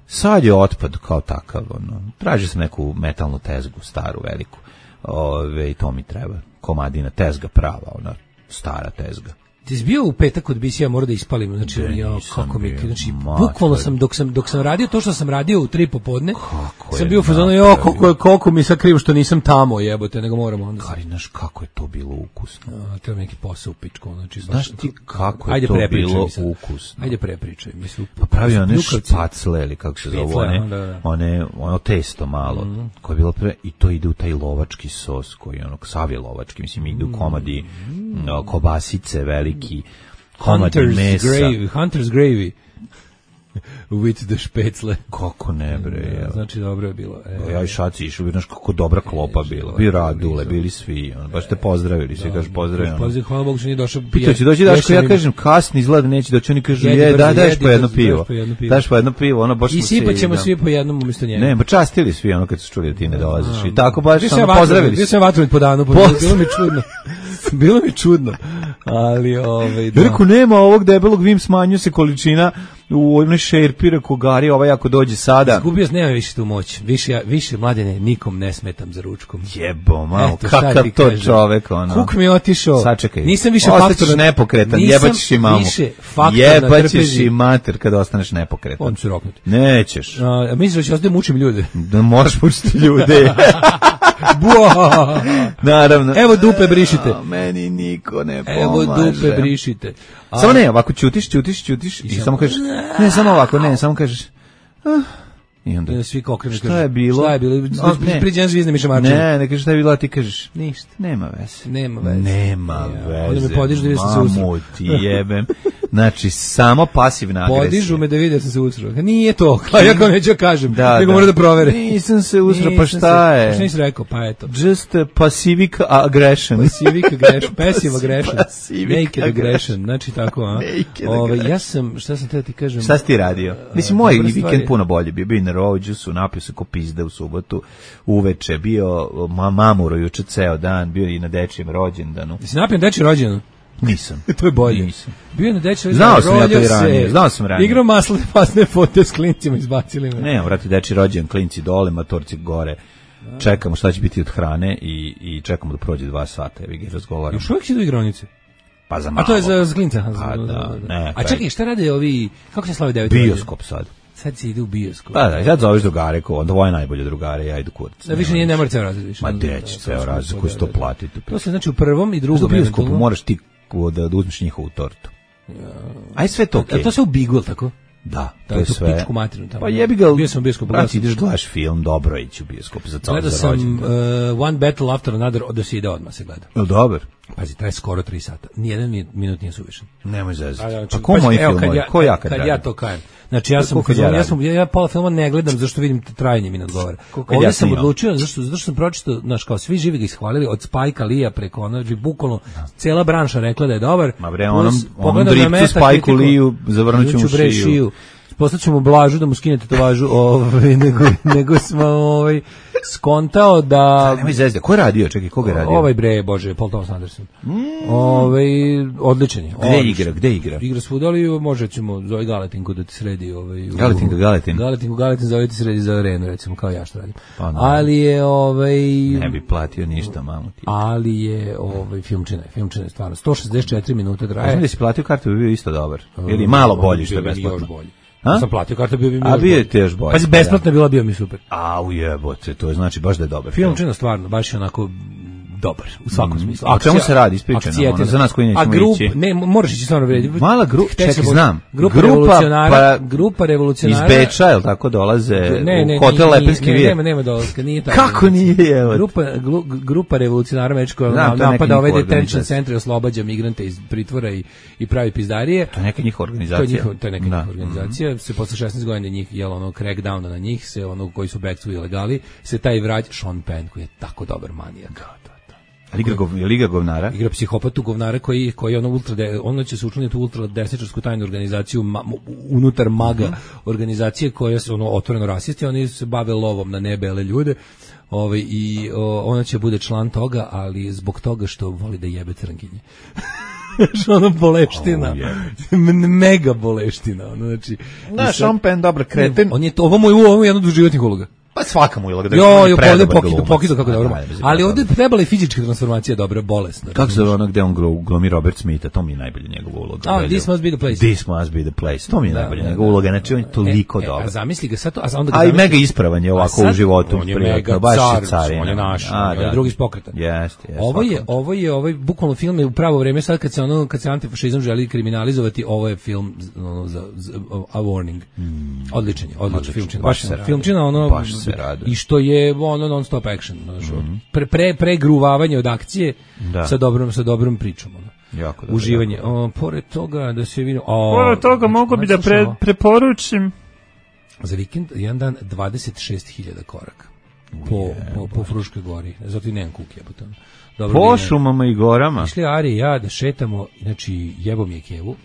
Speaker 6: Sad je otpad kao takav. Traži sam neku metalnu tezgu, staru, veliku. I to mi treba. Komadina tezga prava, ona stara tezga.
Speaker 7: Ti si bio u petak kod BC-a, mora da ispalim, znači kako mi, znači bukvalno sam dok sam radio to što sam radio u 3 popodne, sam bio u fazonu koliko mi sad krivo što nisam tamo, jebote, nego moramo onda.
Speaker 6: Kari, znaš kako je to bilo ukusno.
Speaker 7: Treba neki posao u pičku, znači
Speaker 6: znaš ti kako je to bilo ukusno.
Speaker 7: Ajde prepričaj, mislim.
Speaker 6: Pa pravio one špacle ili kako se zove, ono testo malo, koje je bilo i to ide u taj lovački sos koji ono sav je lovački, mislim ide u komadi kobasice veliki komadi mesa.
Speaker 7: Hunter's gravy with the špecle.
Speaker 6: Kako ne bre.
Speaker 7: Znači dobro je bilo.
Speaker 6: Ja i Šaci išao, znaš kako dobra klopa bila. Bio Radule, bili svi. Baš te pozdravili, svi kažu pozdravljeno.
Speaker 7: Pozdrav, hvala Bogu što nije došao.
Speaker 6: Pitao će doći Daško, ja kažem kasni izgleda neće doći, oni kažu daš po jedno pivo. Daš po jedno pivo, ono baš.
Speaker 7: I sipat ćemo svi po jednom umjesto njega.
Speaker 6: Ne, pa častili svi ono kad su čuli da ti ne dolaziš. I tako baš samo pozdravili.
Speaker 7: Bio sam vatromet po danu, bilo mi čudno. Bilo mi čudno. Ali
Speaker 6: da. Rekao, nema ovog debelog, vim smanjuje se količina u onoj šerpi, rekao Gari, jako dođe sada.
Speaker 7: Izgubio nema više tu moć. Više mladene, nikom ne smetam za ručkom.
Speaker 6: Jebo, malo, kakav to čovek, ono.
Speaker 7: Kuk mi je otišao.
Speaker 6: Sačekaj.
Speaker 7: Nisam više faktor.
Speaker 6: Ostaćeš nepokretan, jebaćeš i mamu. Jebaćeš i mater kada ostaneš nepokretan.
Speaker 7: On ću roknuti.
Speaker 6: Nećeš.
Speaker 7: Misliš da ću ostati mučim ljude?
Speaker 6: Da možeš mučiti ljude. Naravno.
Speaker 7: Evo dupe brišite.
Speaker 6: Meni niko ne pomaže.
Speaker 7: Evo dupe brišite.
Speaker 6: Samo ne, ovako ćutiš i samo kažeš, ne, samo ovako, ne, samo kažeš, i onda
Speaker 7: svi okrenu.
Speaker 6: Šta je bilo?
Speaker 7: Priđen zvizne mišamače.
Speaker 6: Ne kažeš šta je bilo, a ti kažeš
Speaker 7: ništa.
Speaker 6: Nema veze.
Speaker 7: Onda me podižu da vidim sam se usro.
Speaker 6: Mamu ti jebem. Znači, samo pasivna agresija.
Speaker 7: Podižu me da vidim da sam se usro. Nije to, ja kao neću kažem, nego moram da provere.
Speaker 6: Nisam se usro, pa šta je?
Speaker 7: Šta nisi rekao, pa eto.
Speaker 6: Just pacific aggression.
Speaker 7: Passive aggression. Naked aggression, znači tako, a? Ja sam, šta sam te ti kažem?
Speaker 6: Šta si ti radio? Mislim, moj vikend puno bolje bio na Rođusu, napio se ko pizde u subotu, uveče, bio mamuro juče ceo dan, bio i na dečijem rođendanu.
Speaker 7: Jesi napio na dečijem rođendanu?
Speaker 6: Nisam.
Speaker 7: To je bolje.
Speaker 6: Nisam.
Speaker 7: Bio je na dečijem rođendanu.
Speaker 6: Znao sam ranije.
Speaker 7: Igrao pasne fote s klincima, izbacili me.
Speaker 6: Ne, vrati, dečiji rođendan, klinci dole, matorci gore. Čekamo šta će biti od hrane i čekamo da prođe 2 sata, evi ga razgovaramo.
Speaker 7: Još uvijek si do igronice?
Speaker 6: Pa za malo.
Speaker 7: A to je za klinca?
Speaker 6: Pa da, ne.
Speaker 7: A čekaj, šta rade ovi, kako se slavi 9?
Speaker 6: Bioskop sad.
Speaker 7: Sad se ide u bioskop.
Speaker 6: Pa da, sad zoveš drugare, onda ovo je najbolje drugare, ja idu kurac.
Speaker 7: Da više ne mora ceo razred više.
Speaker 6: Ma deći ceo razred, koji se to platiti.
Speaker 7: To se znači u prvom i drugom.
Speaker 6: U bioskopu moraš ti da uzmeš njihovu tortu. Aj sve to okej.
Speaker 7: A to se u Bigul, tako?
Speaker 6: Da, to je sve.
Speaker 7: Pičku materinu tamo.
Speaker 6: Pa jebi ga.
Speaker 7: Bio sam u bioskopu.
Speaker 6: Znači ideš gledaš film, dobro ići u bioskop za ceo rođendan.
Speaker 7: Gledao sam One Battle After Another, da se ide odmah se gleda.
Speaker 6: Jel dobar?
Speaker 7: Pazi, traje skoro 3 sata. Nijedan minut nije suvišan.
Speaker 6: Nemoj zezati.
Speaker 7: Znači,
Speaker 6: ko moji filmovi? Ko ja
Speaker 7: kad ja to kajem? Znači ja pola filma ne gledam zašto vidim trajanje mi ne odgovara. Ovdje sam odlučio zašto sam pročitao, znaš, kao svi živi ga ishvalili od Spajka Lija preko onoga, bukvalno cela branša rekla da je dobar.
Speaker 6: Ma bre, onom driptu Spajku Liju zavrnuću mu šiju.
Speaker 7: Poslaću mu Blažu da mu skine tetovažu, nego smo skontao da...
Speaker 6: Nemoj zezde, ko je radio? Čekaj, koga je radio?
Speaker 7: Ovaj bre, bože, Paul Thomas Anderson. Odličan je.
Speaker 6: Gde igra?
Speaker 7: Igra svuda, ali može ćemo zove Galetinku da ti sredi. Galetin zove ti sredi za arenu, recimo, kao ja što radim.
Speaker 6: Pa,
Speaker 7: ali je...
Speaker 6: Ne bi platio ništa, mamu ti.
Speaker 7: Ali je filmčina je stvarno. 164 minuta traje.
Speaker 6: Znam da si platio kartu, bi bio isto dobar. Ili malo bolji što je besplatno.
Speaker 7: Sam platio kartu, bio bi mi
Speaker 6: još bolje. Ti još bolje.
Speaker 7: Pazi, besplatno bila, bio mi super.
Speaker 6: Ujebote, to je znači baš da je dobar.
Speaker 7: Filmčina stvarno, baš je onako dobar, u svakom smislu.
Speaker 6: A čemu se radi, ispričaj nam, za nas koji nećemo ići.
Speaker 7: Ne, moraš ići stvarno vredi.
Speaker 6: Mala grupa, čekaj, znam.
Speaker 7: Grupa revolucionara.
Speaker 6: Iz Beča, je li tako, dolaze u hotel Lepenski vir?
Speaker 7: Nema dolaska, nije tako.
Speaker 6: Kako nije, evo?
Speaker 7: Grupa revolucionara Mečkova napada ovaj detention centar i oslobađa migrante iz pritvora i pravi pizdarije.
Speaker 6: To je neka njihova organizacija.
Speaker 7: To je neka njihova organizacija. Se posle 16 godina njih, jel ono, crackdowna na njih, se ono koji su back to ilegali, se taj vrać Sean Penn, koji je tako dobar manijak.
Speaker 6: Liga govnara.
Speaker 7: Igra psihopatu govnara koji ono će se učlaniti u ultra desničarsku tajnu organizaciju unutar MAGA organizacije koja se otvoreno rasisti, oni se bave lovom na nebele ljude. I ona će bude član toga, ali zbog toga što voli da jebe crnkinje. Ono boleština. Mega boleština. Znači,
Speaker 6: Sean Penn, dobar kreten.
Speaker 7: Ovo mu je jedno od životnih uloga.
Speaker 6: Pa svaka mu uloga.
Speaker 7: Pokido kako dobro. Ali ovdje trebala i fizička transformacija dobra, bolesna.
Speaker 6: Kako se zove ono gde on glumi Robert Smitha, to mi je najbolje njegova uloga.
Speaker 7: This must be the place.
Speaker 6: This must be the place. To mi je najbolje njegova uloga, znači on je toliko dobar.
Speaker 7: A zamisli ga sad to,
Speaker 6: a i mega ispravan je ovako u životu.
Speaker 7: On je mega car, on je naš, on je drugi iz pokreta. Ovo je bukvalno film je u pravo vreme, sad kad se antifašizam želi kriminalizovati, ovo je film za A Warning. Odličan filmčina. Baš filmčina, ono i što je non stop action, pregruvavanje od akcije sa dobrom pričom,
Speaker 6: jako
Speaker 7: uživanje. Pored toga da se vidi,
Speaker 9: pored toga mogu bi da preporučim
Speaker 7: za vikend jedan dan 26.000 koraka po Fruškoj gori, zato i nemam kuke
Speaker 6: po šumama i gorama.
Speaker 7: Išli Ari i ja da šetamo, znači jebo mi je kevu,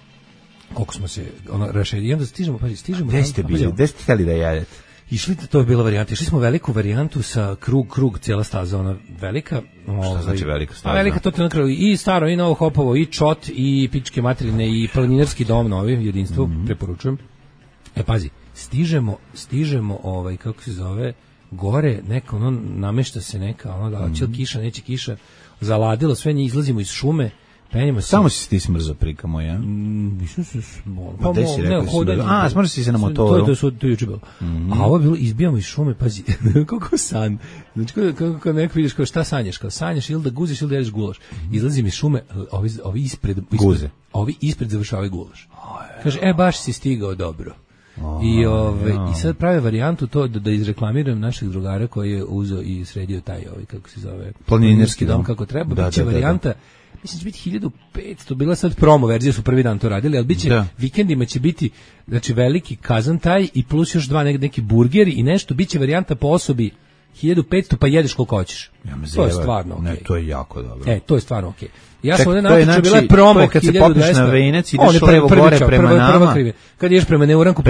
Speaker 7: koliko smo se rašedili, i onda stižemo.
Speaker 6: Gde ste bili, gde ste htjeli da jedete?
Speaker 7: Išli, to je bila varijanta. Išli smo veliku varijantu sa krug, cijela staza, ona velika.
Speaker 6: Šta znači velika staza?
Speaker 7: Velika, to je na kraju i staro, i Novo Hopovo, i Čot, i Pičke materine, i planinarski dom novi, jedinstvo, preporučujem. Pazi, stižemo, kako se zove, gore, neka, namešta se neka, da će li kiša, neće kiša, zaladilo sve, izlazimo iz šume, penjemo se.
Speaker 6: Samo si ti smrzo prika moja.
Speaker 7: Nisam se
Speaker 6: pa gde si rekao si smrzo si se na motoru.
Speaker 7: To je juče bilo. A ovo je bilo, izbijamo iz šume, pazi, kako san. Znači, kako neko vidiš, kao šta sanjaš, kao sanjaš ili da guziš ili da jedeš gulaš. Izlazim iz šume, ovi ispred guze. Ovi ispred završavaju gulaš. Kaže, baš si stigao dobro. I sad prave varijantu to da izreklamiram našeg drugara koji je uzeo i sredio taj, kako se zove,
Speaker 6: planinarski dom
Speaker 7: kako treba. Biće varijanta, mislim će biti 1500, bila sad promo verzija, su prvi dan to radili, ali biće vikendima će biti, znači veliki kazan taj i plus još dva neki burgeri i nešto, biće varijanta po osobi 1500, pa jedeš koliko hoćeš. To je stvarno okej.
Speaker 6: Ne, to je jako dobro.
Speaker 7: To je stvarno okej. Ja sam ovdje natječao, bila je promo 1200.
Speaker 6: Kad se popneš na Venac, ideš levo gore prema nama.
Speaker 7: Kad ideš prema Neuranku,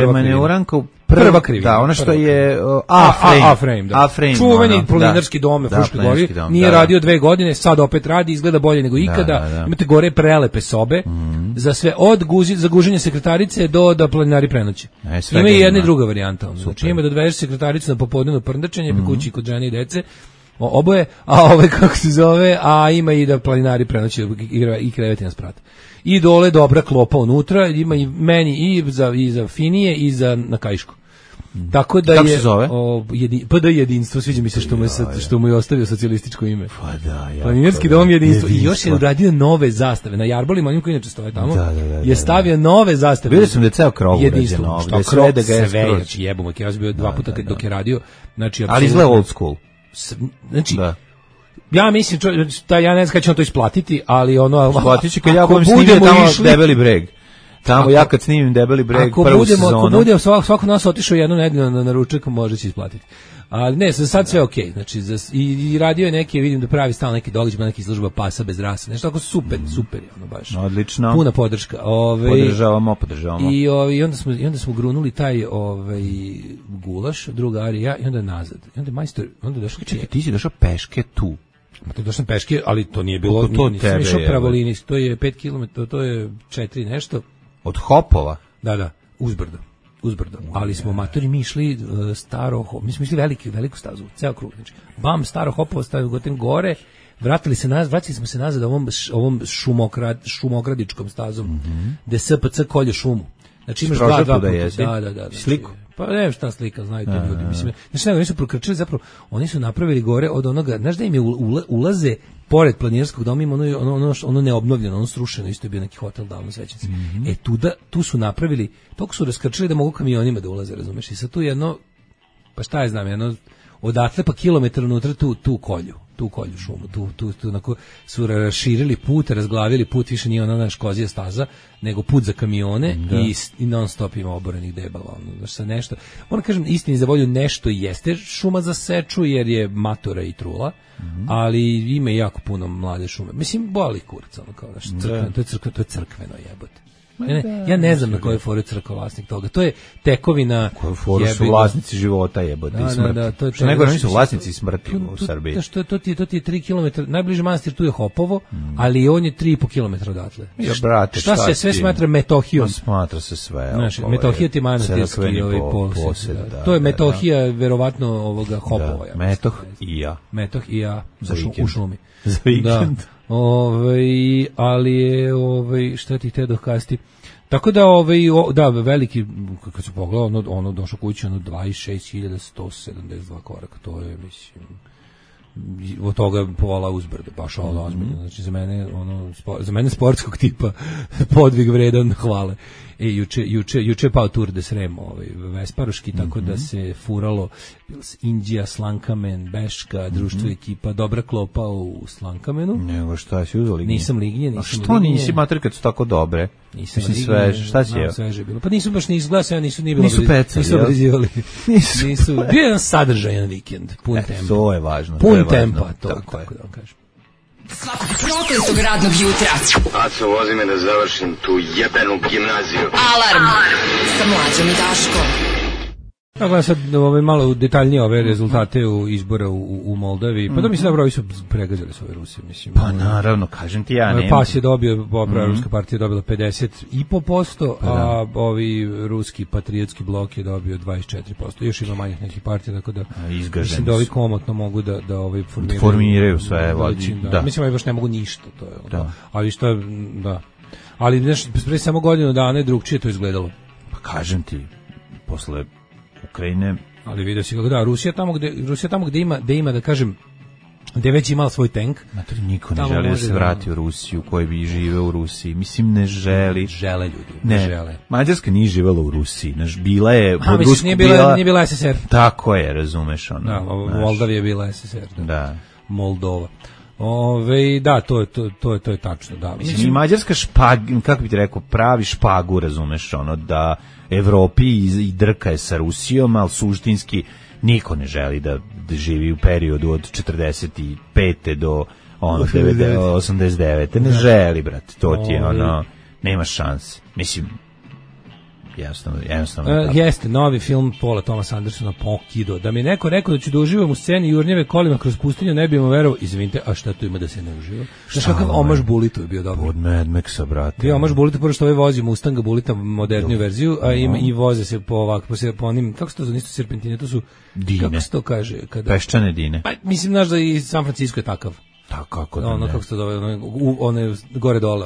Speaker 6: prva krivina. Da, ono što je A-frame.
Speaker 7: Čuveni planinarski dom u Fruškoj gori. Nije radio 2 godine, sad opet radi, izgleda bolje nego ikada. Imate gore prelepe sobe za sve, od za guženje sekretarice do planinari prenoći. Ima i jedna i druga varijanta. Znači ima da odvedeš sekretaricu na popodnevno prndačenje, pa kući kod žene i dece, oboje, kako se zove, a ima i da planinari prenoći i kreveti na sprat. I dole dobra klopa unutra, ima i meni i za finije i za na kaišku. Tako da
Speaker 6: kako se zove?
Speaker 7: PD jedinstvo, sviđa mi se što mu je ostavio socijalističko ime.
Speaker 6: Pa da,
Speaker 7: planinarski dom jedinstvo. I još je uradio nove zastave. Na jarbolima, onim koji inače stoje tamo, je stavio nove zastave.
Speaker 6: Vidio sam da je ceo krov urađen ovdje.
Speaker 7: Sve da ga je skroz. Jebamo, ja sam bio 2 puta dok je radio.
Speaker 6: Ali izgleda old school.
Speaker 7: Znači, Ja mislim, ja ne znam kada će on to isplatiti, ali ono...
Speaker 6: Isplatit će kad ja budem snimio tamo Debeli breg. Tamo ja kad snimim Debeli breg prvu sezonu.
Speaker 7: Ako budemo svako nas otišao jednu nedelju na ručak, može će isplatiti. Ali ne, za sad sve okej. Znači, i radio je neke, vidim da pravi stalno neki događaj, neki izložba pasa bez rase. Nešto tako super je ono baš.
Speaker 6: Odlično.
Speaker 7: Puna podrška.
Speaker 6: Podržavamo.
Speaker 7: I onda smo grunuli taj gulaš, druga Arija, i onda nazad. I onda majstor, onda došao...
Speaker 6: Čekaj, ti si došao peške tu.
Speaker 7: To došao sam peške, ali to nije bilo... Nisam išao pravolinijski, to je 5 km, to je 4 nešto.
Speaker 6: Od Hopova?
Speaker 7: Da, uzbrdo. Ali smo matori mi išli mi smo išli veliku stazu, ceo krug. Znači, staro Hopovo, stavio gotem gore, vratili smo se nazad ovom šumokradičkom stazom, gde SPC kolje šumu. Znači imaš dva puta. Da.
Speaker 6: Sliku?
Speaker 7: Pa ne šta slika, znaju to ljudi. Mislim, znači, oni su prokrčili, zapravo, oni su napravili gore od onoga, znaš da im je ulaze pored planinarskog doma, ima ono neobnovljeno, ono srušeno, isto je bio neki hotel davno svećenci. Tu su napravili, toliko su raskrčili da mogu kamionima da ulaze, razumeš, i sad tu jedno, pa šta je znam, jedno, odatle pa kilometar unutra tu kolju šumu, tu onako su raširili put, razglavili put, više nije ona naš kozija staza, nego put za kamione i non stop ima oborenih debala, nešto. Moram kažem, istini za volju, nešto jeste šuma za seču, jer je matora i trula, ali ima jako puno mlade šume. Mislim, boli kurac, ono kao to je crkveno jebote. Ja ne znam na kojoj foru je crkva vlasnik toga. To je tekovina.
Speaker 6: Koju foru su vlasnici života jebote i smrti. Što nego nisu vlasnici smrti u Srbiji.
Speaker 7: To ti je 3 km, najbliži manastir tu je Hopovo, ali on je 3,5 km odatle. Šta se sve smatra Metohijom?
Speaker 6: Smatra se sve.
Speaker 7: Metohija ti manastirski posed. To je Metohija verovatno ovoga Hopova. Metoh i ja u šumi.
Speaker 6: Za vikend.
Speaker 7: Ali je šta ti te dokasti. Tako da veliki, kad se pogleda, ono došao kući, 26.172 koraka, to je, mislim, od toga pola uzbrdo, baš ozbiljno. Znači za mene sportskog tipa podvig vredan hvale. Juče pao Tour de Srem, Vesparoški, tako da se furalo Indija, Slankamen, Beška, društvo ekipa, dobra klopa u Slankamenu.
Speaker 6: Nego šta si uzeli?
Speaker 7: Nisam lignje.
Speaker 6: A što nisi mater kad su tako dobre?
Speaker 7: Nisam
Speaker 6: sveže, šta si jeo?
Speaker 7: Sveže bilo. Pa nisu baš ni izglasao, nisu
Speaker 6: pecali.
Speaker 7: Nisu obrizivali. Bio je jedan sadržajan vikend, pun tempa.
Speaker 6: To je važno.
Speaker 7: Pun tempa, to tako da vam kažem.
Speaker 4: Svakog prokletog radnog jutra.
Speaker 10: Aco, vozi me da završim tu jebenu gimnaziju.
Speaker 4: Alarm sa Mlađom i Daškom.
Speaker 7: Gledam sad malo detaljnije ove rezultate izbora u Moldavi. Pa da mislim da ovi su pregazili s ove Rusije. Mislim,
Speaker 6: pa naravno, kažem ti ja.
Speaker 7: PAS je dobio, Ruska partija je dobila 50,5%, a ovi ruski patriotski blok je dobio 24%. Još ima manjih nekih partija, tako da mislim da ovi komotno mogu da
Speaker 6: formiraju sve.
Speaker 7: Da. Mislim da baš ne mogu ništa. To je ali što je, da. Ali znaš, pre samo godinu dana je drugčije to izgledalo.
Speaker 6: Pa kažem ti, posle Ukrajine.
Speaker 7: Ali vidio si kako Rusija tamo gde ima da kažem, gde već imala svoj tank.
Speaker 6: Niko ne želi da se vrati u Rusiju, koji bi živeo u Rusiji. Mislim, ne želi.
Speaker 7: Žele ljudi, ne žele.
Speaker 6: Mađarska nije živela u Rusiji. Bila je...
Speaker 7: Nije bila SSR.
Speaker 6: Tako je, razumeš.
Speaker 7: Moldavija je bila SSR.
Speaker 6: Da.
Speaker 7: Moldova. Da, to je tačno, da.
Speaker 6: Mislim, i Mađarska kako bi ti rekao, pravi špagu, razumeš, da Evropi i drka je sa Rusijom, ali suštinski niko ne želi da živi u periodu od 45. do 89. Ne želi, brate, to ti je nema šanse. Mislim, jednostavno.
Speaker 7: Jeste, novi film Paula Thomas Andersona Pokido. Da mi neko rekao da ću da uživam u sceni jurnjeve kolima kroz pustinju, ne bi mu verovao. Izvinite, a šta tu ima da se ne uživa? Znaš kakav omaž Bulitu je bio dobro?
Speaker 6: Od Mad Maxa, brate.
Speaker 7: Bio omaž Bulitu, pošto ovaj vozi Mustanga Bulita, moderniju verziju, a i voze se po onim, kako se to zove, nisu serpentine, to su...
Speaker 6: Dine.
Speaker 7: Kako se to kaže?
Speaker 6: Peščane dine.
Speaker 7: Pa, mislim, znaš da i San Francisco je takav.
Speaker 6: Kako da
Speaker 7: kako se to zove, one gore dole,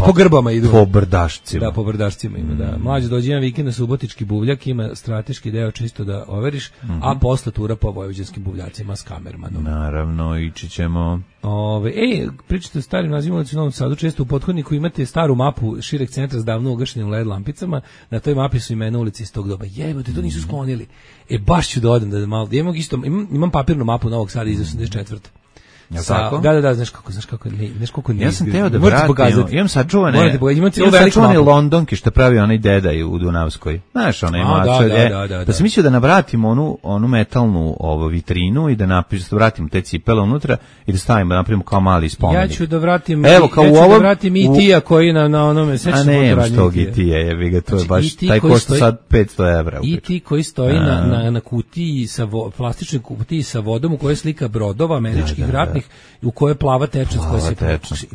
Speaker 7: po grbama idu.
Speaker 6: Po brdašcima.
Speaker 7: Da, po brdašcima ima, da. Mlađe dođe jedan vikend na Subotički buvljak, ima strateški deo čisto da overiš, a posle tura po vojvođanskim buvljacima s kamermanom.
Speaker 6: Naravno, ići ćemo.
Speaker 7: Pričate o starim nazivima u Novom Sadu, često u pothodniku imate staru mapu šireg centra s davno ugašenim LED lampicama, na toj mapi su imena ulici iz tog doba. Jebote, to nisu sklonili. Baš ću da odem da malo, imam papirnu mapu Novog Sada iz 84. Da, znaš kako ne.
Speaker 6: Ja sam teo da vratim, imam sačuvane Londonke što pravi onaj deda u Dunavskoj. Znaš, onaj mačalje. Da sam mislio da navratim onu metalnu vitrinu i da vratim te cipele unutra i da stavimo, napravimo kao mali spomenik.
Speaker 7: Ja ću da vratim, da vratim E.T.-a koji na onome sećaš
Speaker 6: motoranje. A ne, što E.T.-a, jebi ga, to je baš, taj košta sad 500 evra.
Speaker 7: E.T. koji stoji na kutiji, plastičnoj kutiji sa vodom u kojoj je slika brodova američkih ratnih, u kojoj je plava tečnost koja se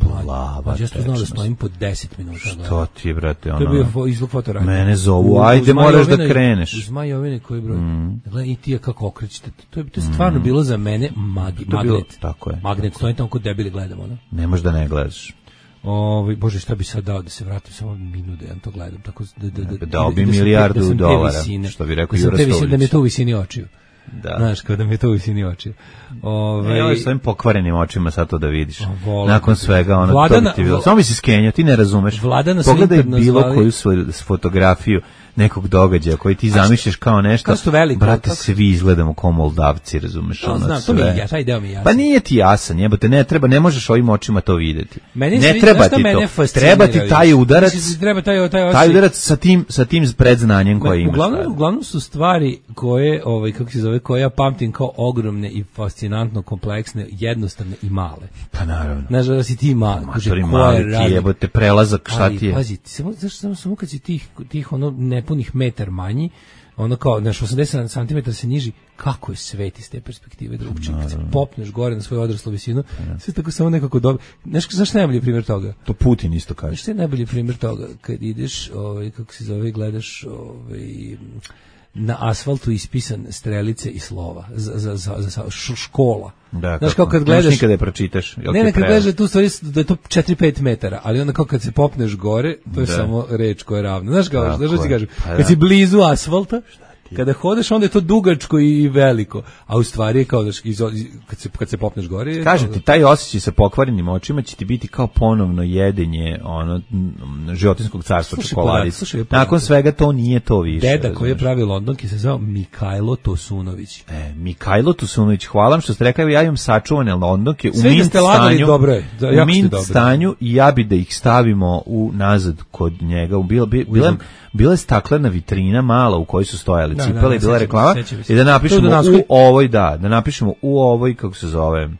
Speaker 7: plava. Ja sam znao da stojim po 10 minuta.
Speaker 6: Što ti, brate, ono...
Speaker 7: To je bio izlog fotoranja.
Speaker 6: Mene zovu, ajde, moraš da kreneš.
Speaker 7: Uz Majovine koji broj. Gledaj, E.T. kako okrećete. To je stvarno bilo za mene magnet.
Speaker 6: Tako je.
Speaker 7: Magnet, stojim tamo kod debili gledamo, ono.
Speaker 6: Ne možeš da ne gledaš.
Speaker 7: Bože, šta bi sad dao da se vratim samo minut da ja to gledam, tako
Speaker 6: dao bi milijardu dolara, što bi rekao Jura Stović.
Speaker 7: Da mi je to u visini očiju. Da. Znaš, kao da mi je to u visini očiju.
Speaker 6: Ovo s ovim pokvarenim očima sad to da vidiš. Nakon svega, ono, to bi ti bilo. Samo bi si skenjao, ti ne razumeš. Pogledaj bilo koju fotografiju nekog događaja koji ti zamišljaš kao nešto. Brate, svi izgledamo kao Moldavci, razumeš?
Speaker 7: Znam, taj deo mi je jasan.
Speaker 6: Pa nije ti jasan, jebote, ne možeš ovim očima to videti. Ne treba ti to. Treba ti taj udarac. Taj udarac sa tim predznanjem koje imaš.
Speaker 7: Uglavnom su stvari koje, kako se zove, koje ja pamtim kao ogromne i fascinantno kompleksne, jednostavne i male.
Speaker 6: Pa naravno.
Speaker 7: Znaš da si ti mali.
Speaker 6: Mali ti jebote, prelazak, šta ti je?
Speaker 7: Pazi, samo kad si tih ono nepunih metar manji, ono kao, znaš, 80 cm se niži, kako je svet iz te perspektive drugčiji. Kad se popneš gore na svoju odraslu visinu, sve tako samo nekako dobro. Znaš najbolji primjer toga?
Speaker 6: To Putin isto kaže.
Speaker 7: Znaš što je najbolji primjer toga? Kad ideš, kako se zove, gledaš na asfaltu ispisan strelice i slova za škola.
Speaker 6: Da, znaš, kao kad gledaš, nikada je pročitaš.
Speaker 7: Ne, kad gledaš tu stvari da je to 4-5 metara, ali onda kao kad se popneš gore, to je samo reč koja je ravna. Znaš kao, što ti kažem, kad si blizu asfalta, kada hodeš, onda je to dugačko i veliko, a u stvari je kao kad se popneš gore...
Speaker 6: Kažem ti, taj osjećaj sa pokvarenim očima će ti biti kao ponovno jedenje životinskog carstva čokoladice. Nakon svega to nije to više.
Speaker 7: Deda koji je pravio Londonki se zvao Mikajlo Tosunović.
Speaker 6: Mikajlo Tosunović, hvala vam što ste rekli, ja imam sačuvane Londonke u mint stanju i ja bi da ih stavimo nazad kod njega. Bila je staklena vitrina mala u kojoj su stojali cipele i bila reklama i da napišemo da napišemo u ovoj, kako se zove,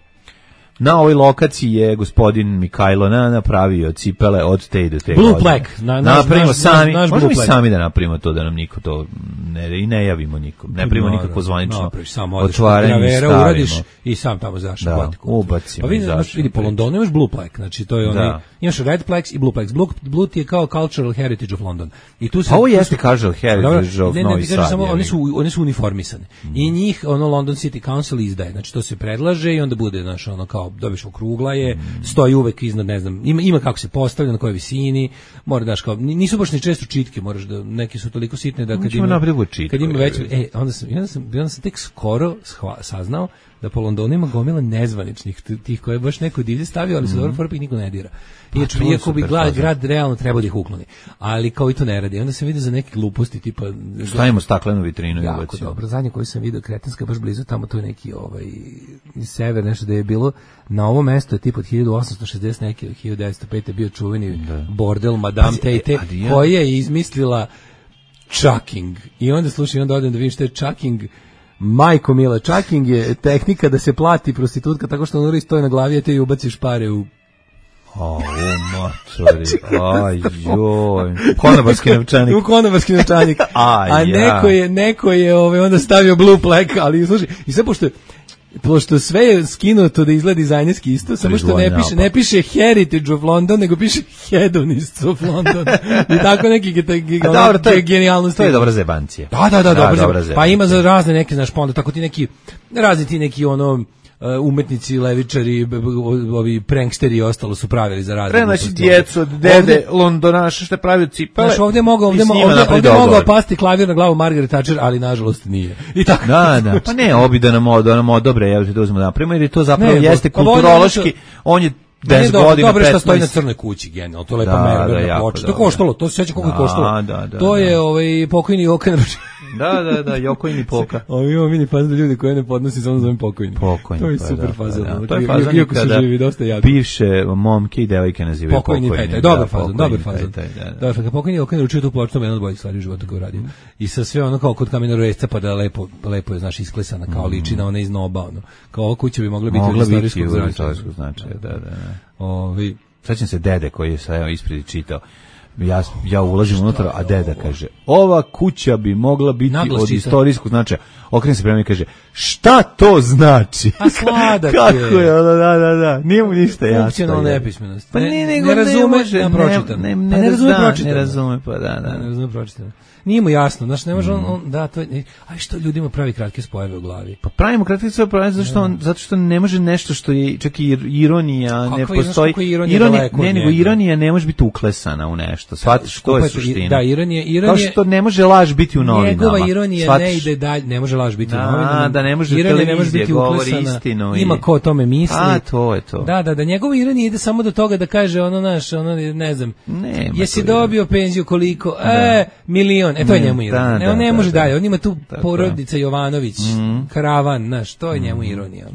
Speaker 6: na ovoj lokaciji je gospodin Mikajlo napravio cipele od te i do te
Speaker 7: Blue Black.
Speaker 6: Napravimo sami, možemo i sami da napravimo to, da nam niko to ne javimo nikom, ne primimo nikako zvanično otvaranje i stavimo.
Speaker 7: I sam tamo zaš
Speaker 6: ubacimo.
Speaker 7: Pa vidi, po Londonu imaš Blue Black, znači to je onaj, imaš Red Plex i Blue Plex. Blue je kao Cultural Heritage of London.
Speaker 6: Pa ovo jeste Cultural Heritage of Novi Sad.
Speaker 7: Oni su uniformisani. I njih London City Council izdaje, znači to se predlaže i onda bude, znaš, ono kao dobiš okrugla je, stoji uvek iznad, ne znam, ima kako se postavlja, na kojoj visini, mora daš kao, nisu baš ni često čitke, moraš da, neki su toliko sitne da kad ima već, onda sam tek skoro saznao da po Londonu ima gomila nezvaničnih, tih koje je baš neko divlje stavio, ali se dobro fora, pa ih niko ne dira. Iako bi grad realno trebao da ih ukloni, ali kao i to ne radi. Onda sam vidio za neke gluposti, tipa...
Speaker 6: Stavimo staklenu vitrinu.
Speaker 7: Jako dobro, zadnje koji sam vidio, kretenska, baš blizu, tamo to je neki sever, nešto da je bilo, na ovo mesto je tipa od 1860 neki, 1905 je bio čuveni bordel Madame Tate, koja je izmislila chucking. I onda slušaj, onda odem da vidim što je chucking. Majko mila, chucking je tehnika da se plati prostitutka tako što on stoji na glavi, a te i ubaciš pare u...
Speaker 6: mačori, joj, konobarski novčanik.
Speaker 7: U konobarski novčanik. A neko je onda stavio Blue Black, ali slušaj, i sve pošto sve je skinuto da izgleda dizajnerski isto, samo što ne piše Heritage of London, nego piše Hedonists of London. I tako neki genijalnosti.
Speaker 6: To je dobra zebancija.
Speaker 7: Da, dobra. Pa ima za razne neke, znaš, pa onda tako ti neki umetnici, levičari, ovi pranksteri i ostalo su pravili za razne.
Speaker 6: Znači djecu od dede Londonaša što pravio cipele.
Speaker 7: Znaš, ovdje mogao pasti klavir na glavu Margaret Thatcher, ali nažalost nije. I tako.
Speaker 6: Da. Pa ne, obi da nam odobre, ja da uzmemo napravimo, jer to zapravo jeste kulturološki, on je 10 godina,
Speaker 7: dobro
Speaker 6: 15.
Speaker 7: što stoji na crnoj kući, genijalno, to je lepa mera, ploča. To koštalo, to se seća koliko je koštalo. To je pokojni Jokan.
Speaker 6: Da, Jokojni Poka.
Speaker 7: Ovi imamo mini fazon da ljudi koje ne podnosi samo zovem pokojni. To je super fazon.
Speaker 6: To je fazon
Speaker 7: iako su živi, dosta jadni.
Speaker 6: Bivše momke i devojke nazivaju pokojni.
Speaker 7: Dobar fazon. Dobar, kad pokojni Jokan učio tu ploču, to je jedna od boljih stvari u životu koju radio. I sa sve ono kao kod kamena resca, pa da lepo je, znaš, isklesana, kao ličina, ona iz noba, ono. Kao ova kuća bi mogla biti od istorijskog značaja.
Speaker 6: Sećam se dede koji je sa ispred čitao. Ja ulazim unutra, a deda kaže, ova kuća bi mogla biti od istorijskog značaja. Okrene se prema i kaže, šta to znači?
Speaker 7: A sladak je.
Speaker 6: Kako je, da, nije mu ništa jasno.
Speaker 7: Funkcionalna nepismenost.
Speaker 6: Pa
Speaker 7: ne razume pročitano.
Speaker 6: Ne razume, pa da.
Speaker 7: Ne razume pročitano. Nije mu jasno, znači ne može a što ljudima pravi kratke spojeve u glavi?
Speaker 6: Pa pravimo kratke spojeve zato što ne može nešto što je čak i ironija, ne postoji. Ironija ne može biti uklesana u nešto. Shvatiš što je suština.
Speaker 7: Da, ironija.
Speaker 6: Kao što ne može laž biti u novinama.
Speaker 7: Njegova ironija ne ide dalje, ne može laž biti u novinama.
Speaker 6: Da, ne može televizija govori istinu.
Speaker 7: Ima ko o tome misli.
Speaker 6: A, to je to.
Speaker 7: Da, njegova ironija ide samo do toga da kaže ne znam, jesi dobio penziju koliko? Milion. To je njemu ironija. On ne može dalje. On ima tu porodica Jovanović, karavan, znaš, to je njemu ironija.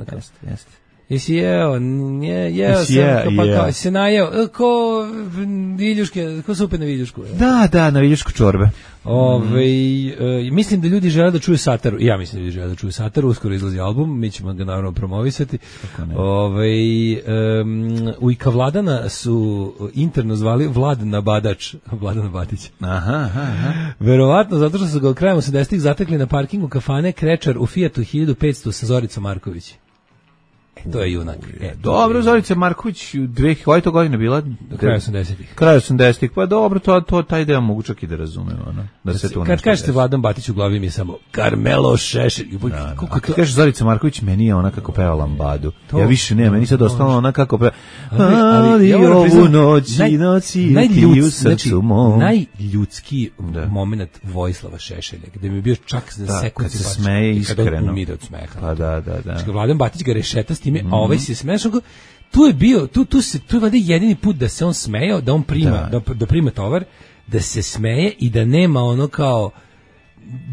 Speaker 6: Jeste.
Speaker 7: Jesi jeo sam, se najeo, ko viljuške, ko supe na viljušku.
Speaker 6: Da, na viljušku čorbe.
Speaker 7: Mislim da ljudi žele da čuju Sataru. Ja mislim da ljudi žele da čuju Sataru. Uskoro izlazi album, mi ćemo ga naravno promovisati. U Ika Vladana su interno zvali Vladana Badač, Vladana Batić.
Speaker 6: Aha.
Speaker 7: Verovatno zato što su ga krajem 80-ih zatekli na parkingu kafane Krečar u Fiatu 1500 sa Zoricom Marković. To je junak.
Speaker 6: Dobro, Zorica Marković, koja je to godina bila?
Speaker 7: Kraj 80-ih.
Speaker 6: Kraj 80-ih, pa dobro, taj deo mogu čak i da razumem.
Speaker 7: Kad kažete Vladan Batić u glavi mi je samo Karmelo Šešelj.
Speaker 6: Kad kažeš Zorica Marković, meni je ona kako peva lambadu. Ja više ne, meni sad ostalo ona kako peva. Ali ovu noći ti u srcu mom.
Speaker 7: Najljudski moment Vojislava Šešelja, gde mi je bio čak za sekund
Speaker 6: kad se smeje iskreno.
Speaker 7: Kad on umire od smeha.
Speaker 6: Pa da.
Speaker 7: Vladan Batić ga rešeta s time, a ovaj se smešao. Tu je bio, tu je valjda jedini put da se on smejao, da on prima, da prima tovar, da se smeje i da nema ono kao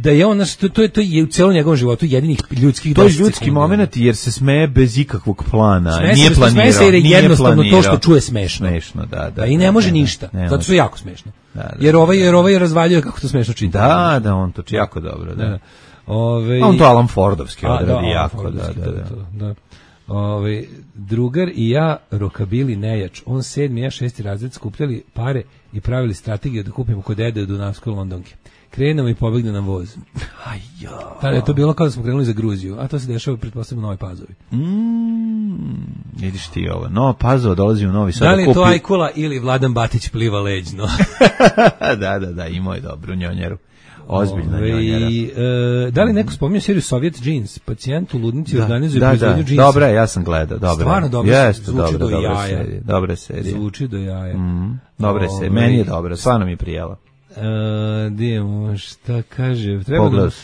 Speaker 7: da je on, to je u celom njegovom životu jedinih ljudskih.
Speaker 6: To je ljudski moment jer se smeje bez ikakvog plana, nije planirao.
Speaker 7: Smeje se jer je jednostavno to što čuje smešno.
Speaker 6: Da.
Speaker 7: I ne može ništa, zato što je jako smešno. Jer ovaj razvaljuje kako to smešno čita.
Speaker 6: Da, on to jako dobro, da. On to Alan Fordovski odradi jako, da.
Speaker 7: Drugar i ja rokabili nejač, on 7. ja 6. razred skupljali pare i pravili strategiju da kupimo kod dede u Dunavskoj Londonke. Krenemo i pobegne nam voz. Tada je to bilo kao da smo krenuli za Gruziju, a to se dešava pretpostavljamo u Novoj Pazovi.
Speaker 6: Vidiš ti ovo, Nova Pazova dolazi u Novi Sad.
Speaker 7: Da li je to Ajkula ili Vladan Batić pliva leđno?
Speaker 6: Da, imao je dobru njonjeru. Ozbiljna njonjera.
Speaker 7: Da li neko spominje seriju Soviet Jeans? Pacijent u ludnici organizuje proizvodnju džinsa.
Speaker 6: Dobra, ja sam gledao.
Speaker 7: Stvarno dobro, zvuči do jaja.
Speaker 6: Dobra serija.
Speaker 7: Zvuči do jaja.
Speaker 6: Dobra serija, meni je dobra, stvarno mi je prijela.
Speaker 7: Dijemo, šta kaže,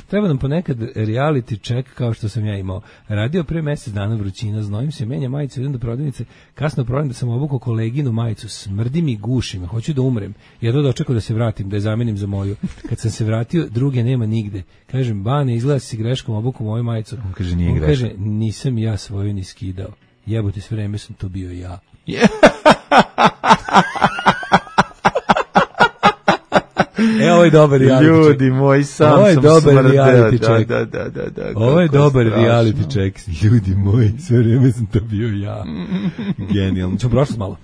Speaker 7: treba nam ponekad reality check kao što sam ja imao. Radio pre mjesec dana, vrućina, znojim se, menja majicu, idem do prodavnice, kasno prodajem da sam obukao koleginu majicu, smrdi mi, guši me, hoću da umrem. Jedno dočekao da se vratim, da je zamenim za moju. Kad sam se vratio, druge nema nigde. Kažem, Bane, izgleda si greškom obukao moju majicu.
Speaker 6: On kaže, nije greškom.
Speaker 7: Kaže, nisam ja svoju ni skidao. Jebote, sve vreme sam to bio ja. Ovo je dobar reality check.
Speaker 6: Ljudi moji, sam sam
Speaker 7: reality check.
Speaker 6: Da.
Speaker 7: Ovo je dobar reality check. Ljudi moji, sve vrijeme sam to bio ja. Genijalno. Ćemo prošli malo?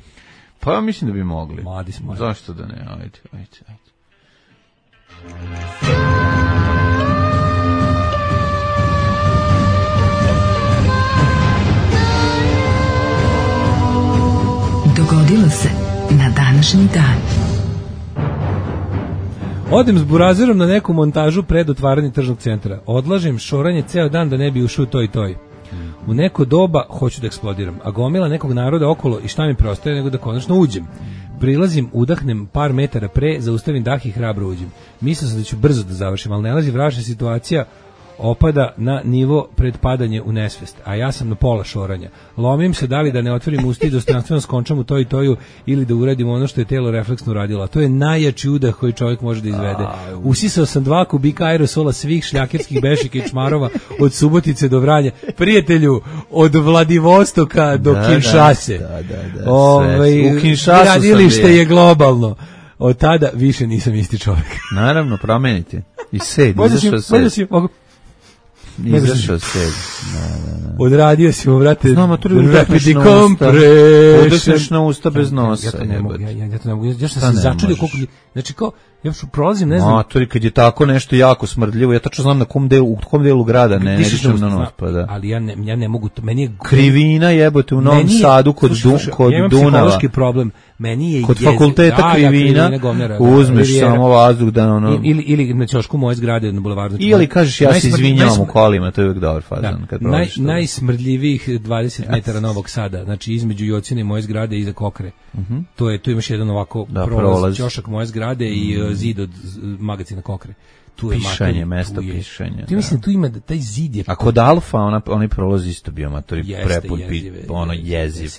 Speaker 6: Pa ja mislim da bi mogli.
Speaker 7: Mladi smo.
Speaker 6: Zašto da ne? Ajde.
Speaker 4: Dogodilo se na današnji dan.
Speaker 7: Odem s burazerom na neku montažu pred otvaranje tržnog centra. Odlažem šoranje ceo dan da ne bi ušao toj. U neko doba hoću da eksplodiram, a gomila nekog naroda okolo i šta mi preostaje nego da konačno uđem. Prilazim, udahnem par metara pre, zaustavim dah i hrabro uđem. Mislio sam da ću brzo da završim, ali nalazi vražna situacija opada na nivo pred padanje u nesvest, a ja sam na pola šoranja. Lomim se da li da ne otvorim usta i dostojanstveno skončam u to i toju ili da uradim ono što je telo refleksno uradilo. A to je najjači udah koji čovjek može da izvede. Usisao sam 2 kubika aerosola svih šljakerskih bešika i čmarova od Subotice do Vranja. Prijatelju, od Vladivostoka do Kinshase.
Speaker 6: U Kinshasu
Speaker 7: gradilište je globalno. Od tada više nisam isti čovjek.
Speaker 6: Naravno, promeniti. I sed, izašao sed. Izašao sed.
Speaker 7: Odradio si mu, vrate,
Speaker 6: rapid na usta bez nosa.
Speaker 7: Ja to ne mogu. Ja sam se začudio koliko... Znači, kao, ja prolazim, ne znam...
Speaker 6: Matori, kad je tako nešto jako smrdljivo, ja tačno znam u kom delu grada ne dišem na nos, pa da.
Speaker 7: Ali ja ne mogu, meni je...
Speaker 6: Krivina jebote u Novom Sadu kod Dunava.
Speaker 7: Ja imam psihološki problem. Meni je
Speaker 6: kod fakulteta Krivina, uzmeš samo vazduh da ono...
Speaker 7: Ili na ćošku moje zgrade na bulevaru.
Speaker 6: Ili kažeš ja se izvinjavam u kolima, to je uvijek dobar fazan.
Speaker 7: Najsmrdljivijih 20 metara Novog Sada, znači između Jocine i moje zgrade i iza Kokre. Tu imaš jedan ovako prolaz, ćošak moje zgrade i zid od magacina Kokre. Tu je
Speaker 6: pišanje, mesto pišanja.
Speaker 7: Ti mislim tu ima da taj zid je...
Speaker 6: A kod Alfa onaj prolaz isto bio matori prepun ono jeziv.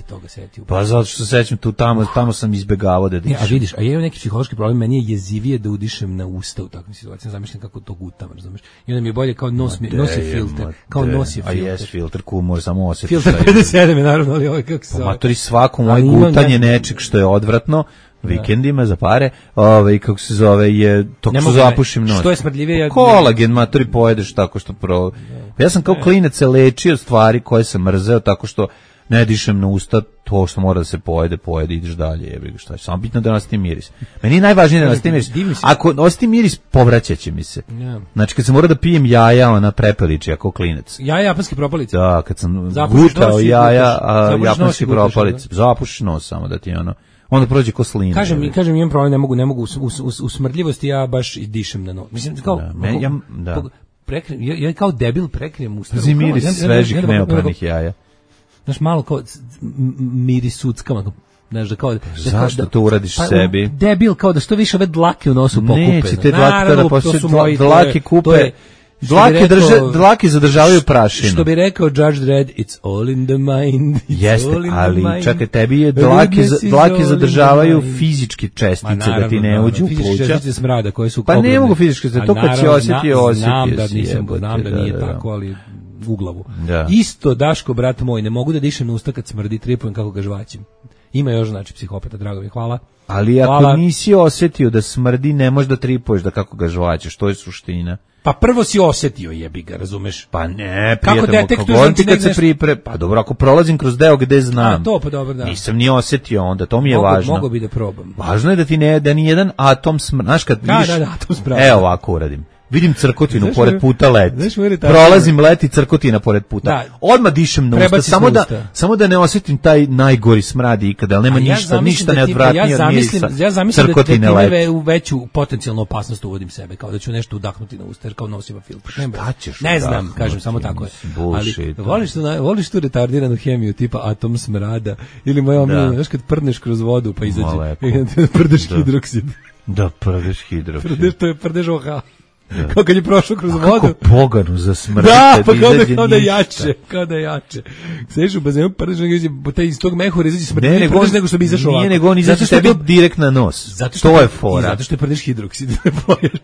Speaker 6: Pa zato što se sećam tu tamo sam izbegavao da dišem.
Speaker 7: A vidiš, a ja imam neki psihološki problem, meni je jezivije da udišem na usta u takvim situacijama, zamišljam kako to gutam, razumeš? I onda mi je bolje kao nosi filter,
Speaker 6: A jes filter može samo osjetiš.
Speaker 7: Filter 57 je naravno, ali ovaj kako se...
Speaker 6: Matori svako moje gutanje nečeg što je odvratno, vikendima za pare, kako se zove, je to što zapušim nos.
Speaker 7: Što je smrdljivije?
Speaker 6: Kolagen, matori, pojedeš tako što Ja sam kao klinac se lečio stvari koje sam mrzeo tako što ne dišem na usta, to što mora da se pojede, ideš dalje, jebriga, šta je. Samo bitno da osjeti miris. Meni je najvažnije da osjeti miris. Ako osjeti miris, povraćaće mi se. Znači, kad sam morao da pijem jaja, ona prepeliči, ako klinac.
Speaker 7: Jaja japanski propalice?
Speaker 6: Da, kad sam gutao jaja, japanski propalice. Zapušiš nos samo da ti onda prođe ko slina.
Speaker 7: Kažem, imam problem, ne mogu u smrdljivosti ja baš dišem na nos. Mislim, kao... Ja kao debil prekrijem usta.
Speaker 6: Miris svežih neopranih jaja.
Speaker 7: Znaš, malo kao miris suckama, znaš, da kao...
Speaker 6: Zašto to uradiš sebi?
Speaker 7: Debil, kao da što više ove dlake u nosu pokupe.
Speaker 6: Neće, te dlake kada poslije dlake kupe... Dlake zadržavaju prašinu.
Speaker 7: Što bi rekao Judge Dredd, it's all in the mind.
Speaker 6: Jeste, ali čakaj, tebi je dlake zadržavaju fizičke čestice da ti ne uđu u pluća.
Speaker 7: Fizičke čestice smrada koje su...
Speaker 6: Pa ne mogu fizičke, to kad si osjetio.
Speaker 7: Znam da nije tako, ali u glavu. Isto, Daško, brat moj, ne mogu da dišem na usta kad smrdi, tripujem kako ga žvaćem. Ima još, znači, psihopata, drago mi, hvala.
Speaker 6: Ali ako nisi osjetio da smrdi, ne možeš da tripuješ da kako ga žvaćeš, to je suština.
Speaker 7: Pa prvo si osjetio, jebi ga, razumeš?
Speaker 6: Pa ne, prijatelj, kad se pa dobro, ako prolazim kroz deo gde znam,
Speaker 7: pa dobro, da.
Speaker 6: Nisam ni osjetio onda, to mi je važno.
Speaker 7: Mogu bi da probam.
Speaker 6: Važno je da ni jedan atom znaš kad vidiš,
Speaker 7: atom smrada.
Speaker 6: Evo ovako uradim. Vidim crkotinu pored puta leti. Prolazim leti crkotina pored puta. Odmah dišem na usta, samo da ne osjetim taj najgori smrad ikada, ali nema ništa neodvratnije od mirisa.
Speaker 7: Ja zamislim da time u veću potencijalnu opasnost uvodim sebe, kao da ću nešto udahnuti na usta, jer kao nosim filter. Ne znam, kažem, samo tako je. Ali voliš tu retardiranu hemiju tipa atom smrada, ili moja omilja, znaš kad prdneš kroz vodu pa izađe, prdeš hidroksid.
Speaker 6: Da, prdeš hidroksid.
Speaker 7: To je prdeš OH. Kao kad je prošao kroz vodu.
Speaker 6: Kako poganu za smrt.
Speaker 7: Da, pa kao da jače. Sediš u bazenu, iz tog mehura izađe smrt. Ne, nego što bi izašao ovako.
Speaker 6: Nije, nego on izađe tebi direkt na nos. To je fora.
Speaker 7: Zato što je prdeš hidroksid.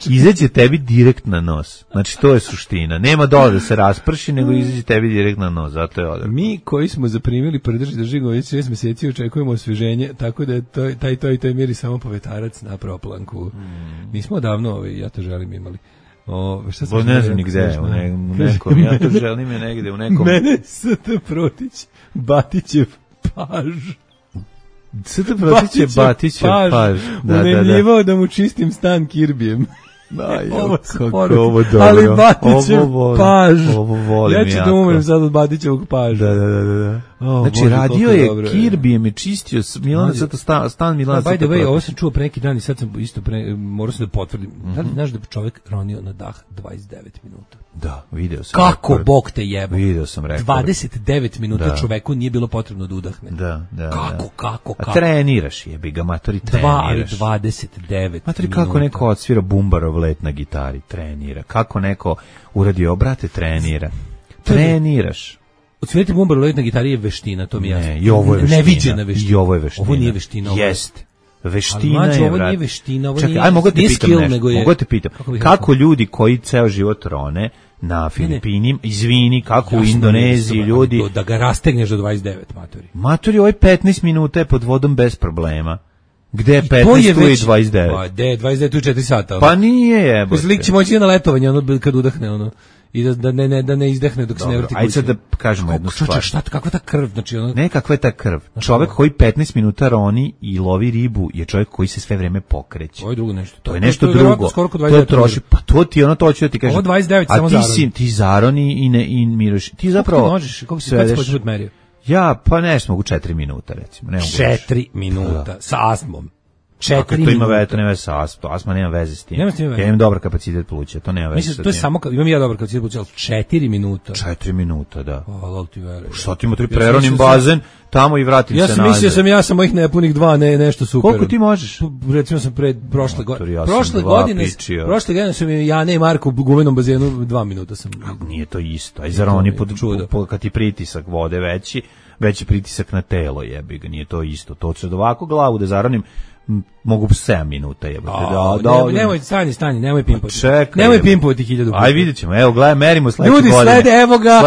Speaker 6: Izađe tebi direkt na nos. Znači, to je suština. Nema dole da se rasprši, nego izađe tebi direkt na nos. Zato je odredno.
Speaker 7: Mi koji smo zaprimili prdeš i drži već 6 meseci očekujemo osveženje, tako da je taj miri samo povetarac na proplanku. Nismo odavno, ja to želim, imali.
Speaker 6: Ne znam ni gde, u nekom, ja to želim je negde, u nekom...
Speaker 7: Mene S.T. Protić, Batićev paž.
Speaker 6: S.T. Protić je Batićev paž.
Speaker 7: Unemljivao da mu čistim stan Kirbijem.
Speaker 6: Ovo dobro.
Speaker 7: Ali Batićev paž.
Speaker 6: Ovo volim
Speaker 7: ja ću da umrem sad od Batićevog paža.
Speaker 6: Da. Znači, radio je Kirbijem i čistio stan Milana.
Speaker 7: By the way, ovo sam čuo pre neki dan i sad sam isto morao sam da potvrdim. Znaš da je čovjek ronio na dah 29 minuta.
Speaker 6: Da, video sam.
Speaker 7: Kako Bog te jeba.
Speaker 6: Video sam rekao.
Speaker 7: 29 minuta čoveku nije bilo potrebno da udahne.
Speaker 6: Da.
Speaker 7: Kako?
Speaker 6: A treniraš jebi ga, matori, treniraš.
Speaker 7: 29
Speaker 6: matori, kako neko odsvira Bumbarov let na gitari, trenira. Kako neko uradio, brate, trenira. Treniraš.
Speaker 7: Odsvirati bumbar let na gitari je veština, to mi je jasno.
Speaker 6: Ne, i ovo je veština.
Speaker 7: Neviđena veština.
Speaker 6: I ovo je veština.
Speaker 7: Ovo nije veština.
Speaker 6: Jeste. Veština
Speaker 7: ali,
Speaker 6: je,
Speaker 7: ovo nije veština, ovo
Speaker 6: čekaj, mogu te pitam
Speaker 7: skill,
Speaker 6: nešto.
Speaker 7: nego je...
Speaker 6: Mogu te pitam, kako ljudi koji ceo život rone na Filipinima, izvini, kako u Indoneziji ljudi...
Speaker 7: Da ga rastegneš do 29, matori.
Speaker 6: Matori, ovaj 15 minuta je pod vodom bez problema. Gde je 15 tu i 29?
Speaker 7: Pa, gde je 29 tu i 4 sata?
Speaker 6: Pa nije jebote.
Speaker 7: Lik će moći na letovanje, ono, kad udahne, ono. I da ne izdehne dok se ne vrti kuće.
Speaker 6: Ajde sad da kažemo jednu stvar.
Speaker 7: Šta, kakva ta krv? Znači, ono...
Speaker 6: Ne, kakva je ta krv? Čovjek koji 15 minuta roni i lovi ribu je čovjek koji se sve vreme pokreće.
Speaker 7: To je drugo nešto.
Speaker 6: To je nešto drugo. To troši, pa to ti ono, to ću da ti kažem.
Speaker 7: Ovo 29 samo
Speaker 6: zaroni. A ti zaroni i miruš. Ti zapravo...
Speaker 7: Kako si put merio?
Speaker 6: Ja, pa nešto mogu 4 minuta, recimo.
Speaker 7: 4 minuta, sa astmom. 4
Speaker 6: minuta. To ima veze, to nema veze sa astmom. Astma nema veze s tim. Ja imam dobar kapacitet pluća, to nema veze sa tim.
Speaker 7: Mislim, to je samo, imam ja dobar kapacitet pluća, ali 4 minuta.
Speaker 6: 4 minuta, da.
Speaker 7: Lol ti veruješ.
Speaker 6: Šta ti ima 3 preronim bazen, tamo i vratim se nazad.
Speaker 7: Ja sam mislio ja sam mojih nepunih 2, nešto super.
Speaker 6: Koliko ti možeš?
Speaker 7: Recimo sam prošle godine sam ja i Marko u gumenom bazenu 2 minuta sam.
Speaker 6: Nije to isto. Aj zar oni kad ti pritisak vode veći pritisak na telo, jebi ga, nije to isto. To će ovako glavu da zaronim mogu 7 minuta jebote.
Speaker 7: Nemoj stani, nemoj pimpovati. Nemoj pimpovati 1000 puta.
Speaker 6: Aj vidjet ćemo, evo gledaj, merimo sledeće
Speaker 7: godine. Ljudi slede, evo ga,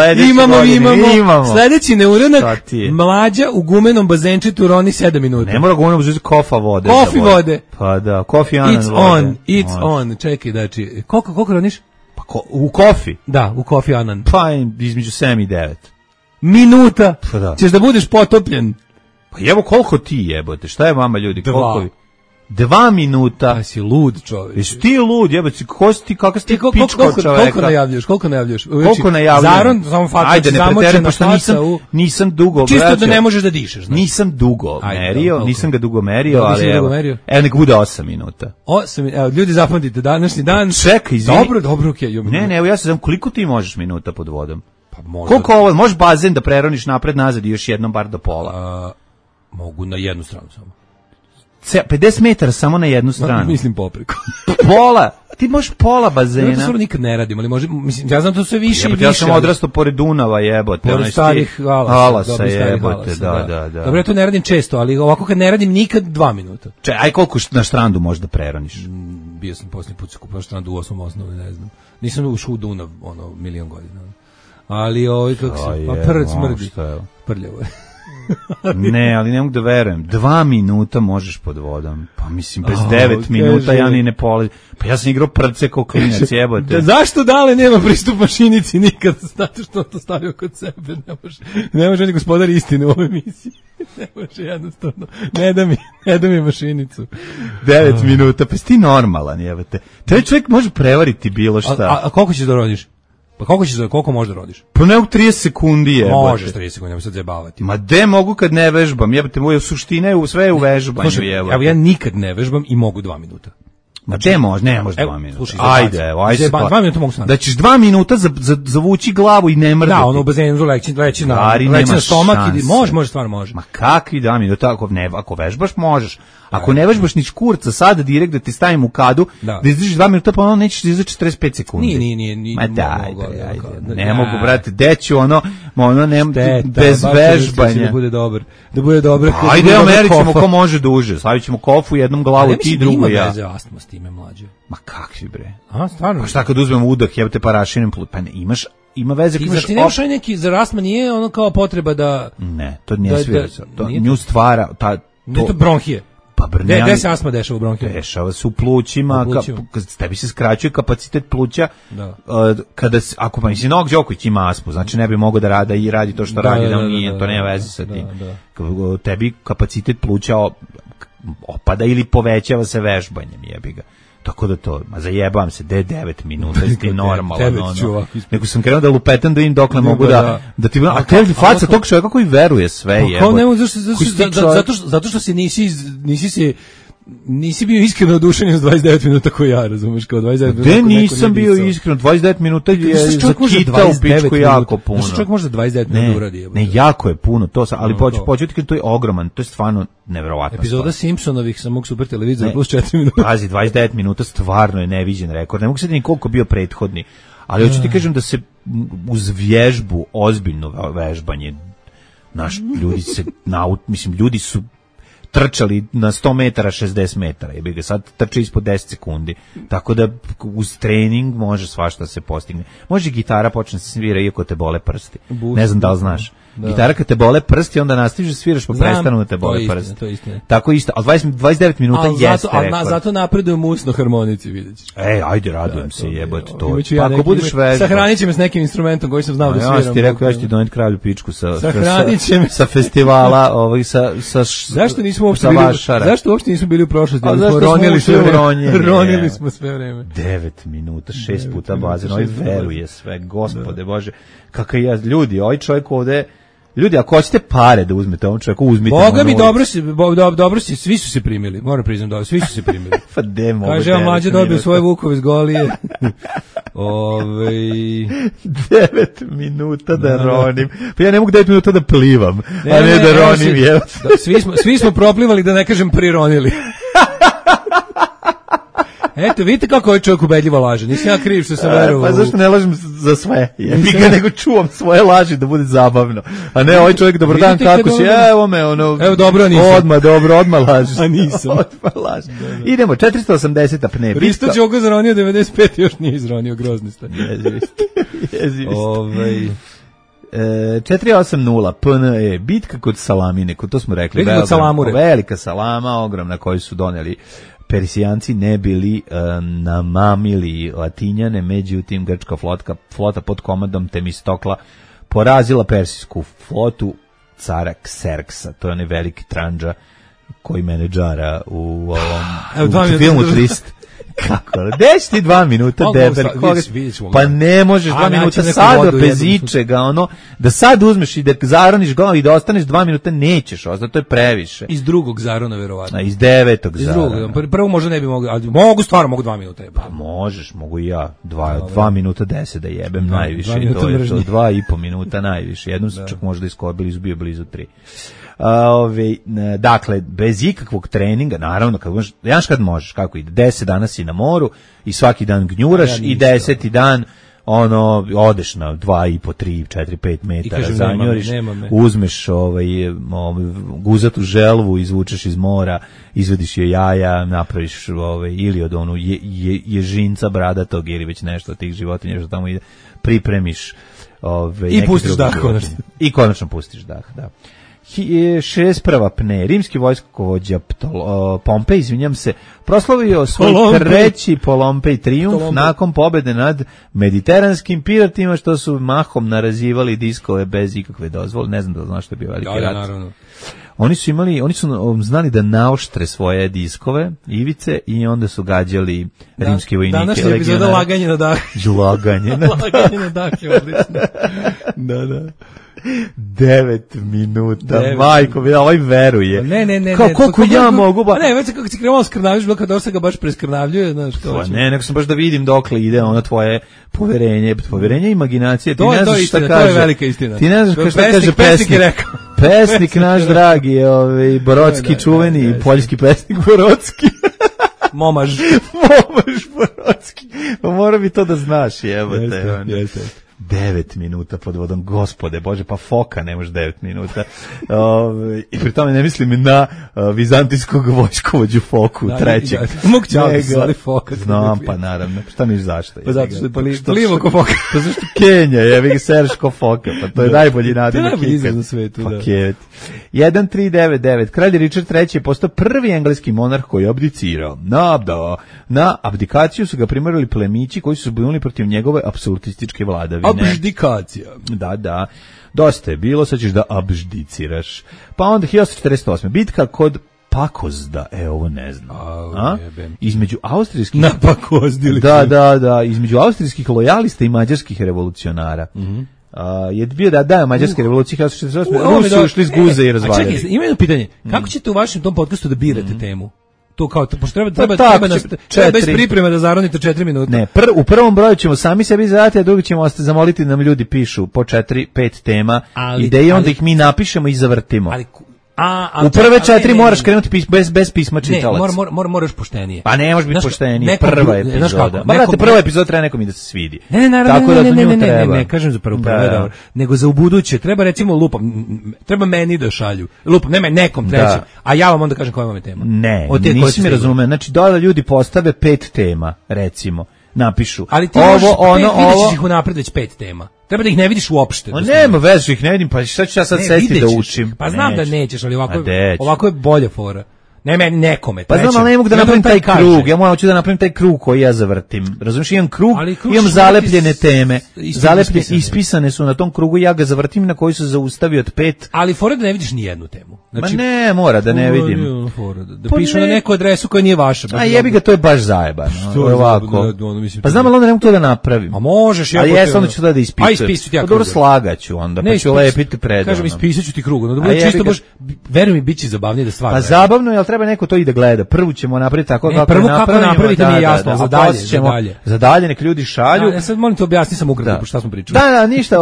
Speaker 7: imamo. Sledeći neuranak, Mlađa u gumenom bazenčetu roni 7 minuta.
Speaker 6: Ne mora gumenom bazenčetu, kofa vode.
Speaker 7: Kofi vode.
Speaker 6: Pa da, kofi anan vode.
Speaker 7: It's on, čekaj, znači, koliko roniš?
Speaker 6: Pa u kofi?
Speaker 7: Da, u kofi anan.
Speaker 6: Pa između 7 i 9.
Speaker 7: Minuta? Ćeš da budeš potopljen.
Speaker 6: Pa evo koliko ti jebote, šta je vama ljudi, koliko vi? 2 minuta.
Speaker 7: Pa si lud čovjek.
Speaker 6: Jesi ti lud jebote, kakav si ti pičko čovjeka?
Speaker 7: Koliko najavljaš?
Speaker 6: Zaron,
Speaker 7: samo faca,
Speaker 6: ajde, ne preterujem, pošto nisam dugo,
Speaker 7: čisto da ne možeš da dišeš. Znači.
Speaker 6: Nisam ga dugo merio, ali evo nek bude 8 minuta.
Speaker 7: 8, evo, ljudi zapamtite, današnji dan.
Speaker 6: Čekaj, izvini.
Speaker 7: Dobro, okej.
Speaker 6: Ne, evo ja se znam koliko ti možeš minuta pod vodom. Pa možda. Koliko ovo, možeš bazen da preroniš napred nazad i još jednom bar do pola?
Speaker 7: Mogu na jednu stranu samo.
Speaker 6: 50 metara samo na jednu stranu.
Speaker 7: Mislim popreko.
Speaker 6: Pola. Ti možeš pola bazena.
Speaker 7: Ja to stvarno nikad ne radim, ali mislim, ja znam to sve više i više.
Speaker 6: Ja sam odrastao pored Dunava, jebote.
Speaker 7: Pored starih alasa,
Speaker 6: jebote, da.
Speaker 7: Dobro, ja to ne radim često, ali ovako kad ne radim nikad 2 minuta.
Speaker 6: Aj koliko na štrandu možeš da preroniš?
Speaker 7: Bio sam posljednji put skupao štrandu u 8. osnovi, ne znam. Nisam ušao u Dunav, milion godina. Ali kako se, pa prd smrdi. Prljavo je.
Speaker 6: Ne, ali ne mogu da verujem. 2 minuta možeš pod vodom. Pa mislim, bez 9 minuta ja ni ne polazim. Pa ja sam igrao prce kao klinac, jebote.
Speaker 7: Zašto Dale nema pristup mašinici nikad? Zato što to stavio kod sebe. Ne može ni gospodar istine u ovoj emisiji. Ne može jednostavno. Ne da mi mašinicu.
Speaker 6: 9 minuta, pa si ti normalan, jebote. Taj čovjek može prevariti bilo šta.
Speaker 7: A koliko ćeš da rodiš? Pa koliko možeš da rodiš?
Speaker 6: Pa ne u 30 sekundi je.
Speaker 7: Možeš 30 sekundi, nemoj sad zajebavati.
Speaker 6: Ma de mogu kad ne vežbam, jebote, moja suština je sve u vežbanju, jebote.
Speaker 7: Evo ja nikad ne vežbam i mogu 2 minuta.
Speaker 6: Ma de može, ne može 2 minuta.
Speaker 7: Slušaj,
Speaker 6: ajde.
Speaker 7: 2 minuta mogu sam.
Speaker 6: Da ćeš 2 minuta zavući glavu i ne mrdati.
Speaker 7: Da, ono u bazenu leći na stomak i može, stvarno može.
Speaker 6: Ma kakvi 2 minuta, ako vežbaš možeš. Ako ne vežbaš ni škurca sada direkt da ti stavim u kadu, da izdržiš 2 minuta, pa ono nećeš da izdržiš 45 sekundi.
Speaker 7: Nije.
Speaker 6: Ma daj, ne mogu, brate, deću ono bez vežbanja.
Speaker 7: Da bude dobro.
Speaker 6: Ajde, merit ćemo ko može duže, stavit ćemo kofu, jednom glavu, ti drugu ja.
Speaker 7: Ima veze astma s time, mlađe.
Speaker 6: Ma kakvi bre?
Speaker 7: A, stvarno?
Speaker 6: Pa šta kad uzmemo udah, jebote parašinem, pa ne, ima veze.
Speaker 7: I zar ti nemaš neki, zar astma nije ono kao potreba da...
Speaker 6: Ne, to nije sve. Nju stvara...
Speaker 7: To bronhije.
Speaker 6: Pa
Speaker 7: gde se astma dešava u bronhijama?
Speaker 6: Dešava se u plućima, tebi se skraćuje kapacitet pluća, kada, ako pa mislim, Novak Đoković ima astmu, znači ne bi mogao da radi to što radi, da on nije, to nema veze sa tim. Tebi kapacitet pluća opada ili povećava se vežbanjem, jebi ga. Tako da to, zajebam se, 9 minuta, ti normalno, nego sam krenuo da lupetam da im dokle mogu da ti... A to je faca tog čovjeka koji veruje sve, jebote.
Speaker 7: Zato što se nisi se nisi bio iskreno oduševljen s 29 minuta koji ja, razumeš, kao 29 minuta.
Speaker 6: Gde nisam bio iskreno, 29 minuta je za kita u pičku jako puno.
Speaker 7: Znači čovjek može 29 minuta uradi.
Speaker 6: Ne, jako je puno, to sam, ali početi to je ogroman, to je stvarno neverovatno.
Speaker 7: Epizoda Simpsonovih sa mog super televizora plus 4 minuta.
Speaker 6: Pazi, 29 minuta stvarno je neviđen rekord. Ne mogu se ni koliko bio prethodni, ali hoću ti kažem da se uz vježbu, ozbiljno vežbanje, naš ljudi se, ljudi su trčali na 100 metara, 60 metara, jebi ga, sad trče ispod 10 sekundi, tako da uz trening može svašta se postigne. Može gitara počne se svira iako te bole prsti. Ne znam da li znaš. Da. Gitara kad te bole prsti, onda nastaviš da sviraš pa prestanu da te bole prsti.
Speaker 7: To je istina.
Speaker 6: Tako isto, ali 29 minuta jeste rekord.
Speaker 7: Ali zato napredujem usno harmonici, vidjet ćeš.
Speaker 6: Ajde, radujem se, jebote to. Pa ako budeš vežba.
Speaker 7: Sahranit će me s nekim instrumentom koji sam znao da sviram.
Speaker 6: Ja ti rekao, ja ću ti doneti kralju pičku sa festivala,
Speaker 7: Zašto uopšte nismo bili u prošlosti? Ronili smo sve vreme.
Speaker 6: 9 minuta, 6 puta bazen, ovaj veruje sve, gospode Bože. Kakav ja, ljudi, ovaj čovjek ovde, ljudi, ako hoćete pare da uzmete ovom čovjeku, uzmite.
Speaker 7: Boga mi, dobro si, svi su se primili, moram priznam dobro, svi su se primili.
Speaker 6: Pa demo.
Speaker 7: Kaže, ja mlađe dobio svoje vukove z golije.
Speaker 6: 9 minuta da ronim. Pa ja ne mogu 9 minuta da plivam, a ne da ronim.
Speaker 7: Svi smo proplivali, da ne kažem prironili. Eto, vidite kako ovaj čovjek ubedljivo laže. Nisam ja kriv što sam verovao.
Speaker 6: Pa zašto ne lažem za sve? Nego čuvam svoje laži da bude zabavno. A ne, ovaj čovjek, dobar dan, kako si? Evo me, ono...
Speaker 7: Evo, dobro, nisam.
Speaker 6: Odmah laži.
Speaker 7: A nisam.
Speaker 6: Odmah laži. Idemo, 480 apne.
Speaker 7: Risto Đogo zaronio 95, još nije izronio, grozni ste.
Speaker 6: Jezivi ste. 480 PNE, bitka kod Salamine, to smo rekli.
Speaker 7: Bitka kod Salamure.
Speaker 6: Velika salama, ogromna, koju su doneli Persijanci, ne bili namamili Latinjane, međutim grčka flota pod komandom Temistokla porazila persijsku flotu cara Kserksa, to je onaj veliki tranđa koji menedžara u filmu 300. Kako? Deš ti 2 minuta, debel? Pa ne možeš 2 minuta sad bez ičega, da sad uzmeš i da zaroniš glavu i da ostaneš 2 minuta, nećeš, to je previše.
Speaker 7: Iz drugog zarona, verovatno.
Speaker 6: Iz 9. zarona.
Speaker 7: Prvo možda ne bi mogli, ali mogu 2 minuta.
Speaker 6: Pa možeš, mogu i ja. 2 minuta 10 da jebem najviše. To je to, 2,5 minuta najviše. Jednom sam čak možda iskobili, izbio blizu 3. Dakle, bez ikakvog treninga, naravno, kad možeš, kako ide, 10 dana si na moru i svaki dan gnjuraš i 10. dan odeš na 2,5, 3, 4, 5 metara, zanjuriš, uzmeš guzatu želvu, izvučeš iz mora, izvediš je jaja, napraviš ili od ježinca bradatog ili već nešto od tih životinja što tamo ide, pripremiš
Speaker 7: i pustiš dah konačno.
Speaker 6: I konačno pustiš dah, da. 61. pne, rimski vojskovođa Pompej, izvinjam se, proslavio svoj treći Polompej trijumf nakon pobjede nad mediteranskim piratima što su mahom narazivali diskove bez ikakve dozvole. Ne znam da znaš što je bio veliki rat.
Speaker 7: Naravno.
Speaker 6: Oni su znali da naoštre svoje diskove, ivice, i onda su gađali rimske vojnike.
Speaker 7: Današnja epizoda laganje na dah.
Speaker 6: Laganje na dah.
Speaker 7: Laganje na dah je odlično.
Speaker 6: Da. 9 minuta, majko, ovaj veruje.
Speaker 7: Ne.
Speaker 6: Koliko ja mogu ba...
Speaker 7: Ne, već kako si krenuo skrnavljaš, bilo kada se ga baš preskrnavljuje, znaš.
Speaker 6: Ne, nego sam baš da vidim dokle ide tvoje poverenje, imaginacije.
Speaker 7: To je istina, to je velika istina.
Speaker 6: Ti ne znaš šta kaže pesnik. Pesnik naš dragi je Borodski, čuveni poljski pesnik Borodski.
Speaker 7: Momaž
Speaker 6: Borodski. Pa mora bi to da znaš, jebote.
Speaker 7: Jeste.
Speaker 6: 9 minuta pod vodom, gospode Bože, pa foka ne može 9 minuta. I pri tome ne mislim na vizantijskog vojskovođu Foku, trećeg.
Speaker 7: Mogu ćali zvali Foka.
Speaker 6: Znam, pa naravno. Šta miš zašto?
Speaker 7: Pa zato što je plivo ko Foka.
Speaker 6: Pa zašto Kenja, jevi sereš ko Foka, pa to je najbolji nadimak.
Speaker 7: To je najbolji izraz na svetu, da.
Speaker 6: Paket. 1399. Kralj Richard III je postao prvi engleski monarh koji je abdicirao. Na abdikaciju su ga primarili plemići koji su se bunili protiv njegove apsolutističke vladavine.
Speaker 7: Abdikacija.
Speaker 6: Da. Dosta je bilo, sad ćeš da abdiciraš. Pa onda 1848. Bitka kod Pakozda, ovo ne znam. Između austrijskih...
Speaker 7: Na Pakozdili.
Speaker 6: Da, između austrijskih lojalista i mađarskih revolucionara. Je bio da mađarske revolucije 1848. Rusi ušli iz guze i razvaljali.
Speaker 7: A čekaj, ima jedno pitanje. Kako ćete u vašem tom podcastu da birate temu? to kao pošto treba bez pripreme da zaronite 4 minuta.
Speaker 6: Ne, u prvom broju ćemo sami sebi zadati, a drugi ćemo zamoliti da nam ljudi pišu po 4-5 tema, ideje, onda ih mi napišemo i zavrtimo. U prve 4 moraš krenuti bez pisma čitalac.
Speaker 7: Moraš poštenije.
Speaker 6: Pa ne može biti poštenije, prva epizoda. Brate, prva epizoda treba nekom i da se svidi.
Speaker 7: Ne, kažem za prvu, nego za ubuduće. Treba recimo treba meni da šalju. Ne nekom trećem, a ja vam onda kažem koja vam je tema.
Speaker 6: Ne, nisi mi razumeo. Znači, da ljudi postave 5 tema, recimo. Napišu.
Speaker 7: Ali ti vidiš ih unapred već 5 tema. Treba da ih ne vidiš uopšte.
Speaker 6: Nema veze, ih ne vidim, pa šta ću ja sad sesti da učim?
Speaker 7: Pa znam da nećeš, ali ovako je bolja fora. Ne meni nekome.
Speaker 6: Pa znam, ali ne mogu da napravim taj krug. Ja hoću da napravim taj krug koji ja zavrtim. Razumiješ, imam krug, imam zalepljene teme. Ispisane su na tom krugu, ja ga zavrtim na koji se zaustavi od 5.
Speaker 7: Ali fora da ne vidiš ni jednu temu.
Speaker 6: Znači, ne, mora da ne vidim.
Speaker 7: Da pišu na neku adresu koja nije vaša.
Speaker 6: A jebi ga, to je baš zajebano. Ovako. Pa znam, ali onda ne mogu to da napravim.
Speaker 7: A možeš,
Speaker 6: ja. A jesam da ću da ispisujem. Pa dobro, slagaću onda, pa ću lepiti predano.
Speaker 7: Kažem, ispisaću ti krug. Da bude čisto baš, veruj mi, bit će zabavnije da stvarno.
Speaker 6: Pa zabavno je, ali treba neko to i da gleda. Prvo ćemo napraviti tako
Speaker 7: kako napraviti nije jasno,
Speaker 6: za dalje nek ljudi šalju.
Speaker 7: Ja sad molim te objasni sam ukratko šta smo pričali.
Speaker 6: Da, ništa,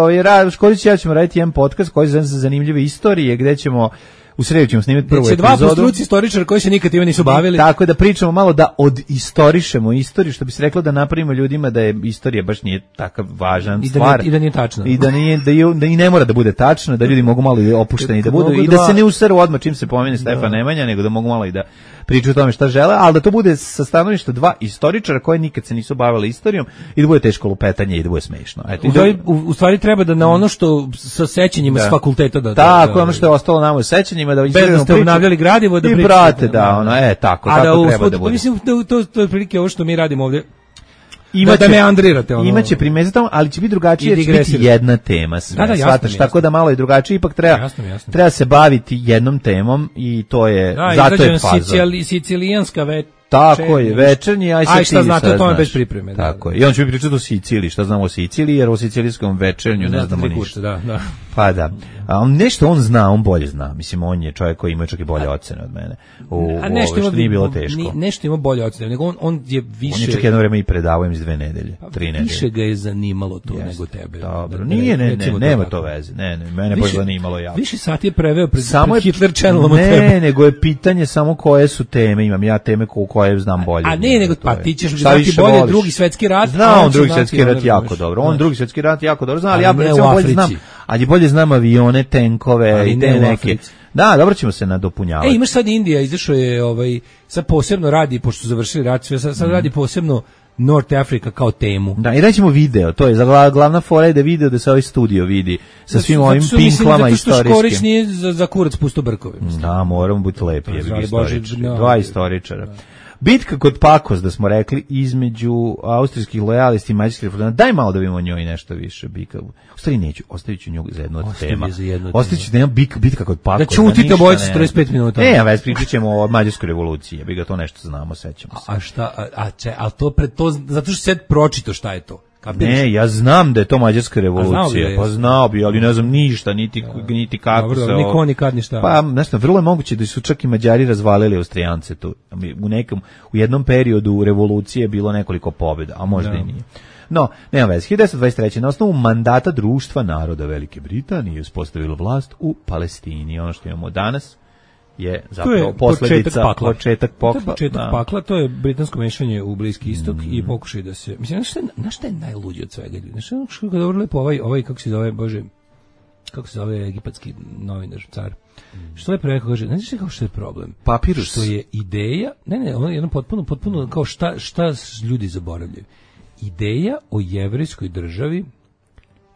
Speaker 6: Škorić i ja ćemo raditi jedan podcast koji zove se Zanimljive istorije, gde ćemo u sredu ćemo snimiti prvu epizodu.
Speaker 7: Dva postruci istoričara koji se nikad time nisu bavili.
Speaker 6: Tako da pričamo malo da odistorišemo istoriju, što bi se reklo da napravimo ljudima da je istorija baš nije takav važan stvar.
Speaker 7: I da nije tačna.
Speaker 6: I da i ne mora da bude tačno, da ljudi mogu malo i opušteni da budu i da se ne useru odmah čim se pomene Stefan Nemanja, nego da mogu malo i da pričaju o tome šta žele, ali da to bude sa stanovišta dva istoričara koji nikad se nisu bavili istorijom i da bude teško lupetanje i da bude smešno.
Speaker 7: Eto, u stvari treba da na ono što sa sećanjima s fakulteta da...
Speaker 6: Tako, ono što je ostalo nama u sećanjima, da
Speaker 7: bez da ste obnavljali gradivo, da pričate.
Speaker 6: Brate, da, ono, tako treba da bude.
Speaker 7: Mislim, to je prilike ovo što mi radimo ovdje. Da me andrirate ono.
Speaker 6: Imaće primeze tamo, ali će biti drugačije, će biti jedna tema sve. Shvataš, tako da malo je drugačije, ipak treba se baviti jednom temom i to je, zato je faza.
Speaker 7: Sicilijanska
Speaker 6: tako je, večernji, aj
Speaker 7: šta znate o tome bez pripreme.
Speaker 6: Tako je. I on će mi pričati o Siciliji, šta znamo o Siciliji, jer o sicilijskom večernju ne znamo ništa.
Speaker 7: Da.
Speaker 6: Pa da. Nešto on zna, on bolje zna. Mislim, on je čovjek koji ima čak i bolje ocene od mene. Što nije bilo teško.
Speaker 7: Nešto ima bolje ocene, nego on je više...
Speaker 6: On je čak jedno vreme i predavao iz 2 nedelje, 3 nedelje.
Speaker 7: Više ga je zanimalo to nego tebe.
Speaker 6: Dobro, nema to veze. Ne, mene baš zanimalo jako.
Speaker 7: Više sati je preveo pred Hitler Channelom od tebe.
Speaker 6: Ne, nego je pitanje samo koje su teme. Imam ja teme koje znam bolje.
Speaker 7: A ne, nego pa ti ćeš znati bolje Drugi svjetski rat.
Speaker 6: Zna on Drugi svjetski rat jako dobro. On Drugi svjetski rat jako dobro zna, ali ja recimo bolje znam. Ali bolje znam avione, tenkove i te neke. Da, dobro ćemo se nadopunjavati.
Speaker 7: Imaš sad Indija, izašao je sad posebno radi, pošto su završili rat, sad radi posebno North Africa kao temu.
Speaker 6: Da, i rećemo video, to je glavna fora je da video da se ovaj studio vidi sa svim ovim pinklama istorijskim. Zato što
Speaker 7: Škorić nije za kurac pusto brkove.
Speaker 6: Da, moramo biti lepi, dva istoričara. Bitka kod Pakos, da smo rekli, između austrijskih lojalisti i mađarskih reformista. Daj malo da vidimo o njoj nešto više. U stvari neću, ostavit ću nju za jednu od tema. Ostavit ću da imam bitka kod Pakos.
Speaker 7: Da čutite obojicu 45 minuta.
Speaker 6: Ne, pričat ćemo o mađarskoj revoluciji. Ja bi ga to nešto znamo, sećamo se.
Speaker 7: A šta, a to zato što sad pročito šta je to.
Speaker 6: Ne, ja znam da je to mađarska revolucija, pa znao bi, ali ne znam ništa, niti kako
Speaker 7: dobro, se ovo... Niko nikad ništa.
Speaker 6: Pa, nešto, vrlo je moguće da su čak i Mađari razvalili Austrijance tu. U jednom periodu revolucije je bilo nekoliko pobjeda, a možda i nije. No, nema veze. 1923. na osnovu mandata Društva naroda Velike Britanije uspostavilo vlast u Palestini. Ono što imamo danas je zapravo posljedica početak
Speaker 7: pakla, to je britansko mešanje u Bliski istok i pokušaj da se, mislim, znaš šta je najluđi od svega ljudi, znaš što je dobro lepo ovaj kako se zove egipatski novinar, car, što lepo rekao, kaže, znaš kako što je problem?
Speaker 6: Papirus.
Speaker 7: Što je ideja, ono je jedno potpuno kao šta ljudi zaboravljaju. Ideja o jevrejskoj državi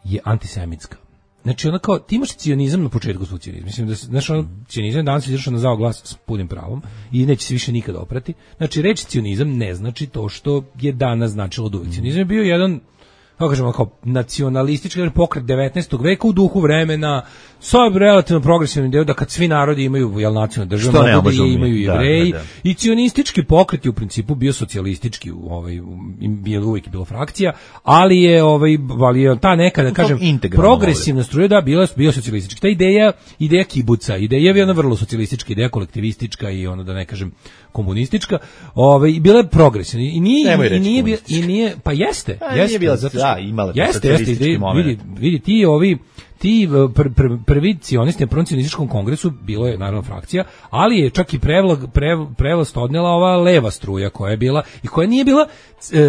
Speaker 7: je antisemitska. Znači, ono kao, ti imaš cionizam na početku svog cionizma. Mislim da, znaš, cionizam danas je izašao na zao glas s punim pravom i neće se više nikada oprati. Znači, reći cionizam ne znači to što je danas značilo od uvijek. Cionizam je bio jedan, kako kažemo, kao nacionalistički pokret 19. veka u duhu vremena, sa relativno progresivnim idejom da kad svi narodi imaju nacionalnu državu, mogu da imaju Jevreji, i cionistički pokret je u principu bio socijalistički, bio uvijek bilo frakcija, ali je ta neka, da kažem, progresivna struja, da, bio socijalistički. Ta ideja kibuca, ideja je ona vrlo socijalistička, ideja kolektivistička i ono, da ne kažem, komunistička, bila je progresivna i nije pa jeste
Speaker 6: imala
Speaker 7: jeste vidi ti prvi cionisti na prvom cionističkom kongresu, bilo je naravno frakcija, ali je čak i prevlast odnela ova leva struja koja je bila i koja nije bila,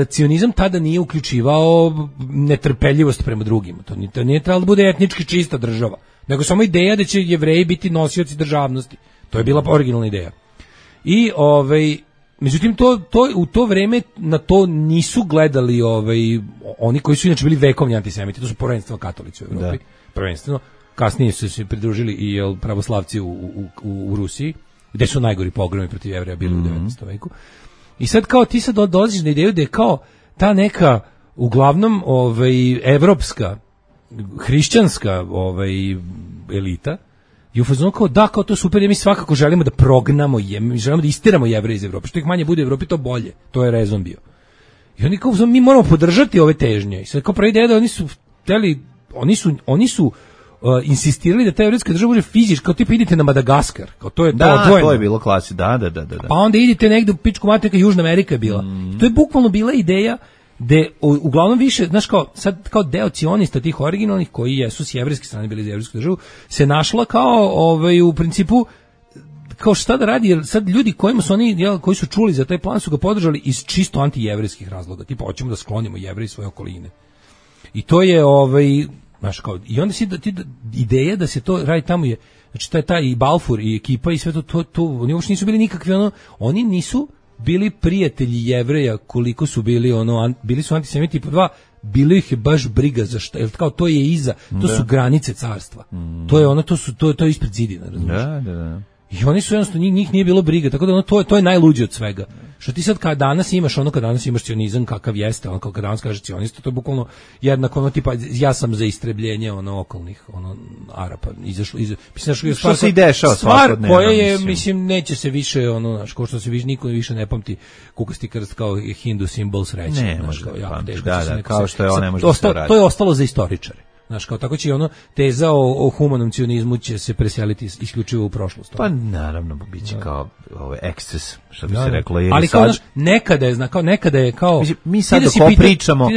Speaker 7: cionizam tada nije uključivao netrpeljivost prema drugima, to nije trebalo da bude etnički čista država, nego samo ideja da će Jevreji biti nosioci državnosti, to je bila originalna ideja. I međutim u to vreme na to nisu gledali oni koji su inače bili vekovni antisemiti, to su prvenstveno katolici u Evropi, prvenstveno, kasnije su se pridružili i pravoslavci u Rusiji, gde su najgori pogromi protiv Jevreja bili u 19. veku. I sad kao ti sad dolaziš na ideju da je kao ta neka uglavnom evropska hrišćanska elita i u fazonu kao da, kao to super, mi svakako želimo da prognamo mi želimo da istiramo Jevreje iz Evrope, što ih manje bude u Evropi to bolje, to je rezon bio. I oni kao, mi moramo podržati ove težnje. I sad kao prva ideja da oni su hteli, oni su insistirali da ta evrijska država bude fizička, kao tipa idite na Madagaskar, kao to je
Speaker 6: to je bilo klasi, da.
Speaker 7: Pa onda idite negde u pičku materiju, Južna Amerika je bila. To je bukvalno bila ideja da uglavnom više, znaš, kao deo cionista tih originalnih koji jesu s jevrijske strane bili za jevrijsku državu, se našla kao u principu kao šta da radi, jer sad ljudi koji su čuli za taj plan su ga podržali iz čisto antijevrijskih razloga, tipa hoćemo da sklonimo Jevreje iz svoje okoline. I to je znaš, kao, i onda ideja da se to radi tamo je, znači taj i Balfour i ekipa i sve to oni uopšte nisu bili nikakvi oni nisu bili prijatelji Jevreja koliko su bili bili su antisemiti, po dva, bilo ih je baš briga za šta, jer kao to je iza, to su granice carstva. To je to je ispred zidina, razumiješ? Da. I oni su jednostavno, njih nije bilo briga, tako da to je najluđe od svega. Što ti sad kad danas imaš kad danas imaš cionizam kakav jeste, kad danas kaže cionista, to je bukvalno jednako tipa ja sam za istrebljenje okolnih Arapa, izašlo
Speaker 6: što se i dešava
Speaker 7: svakodnevno. Stvar koja je, mislim, neće se više ko što se niko više ne pamti kukasti krst kao hindu simbol sreće.
Speaker 6: Ne, može kao što je ne može da se radi.
Speaker 7: To je ostalo za istoričare. Znaš, kao tako će teza o humanom cionizmu će se preseliti isključivo u prošlost.
Speaker 6: Pa naravno, biće kao eksces, što bi se reklo.
Speaker 7: Ali kao, znaš, nekada je kao...
Speaker 6: Mi sad dok pričamo,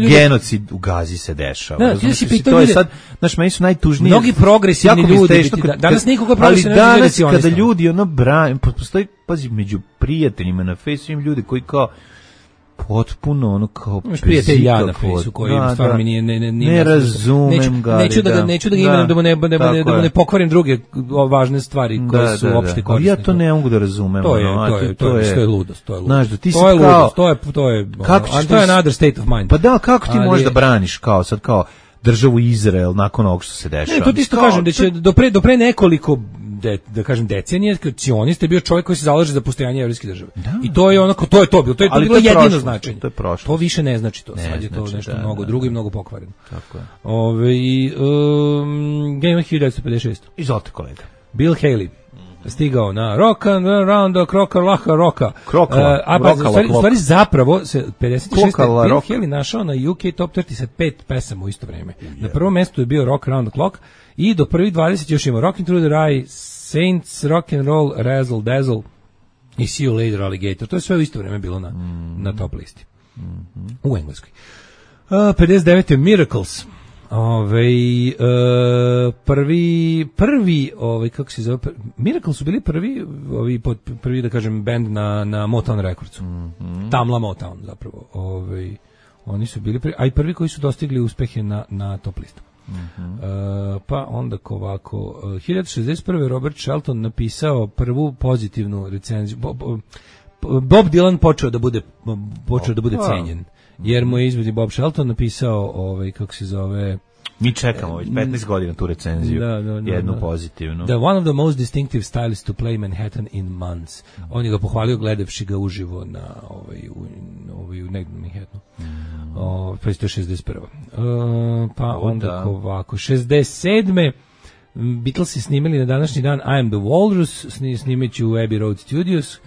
Speaker 6: genocid u Gazi se dešava.
Speaker 7: Ti da si pitao ljude...
Speaker 6: Znaš, meni su najtužniji...
Speaker 7: Mnogi progresivni ljudi... Danas nikoga progresivni ljudi
Speaker 6: ne cionista. Ali danas kada ljudi brane... Postoji, pazi, među prijateljima na Facebooku im ljudi koji kao... potpuno kao
Speaker 7: prijatelj ja na Facebooku koji stvarno mi nije
Speaker 6: ne razumem ga.
Speaker 7: Neću da ga imenujem da mu ne pokvarim druge važne stvari koje su opšte korisne.
Speaker 6: Ja to ne mogu da razumem.
Speaker 7: To je ludost,
Speaker 6: Znaš, da ti
Speaker 7: to je ludost, to je another state of mind.
Speaker 6: Pa da, kako ti možeš da braniš kao sad kao državu Izrael nakon ovog što se dešava?
Speaker 7: Ne, to ti isto kažem da će do pre nekoliko da kažem decenije, cionist je bio čovjek koji se zalaže za postojanje jevrejske države. I to je to je bilo jedino značenje.
Speaker 6: To je prošlo.
Speaker 7: To više ne znači to. Sad je to nešto mnogo drugo i mnogo pokvareno.
Speaker 6: Tako je.
Speaker 7: Game 1956.
Speaker 6: Izvolite, kolega.
Speaker 7: Bill Haley stigao na Rock and Round the Roka. U stvari zapravo se 56. Bill Haley našao na UK Top 30 sa 5 pesama u isto vrijeme. Na prvom mjestu je bio Rock Around the Clock i do prvih 20 još ima Rockin' Through the Rye, Saints, Rock and Roll, Razzle Dazzle i See You Later Alligator. To je sve u isto vrijeme bilo na top listi. U Engleskoj. 59. Miracles. Prvi kako se zove, Miracle su bili prvi da kažem band na Motown Recordsu. Tamla Motown zapravo. Oni su bili a i prvi koji su dostigli uspehe na top listu. Pa onda ovako 1061. Robert Shelton napisao prvu pozitivnu recenziju. Bob Dylan počeo da bude cenjen. Jer mu je izvedi Bob Shelton napisao kako se zove,
Speaker 6: mi čekamo već 15 godina tu recenziju, jednu pozitivnu.
Speaker 7: The one of the most distinctive styles to play Manhattan in months. On je ga pohvalio gledavši ga uživo na u negdje Manhattanu. Pa je to 61. Pa onda ovako 67. Beatlesi snimali na današnji dan I Am the Walrus, snimeću u Abbey Road Studios.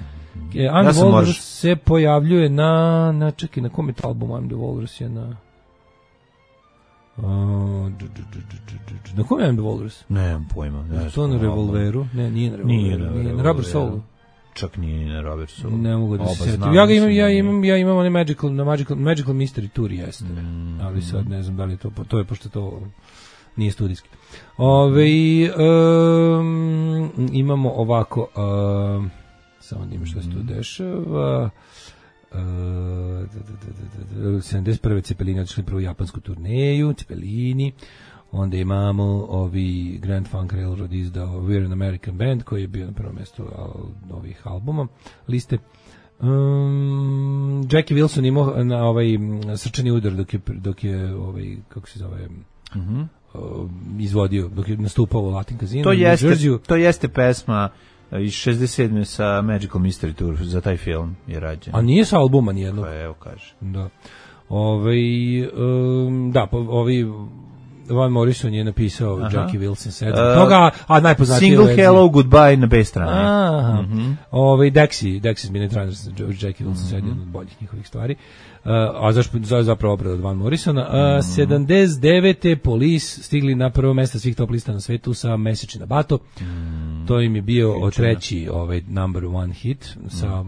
Speaker 7: I Am the Walrus se pojavljuje na čekaj, na kom je to album I Am the Walrus je na... na kom je Am the Walrus?
Speaker 6: Nemam pojma.
Speaker 7: To na Revolveru? Ne, nije na Revolveru. Nije na Rubber Soulu.
Speaker 6: Čak nije na Rubber Soulu.
Speaker 7: Ne mogu da se sjetim. Ja imam one Magical Mystery Tour, jeste. Ali sad ne znam da li je to je pošto to nije studijski. Imamo ovako, samo da ima što se tu dešava. 71. Cepelini otišli prvu japansku turneju, Cepelini. Onda imamo ovi Grand Funk Railroad izdao We're an American Band, koji je bio na prvom mjestu ovih albuma liste. Jackie Wilson imao na ovaj srčani udar dok je ovaj, kako se zove, izvodio, dok je nastupao u Latin Casino.
Speaker 6: To jeste pesma iz 67. sa Magical Mystery Tour, za taj film je rađen.
Speaker 7: A nije sa albuma nijednog.
Speaker 6: Pa evo kaže.
Speaker 7: Da. Van Morrison je napisao Jackie Wilson 7. Toga, a najpoznatiji
Speaker 6: Single Hello Goodbye na B strani.
Speaker 7: Dexys Minute Runners, Jackie Wilson 7, od boljih njihovih stvari. A zapravo obrad od Van Morrisona. 79. Police stigli na prvo mjesto svih top lista na svetu sa Message in a Bottle. To im je bio treći number one hit sa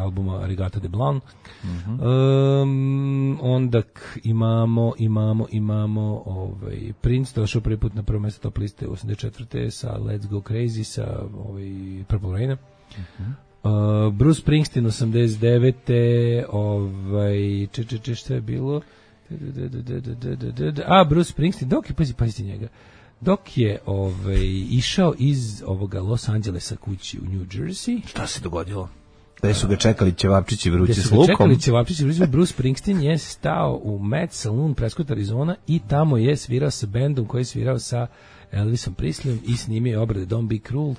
Speaker 7: albuma Arigato de Blanc. Onda imamo Prince došao prvi put na prvo mjesto top liste 84. sa Let's Go Crazy sa Purple Rain. Bruce Springsteen 89. Šta je bilo? Bruce Springsteen, pazite njega. Dok je išao iz ovoga Los Angelesa kući u New Jersey.
Speaker 6: Šta se dogodilo? Da su ga čekali ćevapčići vrući s lukom.
Speaker 7: Bruce Springsteen je stao u Mad Saloon, Prescott, Arizona, i tamo je svirao sa bendom koji je svirao sa Elvisom Presleyem i snimio obrade Don't Be Cruel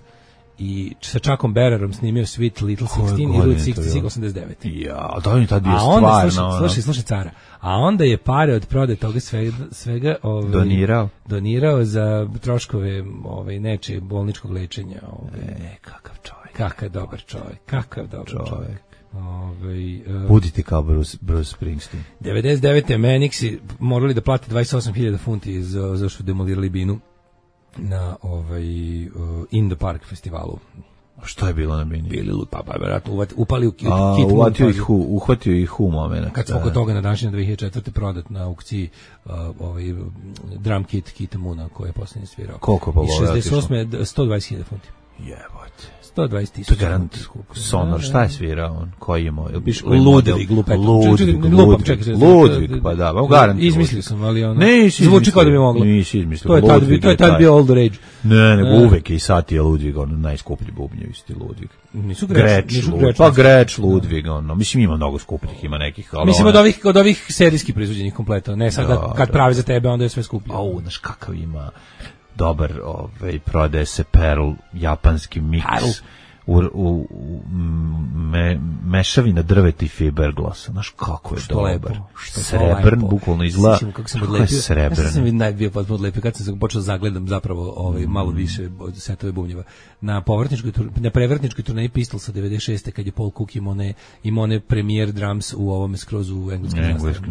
Speaker 7: i sa Chuckom Berrerom snimio Sweet Little 16 i Route 66 89.
Speaker 6: Ja, da je tad bio stvarno.
Speaker 7: Slušaj cara. A onda je pare od prodaje toga svega donirao za troškove nečije bolničkog lečenja.
Speaker 6: Kakav čovjek.
Speaker 7: Kakav dobar čovjek.
Speaker 6: Budite kao Bruce Springsteen.
Speaker 7: 99. Manixi morali da plate 28.000 funti za što demolirali binu na In the Park festivalu.
Speaker 6: Što je bilo na bini?
Speaker 7: Bili verovatno upali u kit.
Speaker 6: Uhvatio ih u moment.
Speaker 7: Kad smo kod toga na današnje 2004. prodat na aukciji drum kit Kita Moona koji je posljednji svirao.
Speaker 6: Koliko pa voleo?
Speaker 7: I 68. 120.000 funti.
Speaker 6: Jebote.
Speaker 7: 120.000.
Speaker 6: To je garant Sonor. Šta je svirao on? Koji je moj?
Speaker 7: Ludvig,
Speaker 6: pa da, garant.
Speaker 7: Izmislio sam, ali ono zvuči kao da bi moglo.
Speaker 6: Nisi izmislio.
Speaker 7: To je tad bio All the Rage.
Speaker 6: Ne, nego uvek je i sad je Ludvig, ono najskuplji bubnjevi isti Ludvig.
Speaker 7: Nisu
Speaker 6: Greć, Ludvig, ono. Mislim, ima mnogo skupljih, ima nekih.
Speaker 7: Mislim, od ovih serijskih proizvođenih kompleta. Ne, sad kad pravi za tebe, onda je sve skuplje.
Speaker 6: Znaš kakav ima dobar, prodaje se Pearl, japanski miks mešavina drveta i fiberglasa. Znaš kako je dobar. Srebrn, bukvalno izgleda. Kako je srebrn.
Speaker 7: Ja sam bio potpuno odlepio kad sam počeo zagledam zapravo malo više setove bubnjeva. Na prevrtničkoj turneji Pistolsa 96. kad je Paul Cook imao one premier drums u ovome skroz u engleskim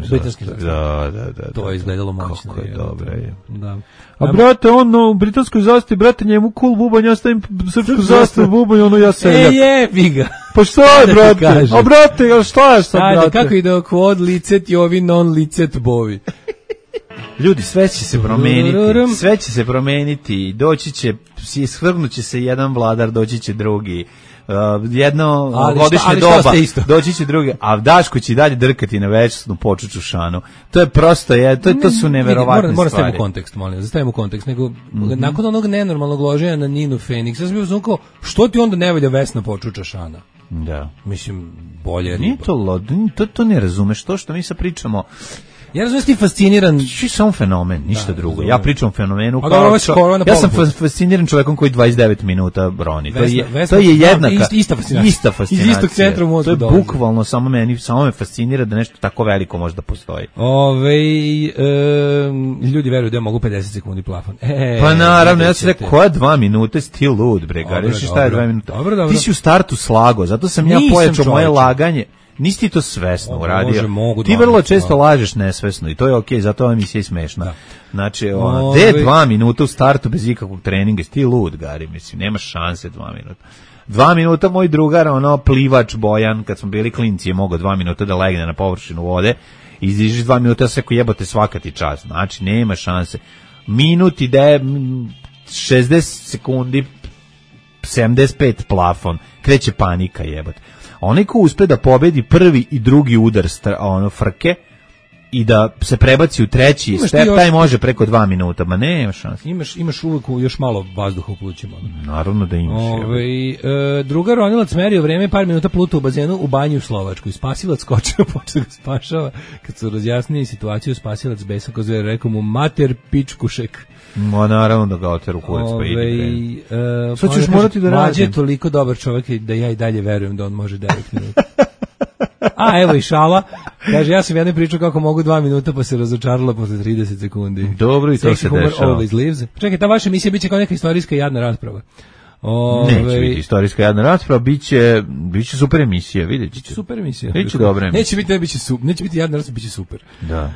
Speaker 7: britanskim zastavama.
Speaker 6: Da.
Speaker 7: To je izgledalo moćno.
Speaker 6: Kako je dobro.
Speaker 7: Da.
Speaker 6: A brate, ono u britanskoj zastavi, brate, njemu cool bubanj, ja stavim srpsku zastavu bubanj, ono ja seljak.
Speaker 7: Jebi ga.
Speaker 6: Pa šta je, brate? A brate, šta je sad, brate?
Speaker 7: Ajde, kako ide quod licet jovi non licet bovi.
Speaker 6: Ljudi, sve će se promeniti, doći će, svrgnuće se jedan vladar, doći će drugi. Jedno godišnje doba doći će drugi, a Daško će dalje drkati na večnu počuču šanu. To je prosto, to su neverovatne stvari.
Speaker 7: Moram staviti u kontekst, molim, zastavimo u kontekst, nego nakon onog nenormalnog loženja na Ninu Fenix, ja sam bio znao, što ti onda ne valja Vesna počuča šana?
Speaker 6: Da.
Speaker 7: Mislim, bolje
Speaker 6: nije to ne razumeš, to što mi sad pričamo
Speaker 7: Ja razumijem ti fasciniran.
Speaker 6: Ti samo fenomen, ništa drugo. Ja pričam o fenomenu
Speaker 7: kao
Speaker 6: ja sam fasciniran čovekom koji 29 minuta broni. To je jednaka ista fascinacija.
Speaker 7: Iz istog centra u mozgu.
Speaker 6: To je bukvalno samo me fascinira da nešto tako veliko može da postoji.
Speaker 7: Ljudi veruju da mogu 50 sekundi plafon.
Speaker 6: Pa naravno, ja sam rekao, koja 2 minute, sti lud, bre, reši šta je 2 minuta.
Speaker 7: Dobro.
Speaker 6: Ti si u startu slago, zato sam ja pojačao moje laganje. Nisi ti to svesno uradio. Ti vrlo često lažeš nesvesno i to je okej, zato ova emisija je smešna. Znači, gde 2 minuta u startu bez ikakvog treninga, ti lud, Gari, mislim, nema šanse 2 minuta. 2 minuta moj drugar, plivač Bojan, kad smo bili klinci, je mogao 2 minuta da legne na površinu vode, izdižiš 2 minuta, ja se ko jebote svaka ti čast. Znači, nema šanse. Minut ide 60 sekundi, 75 plafon, kreće panika jebote. Onaj ko uspe da pobedi prvi i drugi udar frke i da se prebaci u treći step, taj može preko 2 minuta, ma nema šanse.
Speaker 7: Imaš uvijek još malo vazduha u plućima.
Speaker 6: Naravno da imaš.
Speaker 7: Drugar ronilac merio vreme, par minuta pluta u bazenu u banji u Slovačkoj. Spasilac skočio, počeo ga spašava. Kad su razjasnili situaciju, spasilac besan ko zove, rekao mu mater pičkušek.
Speaker 6: Naravno da ga oteru kurac, pa idi. Sad ćeš morati da radim.
Speaker 7: Mlađe je toliko dobar čovjek da ja i dalje verujem da on može 9 minuta. Evo i šala. Kaže, ja sam jedne pričao kako mogu 2 minuta, pa se razočarala posle 30 sekundi.
Speaker 6: Dobro, i to se dešava.
Speaker 7: Čekaj, ta vaša emisija biće kao neka istorijska jadna rasprava.
Speaker 6: Neće biti istorijska jadna rasprava, biće super emisija, vidjet ćete.
Speaker 7: Super emisija.
Speaker 6: Biće dobra emisija.
Speaker 7: Neće biti jadna rasprava, biće super.
Speaker 6: Da.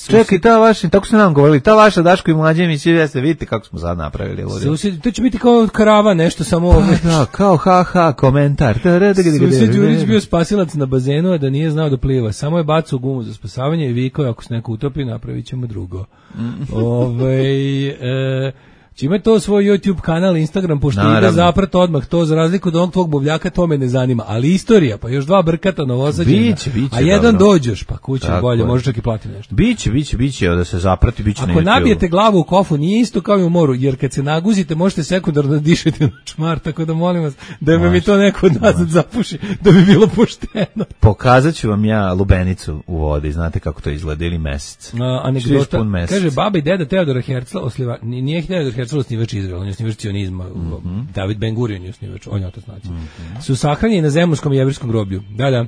Speaker 6: Čekaj, ta vaša, tako su nam govorili, ta vaša Daško i Mlađe emisija, jeste, vidite kako smo sad napravili.
Speaker 7: To će biti kao karava, nešto samo...
Speaker 6: Da, kao ha, komentar.
Speaker 7: Susjed Đurić bio spasilac na bazenu, a da nije znao da pliva. Samo je bacao gumu za spasavanje i vikao, ako se neko utopi, napravit ćemo drugo. Či ima to svoj YouTube kanal, Instagram, pošto ide zaprat odmah, to za razliku od onog tvog buvljaka, to me ne zanima, ali istorija, pa još 2 brkata novosađena, a jedan dobro. Dođeš, pa kuće bolje, može čak i plati nešto.
Speaker 6: Biće, da se zaprati, biće na YouTube.
Speaker 7: Ako nabijete glavu u kofu, nije isto kao i u moru, jer kad se naguzite, možete sekundarno dišeti na čmar, tako da molim vas, da mi to neko od nas zapuši, da bi bilo pošteno.
Speaker 6: Pokazat ću vam ja lubenicu u vodi, znate kako to izgleda, ili mesec.
Speaker 7: Anegdota, kaže, baba i deda Teodora Herzla, nije Teodor Herzl osnivač Izraela, on je osnivač cionizma, David Ben Gurion je osnivač, on je otac nacije. Su sahranjeni na zemunskom i jevrijskom groblju. Da.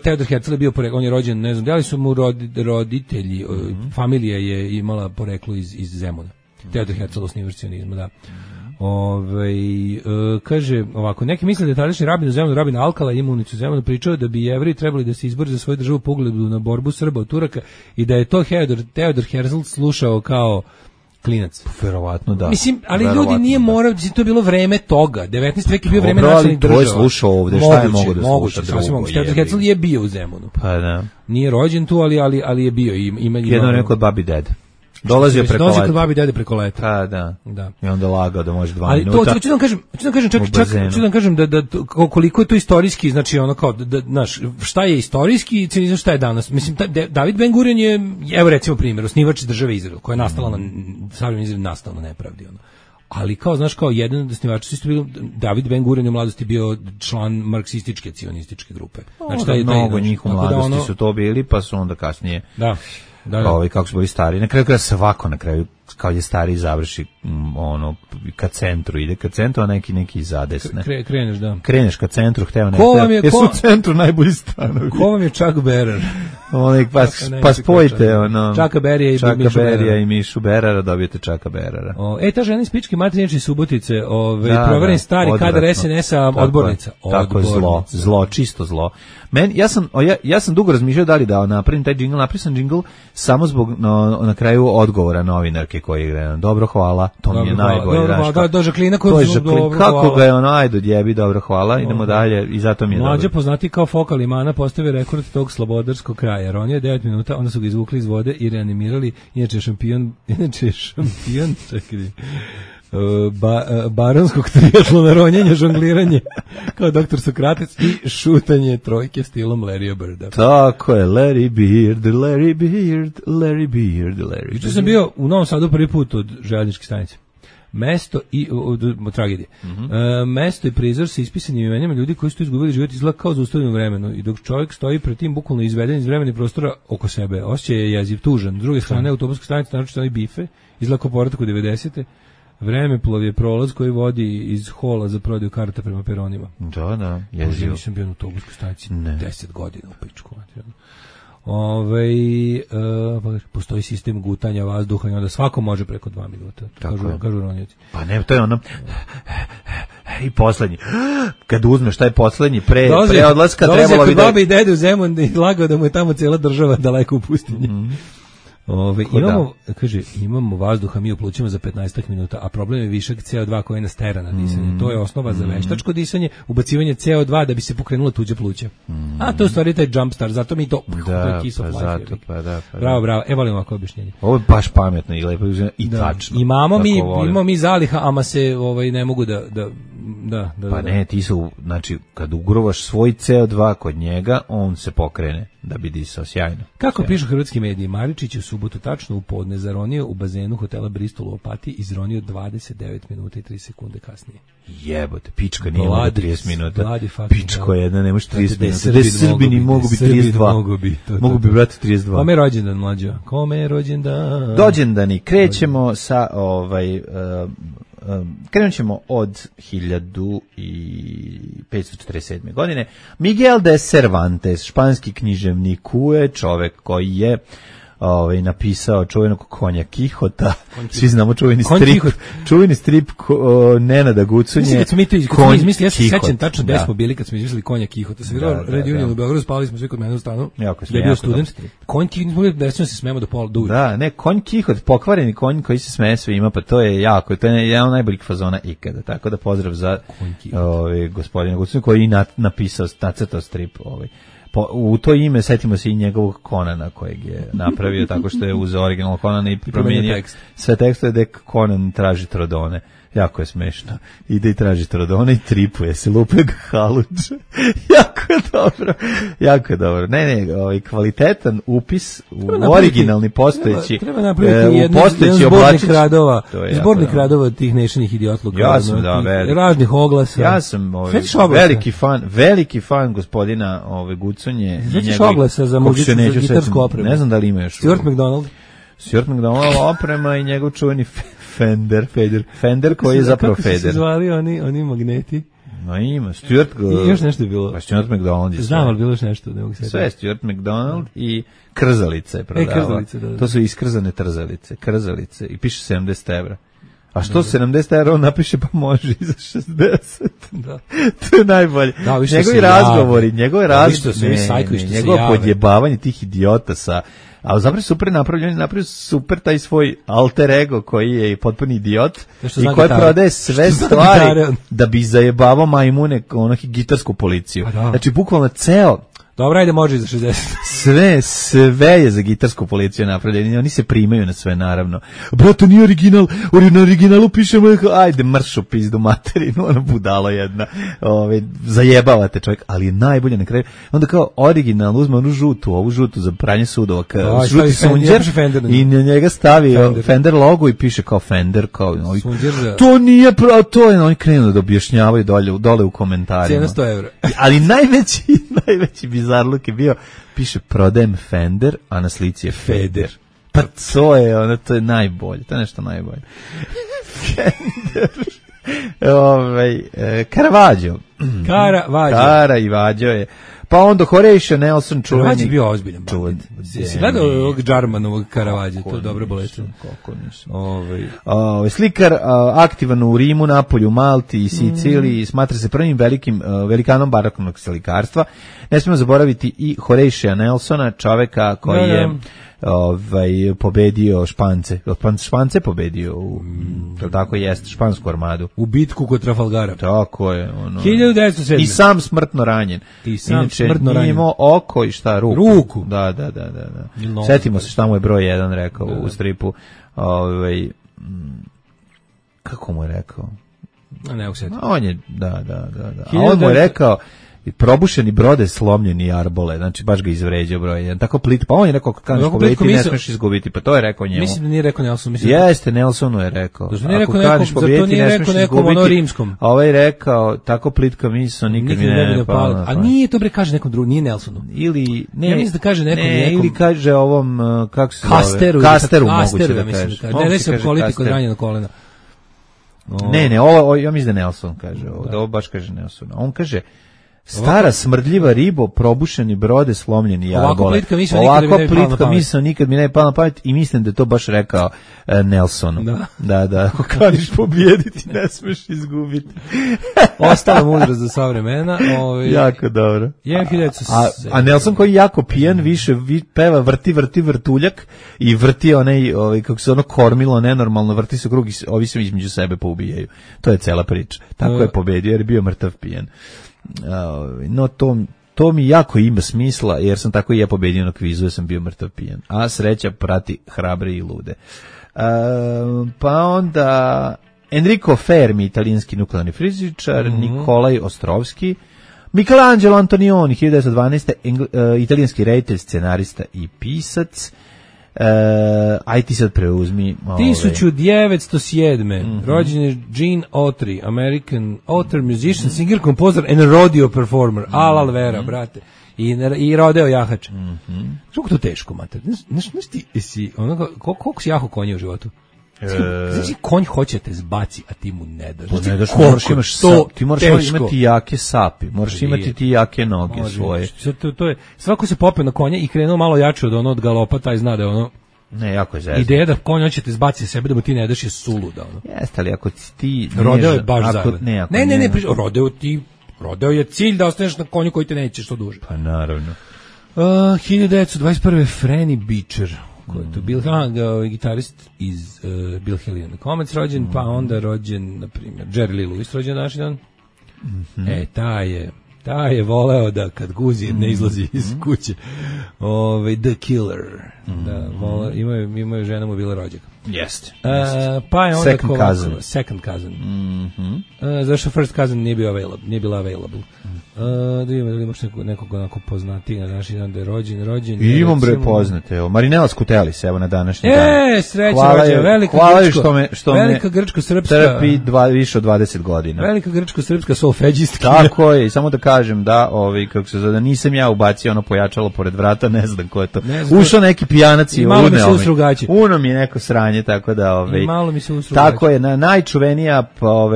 Speaker 7: Teodor Herzl je bio poreklo, on je rođen, ne znam, da li su mu roditelji, familija je imala poreklo iz Zemuna. Teodor Herzl osnivač cionizma, da. Kaže ovako, neki misle da je tadašnji rabin u Zemunu, rabin Alkala i imunicu Zemunu pričao da bi Jevreji trebali da se izbore za svoju državu po ugledu na borbu Srba od Turaka i da je to Teodor Herzl slušao kao klinac.
Speaker 6: Verovatno da.
Speaker 7: Mislim, ali ljudi nije morao, to je bilo vreme toga. 19. vek je bio vreme nacionalnih država.
Speaker 6: To je slušao ovde, šta je mogo da sluša drugo?
Speaker 7: Teodor Herzl je bio u Zemunu.
Speaker 6: Pa da.
Speaker 7: Nije rođen tu, ali je bio.
Speaker 6: Jedno neko od babi dede. Dolazio preko leta.
Speaker 7: Kod babi dede preko leta.
Speaker 6: Pa da. I onda lagao da može 2 minuta.
Speaker 7: Ali to ću da kažem da koliko je to istorijski, znači ono kao znaš, šta je istorijski i šta je danas. Mislim David Ben Gurion je, evo recimo primjer, osnivač države Izrael, koja je nastala na savremeni Izrael nastala na nepravdi ono. Ali kao znaš kao jedan od osnivača su isto bili David Ben Gurion u mladosti bio član marksističke cionističke grupe. Znači taj
Speaker 6: mnogo njih u mladosti su to bili, pa su onda kasnije.
Speaker 7: Da.
Speaker 6: Kako su bili stari. Na kraju svako na kraju kao je stari završi ka centru, ide ka centru, a neki zadesne. Kreneš ka centru, hteo ne. Jesu u centru najbolji stanovi.
Speaker 7: Ko vam je Chuck Berrer?
Speaker 6: Pa spojite
Speaker 7: Chucka Berrija
Speaker 6: i Mišu Berrera, dobijete Chucka Berrera.
Speaker 7: Ta žena iz Pičke Materinjače Subotice, proveren stari kadar SNS-a odbornica.
Speaker 6: Tako je zlo, čisto zlo. Ja sam dugo razmišljao da li da napravim taj džingl, napravio sam džingl samo zbog na kraju odgovora novinarke koji je dobro, hvala, to mi je najbolje.
Speaker 7: Do Žaklina
Speaker 6: kako ga je ajde odjebi, dobro, hvala, idemo dalje i zato mi je dobro.
Speaker 7: Mlađa poznati kao Fokal Imana postavio rekord tog slobodarskog kraja, jer on je 9 minuta, onda su ga izvukli iz vode i reanimirali, inače šampion, čekaj, baronskog trijatlona, ronjenje, žongliranje kao doktor Sokrates i šutanje trojke stilom Larrya Birda.
Speaker 6: Tako je, Larry Bird.
Speaker 7: Juče sam bio u Novom Sadu prvi put od željezničke stanice. Mesto i tragedije. Mesto i prizor sa ispisanim imenima ljudi koji su tu izgubili život izgleda kao zaustavljeno vremenu i dok čovjek stoji pred tim bukvalno izveden iz vremena i prostora oko sebe, osjeća je jeziv, tužan. S druge strane, autobuska stanica, naročito onaj bife, izgleda kao povratak u 90. Vremeplov je prolaz koji vodi iz hola za prodaju karata prema peronima.
Speaker 6: Da, jezivo.
Speaker 7: Nisam bio na autobuskoj stanici 10 godina u pičku. Postoji sistem gutanja vazduha i onda svako može preko 2 minuta. Kažu ronioci.
Speaker 6: Pa ne, to je ono i poslednji. Kad uzmeš taj poslednji pre odlaska trebalo bi da...
Speaker 7: Babi i dede u Zemun i lagao da mu je tamo cijela država daleko u pustinji. Imamo vazduha mi u plućima za 15 minuta, a problem je višak CO2 koji nas tera na disanje. To je osnova za veštačko disanje, ubacivanje CO2 da bi se pokrenula tuđa pluća. A to je u stvari taj jumpstart, zato mi to je kiss of life. Bravo, volimo ovako objašnjenje.
Speaker 6: Ovo je baš pametno i lepo i tačno.
Speaker 7: Imamo mi zaliha, ama se ne mogu da.
Speaker 6: Pa ne, ti su, znači, kad ugrovaš svoj CO2 kod njega, on se pokrene da bi disao sjajno.
Speaker 7: Kako pišu hrvatski mediji, Maričić u subotu tačno u podne zaronio u bazenu hotela Bristol u Opatiji, izronio 29 minuta i 3 sekunde kasnije.
Speaker 6: Jebote, pička nije mogu 30 minuta. Pičko jedna, ne može 30 minuta. Da Srbini mogu biti 32. Mogu bi, brate, 32.
Speaker 7: Kome je rođendan, mlađo? Kome je rođendan?
Speaker 6: Rođendani, krećemo sa krenut ćemo od 1547. godine. Miguel de Cervantes, španski književnik, je čovek koji je napisao čuvenog Konja Kihota. Svi znamo čuveni strip Nenada Gucunje.
Speaker 7: Mislim, kad smo mi to izmislili, ja se sećam tačno gde smo bili kad smo izmislili Konja Kihota. Sam vidio Red Union u Beogradu, spali smo svi kod mene u stanu.
Speaker 6: Ja
Speaker 7: bio student. Konj Kihot, nismo bili da se smemo do pola duže.
Speaker 6: Da, ne, Konj Kihot, pokvareni konj koji se smeje svima, pa to je jako, to je jedan od najboljih fazona ikada. Tako da pozdrav za gospodina Gucunje koji je napisao, nacrtao strip u to ime setimo se i njegovog Konana kojeg je napravio tako što je uzeo original Konana i promijenio sve tekstove da Konan traži Trodone. Jako je smešno. Ide i traži Trodone i tripuje se, lupe ga haluđe. Jako je dobro. Ne, kvalitetan upis u originalni postojeći.
Speaker 7: Treba napraviti jedan zbornik radova tih nešanih idiotluka.
Speaker 6: Ja sam,
Speaker 7: raznih oglasa.
Speaker 6: Ja sam veliki fan gospodina Gucunje.
Speaker 7: Svećiš oglasa za gitarsku opremu?
Speaker 6: Ne znam da li ima još.
Speaker 7: Stuart McDonald
Speaker 6: oprema i njegov čuveni Fender koji je zapravo Feder.
Speaker 7: Kako su se zvali oni magneti?
Speaker 6: No ima, Stuart...
Speaker 7: I još nešto je bilo.
Speaker 6: Pa Stuart McDonald je sve.
Speaker 7: Znam, ali bilo još nešto. Ne mogu
Speaker 6: sve Stuart McDonald i krzalice je prodavao.
Speaker 7: Krzalice, da.
Speaker 6: To su iskrzane krzalice i piše 70 evra. A što 70 evra on napiše pa može i za 60.
Speaker 7: Da.
Speaker 6: To je najbolje. Njegovi razgovori, njegove podjebavanje tih idiota sa... A zapravo super napravio super taj svoj alter ego koji je potpuni idiot i koji prodaje sve stvari da bi zajebavao majmune gitarsku policiju. Znači bukvalno ceo...
Speaker 7: Dobro, ajde, može i za
Speaker 6: 60. Sve je za gitarsku policiju napravljeno. Oni se primaju na sve, naravno. Brato, nije original. Na originalu pišemo, ajde, mršu pizdu materinu, ono budalo jedna. Zajebavate čovjek, ali je najbolje na kraju. Onda kao original uzme ovu žutu za pranje sudova, žuti sunđer i na njega stavi Fender logo i piše kao Fender, kao to nije pravo, to je, oni krenu da objašnjavaju dole u komentarima.
Speaker 7: Cijena 100 evra.
Speaker 6: Ali najveći bizarluk je bio, piše prodajem Fender, a na slici je Feder. Pa to je najbolje, to je nešto najbolje. Fender. Caravaggio. Kara i Vađo je. Pa onda Horatio Nelson čuveni.
Speaker 7: Caravaggio je bio ozbiljan bandit. Si gledao ovog Džarmanovog Caravaggio, to je dobro bolečno.
Speaker 6: Kako nisam. Slikar aktivan u Rimu, Napolju, Malti i Siciliji, smatra se prvim velikanom baroknog slikarstva. Ne smijemo zaboraviti i Horatio Nelsona, čoveka koji je pobedio Špance. Špance pobedio tako jest, špansku armadu.
Speaker 7: U bitku kod Trafalgara.
Speaker 6: Tako je.
Speaker 7: 1907.
Speaker 6: I sam smrtno ranjen. Inače, nije imao oko i šta, ruku. Da. Setimo se šta mu je broj 1 rekao u stripu. Kako mu je rekao?
Speaker 7: Ne usetim.
Speaker 6: On je, da. A on mu je rekao, probušeni brode, slomljeni arbole, znači baš ga izvređao broj 1. Tako plit, pa on je rekao kako kaneš pobediti, ne smeš izgubiti, pa to je rekao njemu.
Speaker 7: Mislim da nije rekao Nelson,
Speaker 6: Jeste, Nelsonu je rekao.
Speaker 7: Ako kaneš pobediti, ne smeš izgubiti. Rimskom.
Speaker 6: A ovaj rekao, tako plitka misao, nikad mi ne pala.
Speaker 7: A nije to bre kaže nekom drugom, nije Nelsonu.
Speaker 6: Ili ne,
Speaker 7: ja mislim da kaže nekom.
Speaker 6: Ili kaže ovom kako se
Speaker 7: zove?
Speaker 6: Kasteru moguće da kaže.
Speaker 7: Ne se politiku ranjeno kolena.
Speaker 6: Ne, ovo ja mislim da Nelson kaže, ovo baš kaže Nelson. On kaže stara smrdljiva ribo, probušeni brode, slomljeni arbole. Ovako plitka misao nikad mi ne pala na pamet i mislim da je to baš rekao Nelson. Da. Ako kaniš pobijediti, ne smeš izgubiti.
Speaker 7: Ostala mudrost za sva vremena.
Speaker 6: Jako dobro. A Nelson koji je jako pijan, više peva vrti vrtuljak i vrti onaj, kako se ono kormilo, nenormalno, vrti se u krug i ovi se između sebe poubijaju. To je cela priča. Tako je pobedio jer je bio mrtav pijan. No to mi jako ima smisla jer sam tako i ja pobedio na kvizu jer sam bio mrtav pijan, a sreća prati hrabre i lude. Pa onda Enrico Fermi, italijanski nuklearni fizičar, Nikolaj Ostrovski, Michelangelo Antonioni 1912, italijanski reditelj, scenarista i pisac. Aj ti sad preuzmi
Speaker 7: 1907. rođen je Gene Autry, American author, musician, singer, composer and rodeo performer. Al Vera, brate. I rodeo jahač. Kako to teško, mater? Znaš ti si koliko si jaho konje u životu? Znači konj hoće te zbaci, a ti mu ne daš.
Speaker 6: Ti moraš imati jake sapi, moraš imati ti jake noge svoje.
Speaker 7: To je, svako se popeo na konja i krenuo malo jače od galopa, taj zna da je ono.
Speaker 6: Ne, jako je zezno.
Speaker 7: Ideja da konj hoće te zbaci sebe da mu ti ne daš je suluda.
Speaker 6: Jeste, ali ako ti...
Speaker 7: Rodeo je baš zajedno. Ne, rodeo je cilj da ostaneš na konju koji te neće što duže.
Speaker 6: Pa naravno.
Speaker 7: 1921. Franny Beecher, koji je to bil gitarist iz Bill Haley and the Comets rođen, pa onda rođen, na primjer, Jerry Lee Lewis rođen naši dan. taj je voleo da kad guzi ne izlazi iz kuće. The Killer. Da, imaju žena mu bila rođaka.
Speaker 6: Jeste.
Speaker 7: Pa je onda
Speaker 6: Second Cousin.
Speaker 7: Zašto First Cousin nije bila available. Da imaš nekog onako poznatiji na današnji dan da je rođen.
Speaker 6: I imam bre poznate. Marinela Skutelis, evo na današnji dan.
Speaker 7: Sreća rođena, velika grčko-srpska.
Speaker 6: Trpi više od 20 godina.
Speaker 7: Velika grčko-srpska solfeđistka.
Speaker 6: Tako je, i samo da kažem da, kako se zove, nisam ja ubacio ono pojačalo pored vrata, ne znam ko je to. Ušao neki pijanac i
Speaker 7: malo mi se usrugači.
Speaker 6: Uno mi je neko sranje, tako da,
Speaker 7: malo mi se usrugači.
Speaker 6: Tako je, najčuvenija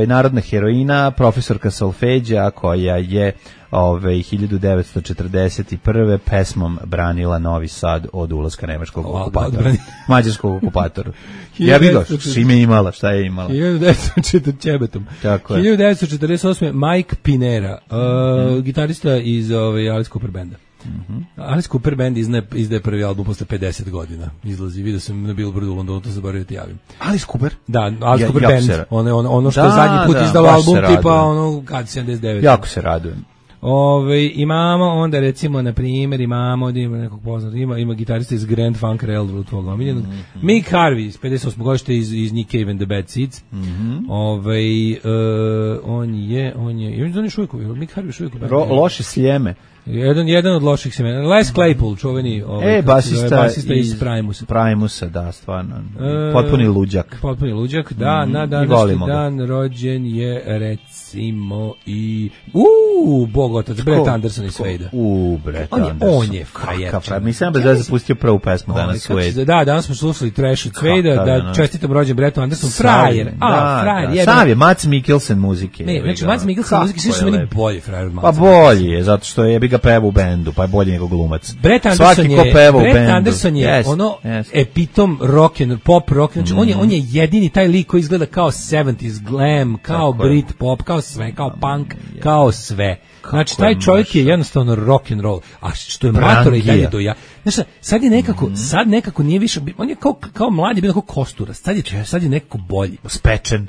Speaker 6: narodna heroina, profesorka solfeđa, koja je 1941. pesmom branila Novi Sad od ulaska nemačkog okupatora. Mađarskog okupatora. Ja bih došao, što je imala, šta je imala?
Speaker 7: 1948. Mike Pinera, gitarista iz Alice Cooper benda. Alice Cooper band izdaje prvi album posle 50 godina. Izlazi, vidio sam na Billboardu u Londonu, to se zaboravio ti javim.
Speaker 6: Alice Cooper?
Speaker 7: Da, Alice Cooper band. Ono što je zadnji put izdalo album tipa ono kad 79.
Speaker 6: Jako se radujem.
Speaker 7: Imamo onda recimo na primjer imamo nekog poznatog, ima gitarista iz Grand Funk Railroad, tvog omiljenog. Mick Harvey iz 58. godište iz Nick Cave and the Bad Seeds. On je Mick Harvey šujek.
Speaker 6: Loše sljeme.
Speaker 7: Jedan od loših semena. Les Claypool, čuveni basista iz
Speaker 6: Primusa, da, stvarno. Potpuni luđak.
Speaker 7: Da, na današnji dan rođen je recimo i Bog otac, Brett Anderson iz Suede.
Speaker 6: Brett Anderson.
Speaker 7: On je frajer.
Speaker 6: Mislim da je zapustio prvu pesmu danas Suede.
Speaker 7: Da, danas smo slušali Trash od Suede, da čestitam rođen Brettu Anderson. Frajer.
Speaker 6: Sav je Mads Mikkelsen muzike.
Speaker 7: Ne, znači Mads Mikkelsen muzike svi su meni bolji frajer od Mads.
Speaker 6: Pa bolji je, zato što je bi ga peva u bendu, pa je bolji nego glumac.
Speaker 7: Brett Anderson je epitom pop rock, znači on je jedini taj lik koji izgleda kao 70s glam, kao Brit pop, kao sve, kao punk, kao sve. Znači taj čovjek je jednostavno rock and roll, a što je matora i dalje do ja. Znači sad nekako nije više, on je kao mladi bio kao Kostura, sad je nekako bolji.
Speaker 6: Spečen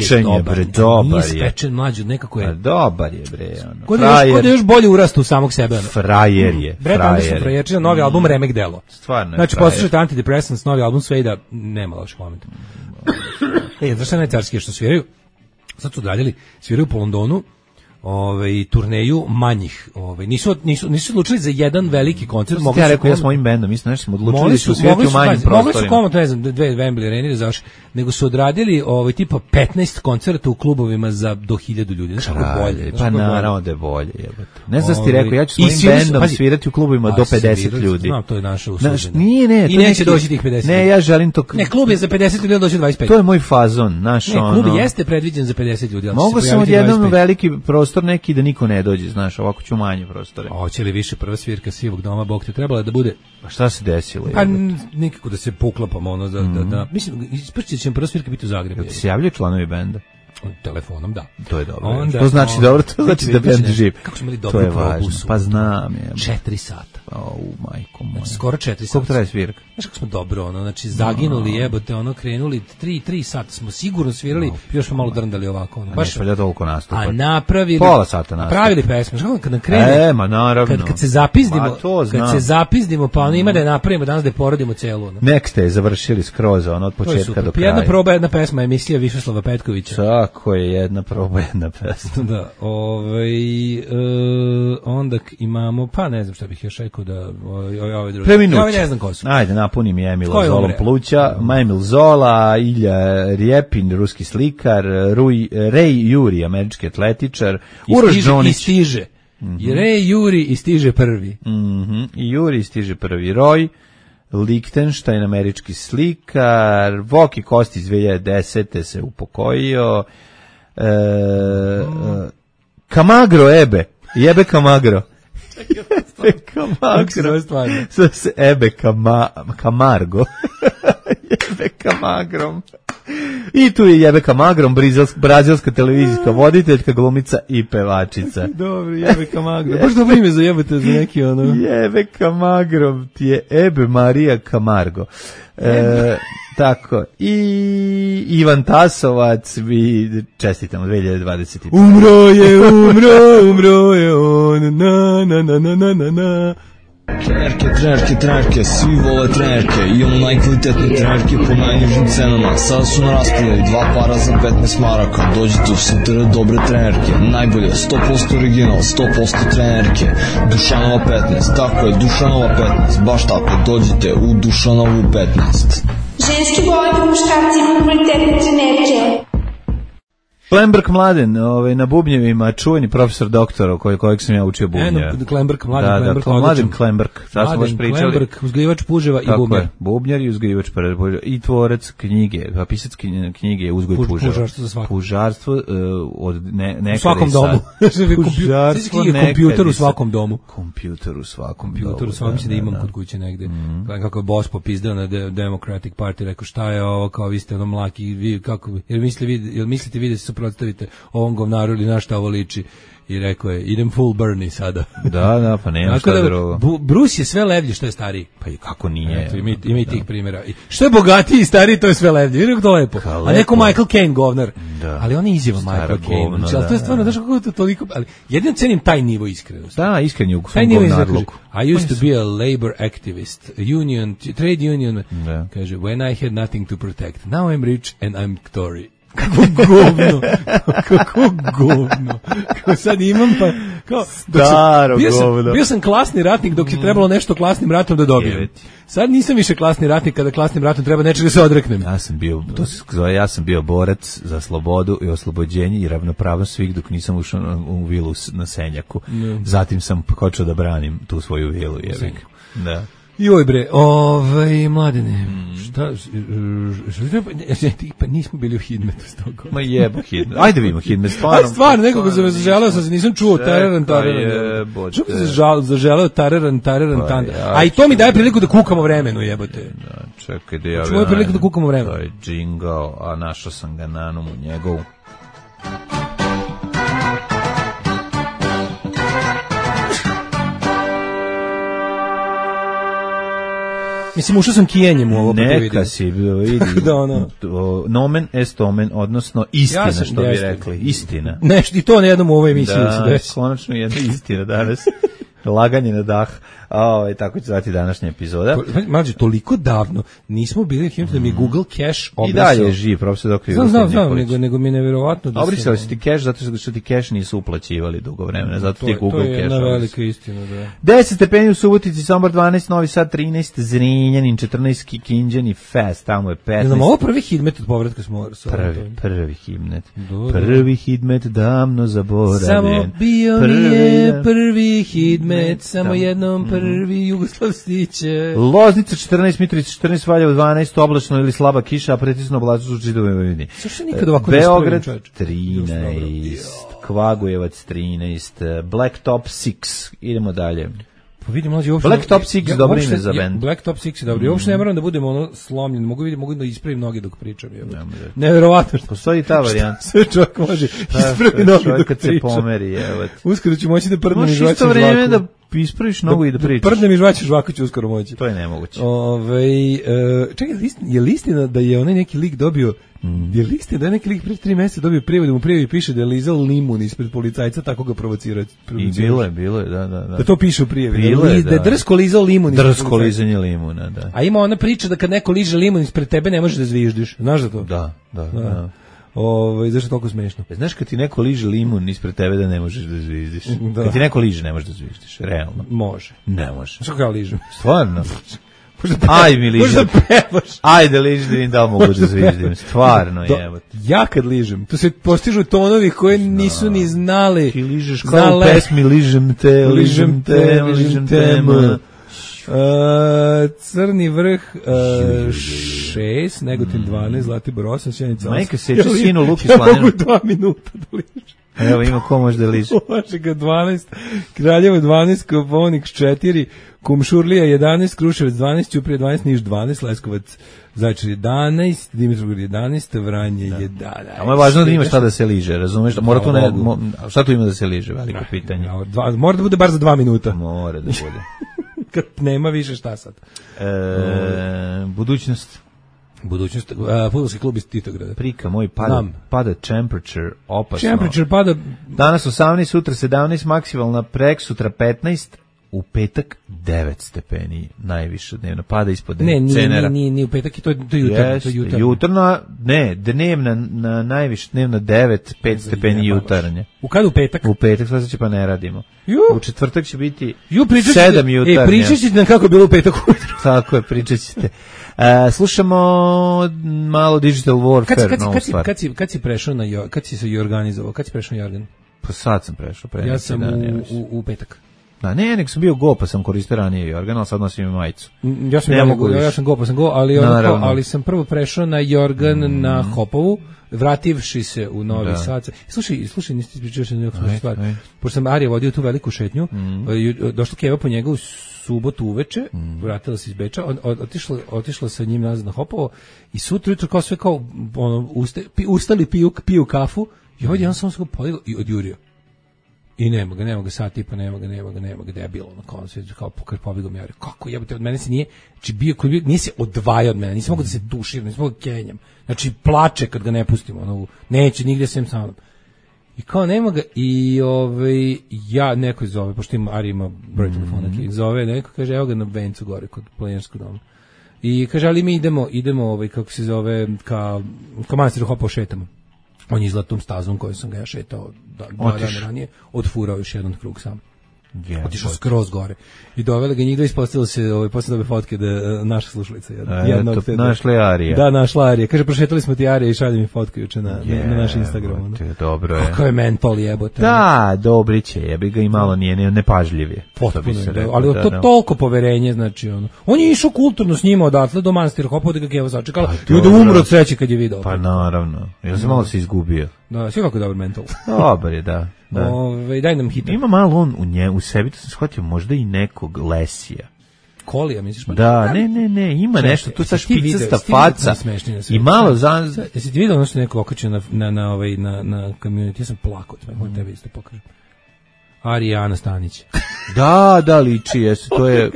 Speaker 6: je, bre, dobar je.
Speaker 7: Nije spečen mlađi, nekako je.
Speaker 6: Dobar je, bre.
Speaker 7: Kod je još bolje urastu u samog sebe.
Speaker 6: Frajer je.
Speaker 7: Brett Anderson frajerčina, novi album Remek Delo.
Speaker 6: Stvarno je.
Speaker 7: Znači, poslušajte Antidepressants, novi album Suede, nema loših momenta. Znaš šta najcarskije što sviraju? Sad su odradili, sviraju po Londonu, turneju manjih. Nisu odlučili za jedan veliki koncert.
Speaker 6: Ja rekao ja s mojim bendom, mislim nešto smo odlučili da su svirati u manjim prostorima.
Speaker 7: Mogli su komotno, ne znam, 2 Wembley arene zaš, nego su odradili tipa 15 koncerta u klubovima za do 1000 ljudi. Znaš kako bolje?
Speaker 6: Pa naravno da je bolje, jebote. Ne znam da ti rekao, ja ću s mojim bendom svirati u klubovima do 50 ljudi.
Speaker 7: Znam, to je naša uslužena.
Speaker 6: Nije,
Speaker 7: i neće doći tih 50.
Speaker 6: Ne, ja želim to.
Speaker 7: Ne, klub je za 50 ljudi, doći 25.
Speaker 6: To je moj fazon, naš ono.
Speaker 7: Ne, klub jeste predviđen za 50 ljudi, ali
Speaker 6: mogu sam odjednom veliki prostor neki da niko ne dođe, znaš, ovako ću manje prostore.
Speaker 7: Hoće li više prva svirka Sivog doma, Bog te trebala da bude?
Speaker 6: Pa šta se desilo?
Speaker 7: Pa nikako da se poklapamo, ono, da mislim, isprći će prva svirka biti u Zagrebu.
Speaker 6: Se javljaju članovi benda?
Speaker 7: Telefonom, da.
Speaker 6: To je dobro. Onda, to znači dobro, to znači da bend živ.
Speaker 7: Kako smo imali dobru probu?
Speaker 6: Pa znam je.
Speaker 7: 4 sata.
Speaker 6: Majko moja.
Speaker 7: Skoro 4 sata.
Speaker 6: Koliko traje svirka?
Speaker 7: Znaš kako smo dobro, znači zaginuli jebote, krenuli 3 sata smo sigurno svirali, još smo malo drndali ovako.
Speaker 6: Baš ne toliko nastupa.
Speaker 7: A napravili
Speaker 6: pola sata nastupa.
Speaker 7: Napravili pesme, znači kad nam krene.
Speaker 6: Ma naravno.
Speaker 7: Kad se zapizdimo, pa ima da je napravimo danas da je porodimo celu.
Speaker 6: Nek ste završili skroz od početka do kraja.
Speaker 7: Jedna proba, jedna pesma, emisija Višeslava Petkovića.
Speaker 6: Tako je, jedna proba, jedna pesma.
Speaker 7: Da, onda imamo, pa ne znam šta bih još rekao da ove druge.
Speaker 6: Preminuće.
Speaker 7: Ne znam ko su.
Speaker 6: Ajde, napuni mi Emila Zolom pluća. Emil Zola, Ilja Rjepin, ruski slikar, Ray Juri, američki atletičar, Uroš Džonić.
Speaker 7: I stiže. Ray Juri i stiže prvi.
Speaker 6: I Juri stiže prvi. Roy Lichtenstein, američki slikar, Voki Kosti iz 2010. se upokojio, Kamagro jebe Kamagro. Ebe Camargo. Jebe Kamagrom. I tu je Jebe Kamagrom, brazilska televizijska voditeljka, glumica i pevačica.
Speaker 7: Dobro, Jebe Kamagrom. Baš dobro ime za jebate za neki ono.
Speaker 6: Jebe Kamagrom ti je Ebe Marija Camargo. Tako. I Ivan Tasovac, mi čestitamo 2020.
Speaker 7: Umro je on, na.
Speaker 11: Trenerke, svi vole trenerke, imamo najkvalitetnije trenerke po najnižim cenama. Sada su na raspodaju 2 para za 15 maraka. Dođite u Sutera dobre trenerke, najbolje, 100% original, 100% trenerke. Dušanova 15, tako je, Dušanova 15, baš tako, dođite u Dušanovu 15.
Speaker 12: Ženski boli po muškarci imaju kvalitetne trenerke.
Speaker 6: Klemberg Mladen, na bubnjevima, čuveni profesor doktora kojeg sam ja učio bubnja.
Speaker 7: Mladen
Speaker 6: Klemberg. Sad smo baš pričali.
Speaker 7: Klemberg, uzgajivač puževa i bubnjar.
Speaker 6: Tako je, bubnjar i uzgajivač puževa. I tvorac knjige, pisac knjige Uzgoj puževa.
Speaker 7: Pužarstvo za svako.
Speaker 6: Pužarstvo od nekada.
Speaker 7: U svakom domu. Pužarstvo nekada. Kompjuter u svakom domu.
Speaker 6: Kompjuter u svakom
Speaker 7: mislim da imam kod kuće negde. Kako je boss popizdao na Democratic Party, rekao šta je ovo, kao vi ste ono mlaki, vi kako, jel mislite vi da se suprotstavite ovom govnaru ili na šta ovo liči? I rekao je, idem full Bernie sada.
Speaker 6: Da, pa nema šta drugo.
Speaker 7: Bruce je sve levlji što je stariji.
Speaker 6: Pa i kako nije.
Speaker 7: Eto, ima i tih primjera. Što je bogatiji i stariji, to je sve levlji. Vidim to lepo. A neko Michael Caine govnar.
Speaker 6: Da.
Speaker 7: Ali on je izjava Michael Caine. Znači, ali to je stvarno, znaš kako to toliko... Ali jedino cenim taj nivo iskrenosti.
Speaker 6: Da, iskren je u svom govnarluku.
Speaker 7: I used to be a labor activist, trade union. Kaže, when I had nothing to protect. Now I'm rich and I'm Tory. Kako govno. Kao sad imam pa...
Speaker 6: Staro govno.
Speaker 7: Bio sam klasni ratnik dok je trebalo nešto klasnim ratom da dobijem. Sad nisam više klasni ratnik kada klasnim ratom treba nečega da se odreknem.
Speaker 6: Ja sam bio borac za slobodu i oslobođenje i ravnopravnost svih dok nisam ušao u vilu na Senjaku. Zatim sam počeo da branim tu svoju vilu. Da.
Speaker 7: Joj bre, Mladene, pa nismo bili u Hidmetu s toga.
Speaker 6: Ma jebo Hidmet, ajde vidimo Hidmet, stvarno.
Speaker 7: Stvarno, nekoga zaželeo sam se, nisam čuo, tararan. Što bi se zaželeo, tararan, a i to mi daje priliku da kukamo vremenu, jebote.
Speaker 6: Čekaj, da ja...
Speaker 7: Čuo je priliku da kukamo vremenu.
Speaker 6: To je džingao, a našao sam ga na nomu njegovu.
Speaker 7: Mislim, ušao sam kijenjem u ovo.
Speaker 6: Neka si vidi. Nomen est omen, odnosno istina, što bi rekli. Istina.
Speaker 7: Nešto i to na jednom u ovoj emisiji.
Speaker 6: Da, konačno jedna istina danas. Laganje na dah. Tako će zvati današnja epizoda.
Speaker 7: Mlađe, toliko davno nismo bili da mi Google Cache obrasao.
Speaker 6: I dalje je živ, profesor Dr.
Speaker 7: Znam, nego mi je neverovatno da
Speaker 6: obrisali su ti Cache zato što ti Cache nisu uplaćivali dugo vremena, zato ti Google Cache.
Speaker 7: To je jedna velika istina, da.
Speaker 6: 10 stepeni u Subotici, Sombor 12, Novi Sad 13, Zrenjanin 14, Kikinđan i Fest, tamo je 15.
Speaker 7: Znamo, ovo prvi hidmet od povratka smo...
Speaker 6: Prvi hidmet. Prvi hidmet davno zaboravljen.
Speaker 7: Samo bio mi je prvi hidmet, samo jednom prvi Jugoslav stiće.
Speaker 6: Loznica 14, Mitrovica 14, Valjevo 12, oblačno ili slaba kiša, a pretisno oblačno u čitavoj Vojvodini. Beograd 13, Kvagojevac 13, Blacktop 6, idemo dalje.
Speaker 7: Pa vidim, mlađe,
Speaker 6: Blacktop 6 dobro ime za bend.
Speaker 7: Blacktop 6 je dobro. Uopšte ne moram da budem slomljen, mogu da ispravim noge dok pričam. Neverovatno što
Speaker 6: postoji ta varijanta.
Speaker 7: Sve čovjek može ispraviti noge dok
Speaker 6: kad
Speaker 7: pričam.
Speaker 6: Se pomeri, evo.
Speaker 7: Uskoro ću moći da prdnem i žvaćem žvaku.
Speaker 6: Možeš isto vreme da ispraviš nogu i da pričaš.
Speaker 7: Prdnem i žvaćem žvaku ću uskoro moći.
Speaker 6: To je nemoguće.
Speaker 7: Čekaj, je li istina da je onaj neki lik dobio je li istina da je neki lik pre 3 meseca dobio prijevod, da mu prijevi piše da je lizao limun ispred policajca, tako ga provocirao.
Speaker 6: I bilo je, da.
Speaker 7: Da to piše u prijevi. Da je drsko lizao limun.
Speaker 6: Drsko lizanje limuna, da.
Speaker 7: A ima ona priča da kad neko liže limun ispred tebe ne možeš da zviždiš. Znaš za to?
Speaker 6: Da.
Speaker 7: Zašto je toliko smešno?
Speaker 6: Znaš kad ti neko liže limun ispred tebe da ne možeš da zviždiš? Da. Kad ti neko liže ne možeš da zviždiš, realno.
Speaker 7: Može.
Speaker 6: Ne može.
Speaker 7: Što kao ližem?
Speaker 6: Stvarno? Aj mi ližem. Ajde ližem da vidim da li mogu da zviždim. Stvarno, jebote.
Speaker 7: Ja kad ližem, to se postižu tonovi koje nisu ni znali.
Speaker 6: Ti ližeš kao u pesmi ližem te.
Speaker 7: Crni vrh 6, Negotin 12, Zlatibor 8, Sjenica 8.
Speaker 6: Majka seče sinu Luki
Speaker 7: Slaninu.
Speaker 6: Ja
Speaker 7: mogu 2 minuta da ližem.
Speaker 6: Evo ima ko može da liže.
Speaker 7: Požega 12, Kraljevo 12, Koponik 4, Kumšurlija 11, Kruševac 12, Ćuprija 12, Niš 12, Leskovac Zaječar 11, Dimitrovgrad 11, Vranje 11.
Speaker 6: A je važno da ima šta da se liže, razumeš? Mora to ne, šta tu ima da se liže, veliko pitanje.
Speaker 7: Mora da bude bar za 2 minuta.
Speaker 6: Mora da bude.
Speaker 7: Kad nema više, šta sad?
Speaker 6: Budućnost,
Speaker 7: fudbalski klub iz Titograda.
Speaker 6: Prika moj pada temperature opasno.
Speaker 7: Temperature pada
Speaker 6: danas 18, sutra 17, maksimalna preksutra 15, u petak 9 stepeni najviše dnevno, pada ispod 9 cenera.
Speaker 7: Nije u petak, to je jutarnja.
Speaker 6: Dnevna na najviše dnevno 9, 5 stepeni jutarnje.
Speaker 7: U kada u petak?
Speaker 6: U petak, sad će pa ne radimo. U četvrtak će biti 7 jutarnje.
Speaker 7: Pričat ćete nam kako je bilo u petak ujutro.
Speaker 6: Tako je, pričat ćete. Slušamo malo Digital Warfare.
Speaker 7: Kad si prešao na kad si se organizovao? Kad si prešao na Jorgan?
Speaker 6: Pa sad sam prešao.
Speaker 7: Ja sam u petak.
Speaker 6: Da, nek sam bio go, pa sam koristio ranije Jorgan, ali sad nosim majicu.
Speaker 7: Ja sam go, ali sam prvo prešao na Jorgan na Hopovu, vrativši se u Novi Sad. Slušaj, nisi ispričao se nekog stvar. Pošto sam Arija vodio tu veliku šetnju, došla Keva po njega u subotu uveče, vratila se iz Beča, otišla sa njim nazad na Hopovo i sutra jutro kao sve kao ustali, piju kafu i ovdje on samo se podigao i odjurio. I nema ga sat tipa, nema ga, debilo na koncu, kao pobjegao mi, kako jebote, od mene se nije, znači nije se odvajao od mene, nisam mogu da se tuširam, nisam mogu da kenjam, znači plače kad ga ne pustimo, neće nigdje sem sa mnom. I kao nema ga, i ja neko zove, pošto Ari ima broj telefona, zove neko, kaže, evo ga na Bencu gore, kod planinarskog doma. I kaže, ali mi idemo kako se zove, ka manastiru Hopovo šetamo. On je izgleda tom stazom kojom sam ga ja šetao 2 dana ranije, odfurao još jedan krug sam. Otišao skroz gore. I dovele ga njih da ispostavilo se posle dobe fotke da naša slušalica jedna.
Speaker 6: Našla je Arija.
Speaker 7: Da, našla Arija. Kaže, prošetali smo ti Arija i šalje mi fotku juče na naš Instagram.
Speaker 6: Dobro je.
Speaker 7: Kako je mental jebote.
Speaker 6: Da, Dobrić je, jebi ga i malo nije nepažljiv je.
Speaker 7: Potpuno, ali to toliko poverenje, znači on je išao kulturno s njima odatle do manastira Hopovo da ga Keva začekala i da umro od sreće kad je video.
Speaker 6: Pa naravno, ja sam malo se izgubio.
Speaker 7: Da, sve kako dobar mental.
Speaker 6: Dobar je, da.
Speaker 7: Daj nam hit.
Speaker 6: Ima malo on u sebi, to sam shvatio, možda i nekog Lesija.
Speaker 7: Kolija, misliš?
Speaker 6: Da, ne, ima nešto, tu sa špicasta faca i malo za...
Speaker 7: Jesi ti vidio ono što neko okačio na community, ja sam plakao, moram tebi isto pokažem. Arijana Stanić.
Speaker 6: Da, liči, jesu, to je,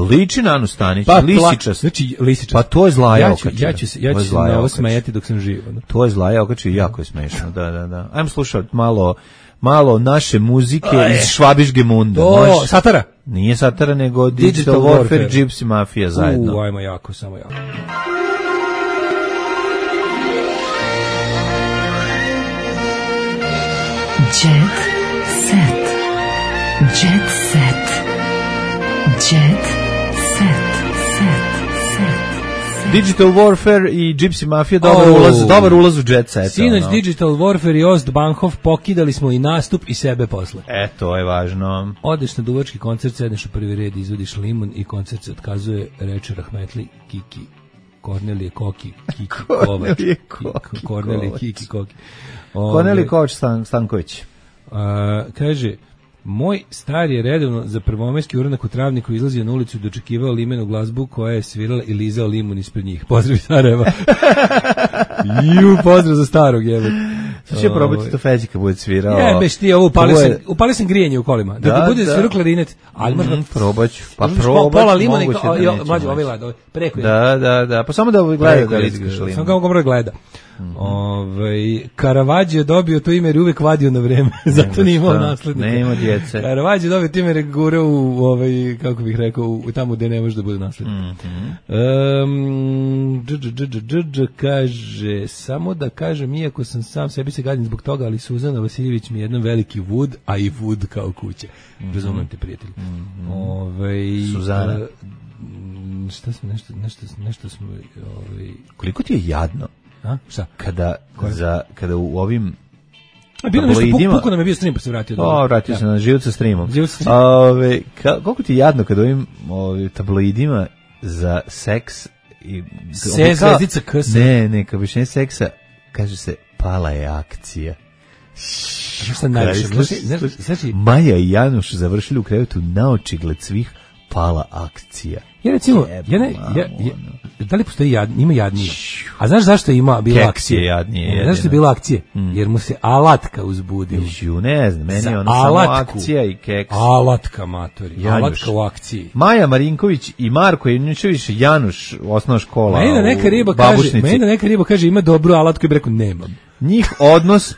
Speaker 6: liči na Anu Stanić,
Speaker 7: pa,
Speaker 6: lisičast.
Speaker 7: Znači, lisičast.
Speaker 6: Pa to je zlaja okačina.
Speaker 7: Ja ću se na ovo smejati dok sam živ. Da.
Speaker 6: To je zlaja okačina, jako je smešno, da. Ajmo slušati malo naše muzike iz Švabiške Munde.
Speaker 7: Satara?
Speaker 6: Nije Satara, nego Digital Warfare, Gypsy Mafia zajedno.
Speaker 7: Ajmo jako, samo jako.
Speaker 4: Jet set. Jet set. Jet set.
Speaker 6: Digital Warfare i Gypsy Mafia, dobar ulaz u Jet set.
Speaker 7: Sinoć Digital Warfare i Ostbankov pokidali smo i nastup i sebe posle.
Speaker 6: To je važno.
Speaker 7: Odeš na duvački koncert, sedneš u prvi red, izvodiš limun i koncert se otkazuje, reče Rahmetli Kiki. Kornelije Koki, Kiki Kovač. Kornelije Kiki Koki.
Speaker 6: Kornelije Kovač Stanković.
Speaker 7: Kaže, moj star je redovno za prvomajski uranak u Travniku izlazio na ulicu i dočekivao limenu glazbu koja je svirala i lizao limun ispred njih. Pozdrav iz Sarajeva. Pozdrav za starog, jebe.
Speaker 6: Sad će probati to Feđi kad bude svirao.
Speaker 7: Jebeš ti ovo, upali sam grijenje u kolima. Da ti bude svirao klarinet. Ali možda
Speaker 6: probaću. Pa
Speaker 7: pola limuna i mlađe, ovaj gleda, preko.
Speaker 6: Da. Pa samo da gleda da liskaš limun.
Speaker 7: Samo kao dobro gleda. Caravaggio je dobio to ime jer uvek vadio na vreme, zato nije imao naslednika.
Speaker 6: Nema djece.
Speaker 7: Caravaggio je dobio to ime jer gura u kako bih rekao, tamo gde ne može da bude naslednik. Kaže, samo da kažem, iako sam sam sebi se gadim zbog toga, ali Suzana Vasiljević mi je jedan veliki Wood, a i Wood kao kuće. Razumem te, prijatelji.
Speaker 6: Suzana.
Speaker 7: Šta smo, nešto smo...
Speaker 6: Koliko ti je jadno?
Speaker 7: Šta?
Speaker 6: Kada u ovim
Speaker 7: tabloidima... Puko nam je bio stream pa se vratio.
Speaker 6: Vratio se na život sa streamom. Koliko ti je jadno kada u ovim tabloidima za seks...
Speaker 7: Zvezdica K.
Speaker 6: Ne, kao više seksa, kaže se, pala je akcija.
Speaker 7: Šta najviše?
Speaker 6: Maja i Januš završili u krevetu naočigled svih, pala akcija.
Speaker 7: Ja recimo, da li postoji ima jadnije? A znaš zašto ima bila akcija?
Speaker 6: Jadnije.
Speaker 7: Zašto je bila akcija? Jer mu se alatka uzbudio.
Speaker 6: Ne znam, meni je ono samo akcija i keks.
Speaker 7: Alatka, matori. Alatka u akciji.
Speaker 6: Maja Marinković i Marko Juničević, Januš, osnovna škola.
Speaker 7: Meni da neka riba kaže ima dobru alatku i bi rekao nemam.
Speaker 6: Njih odnos,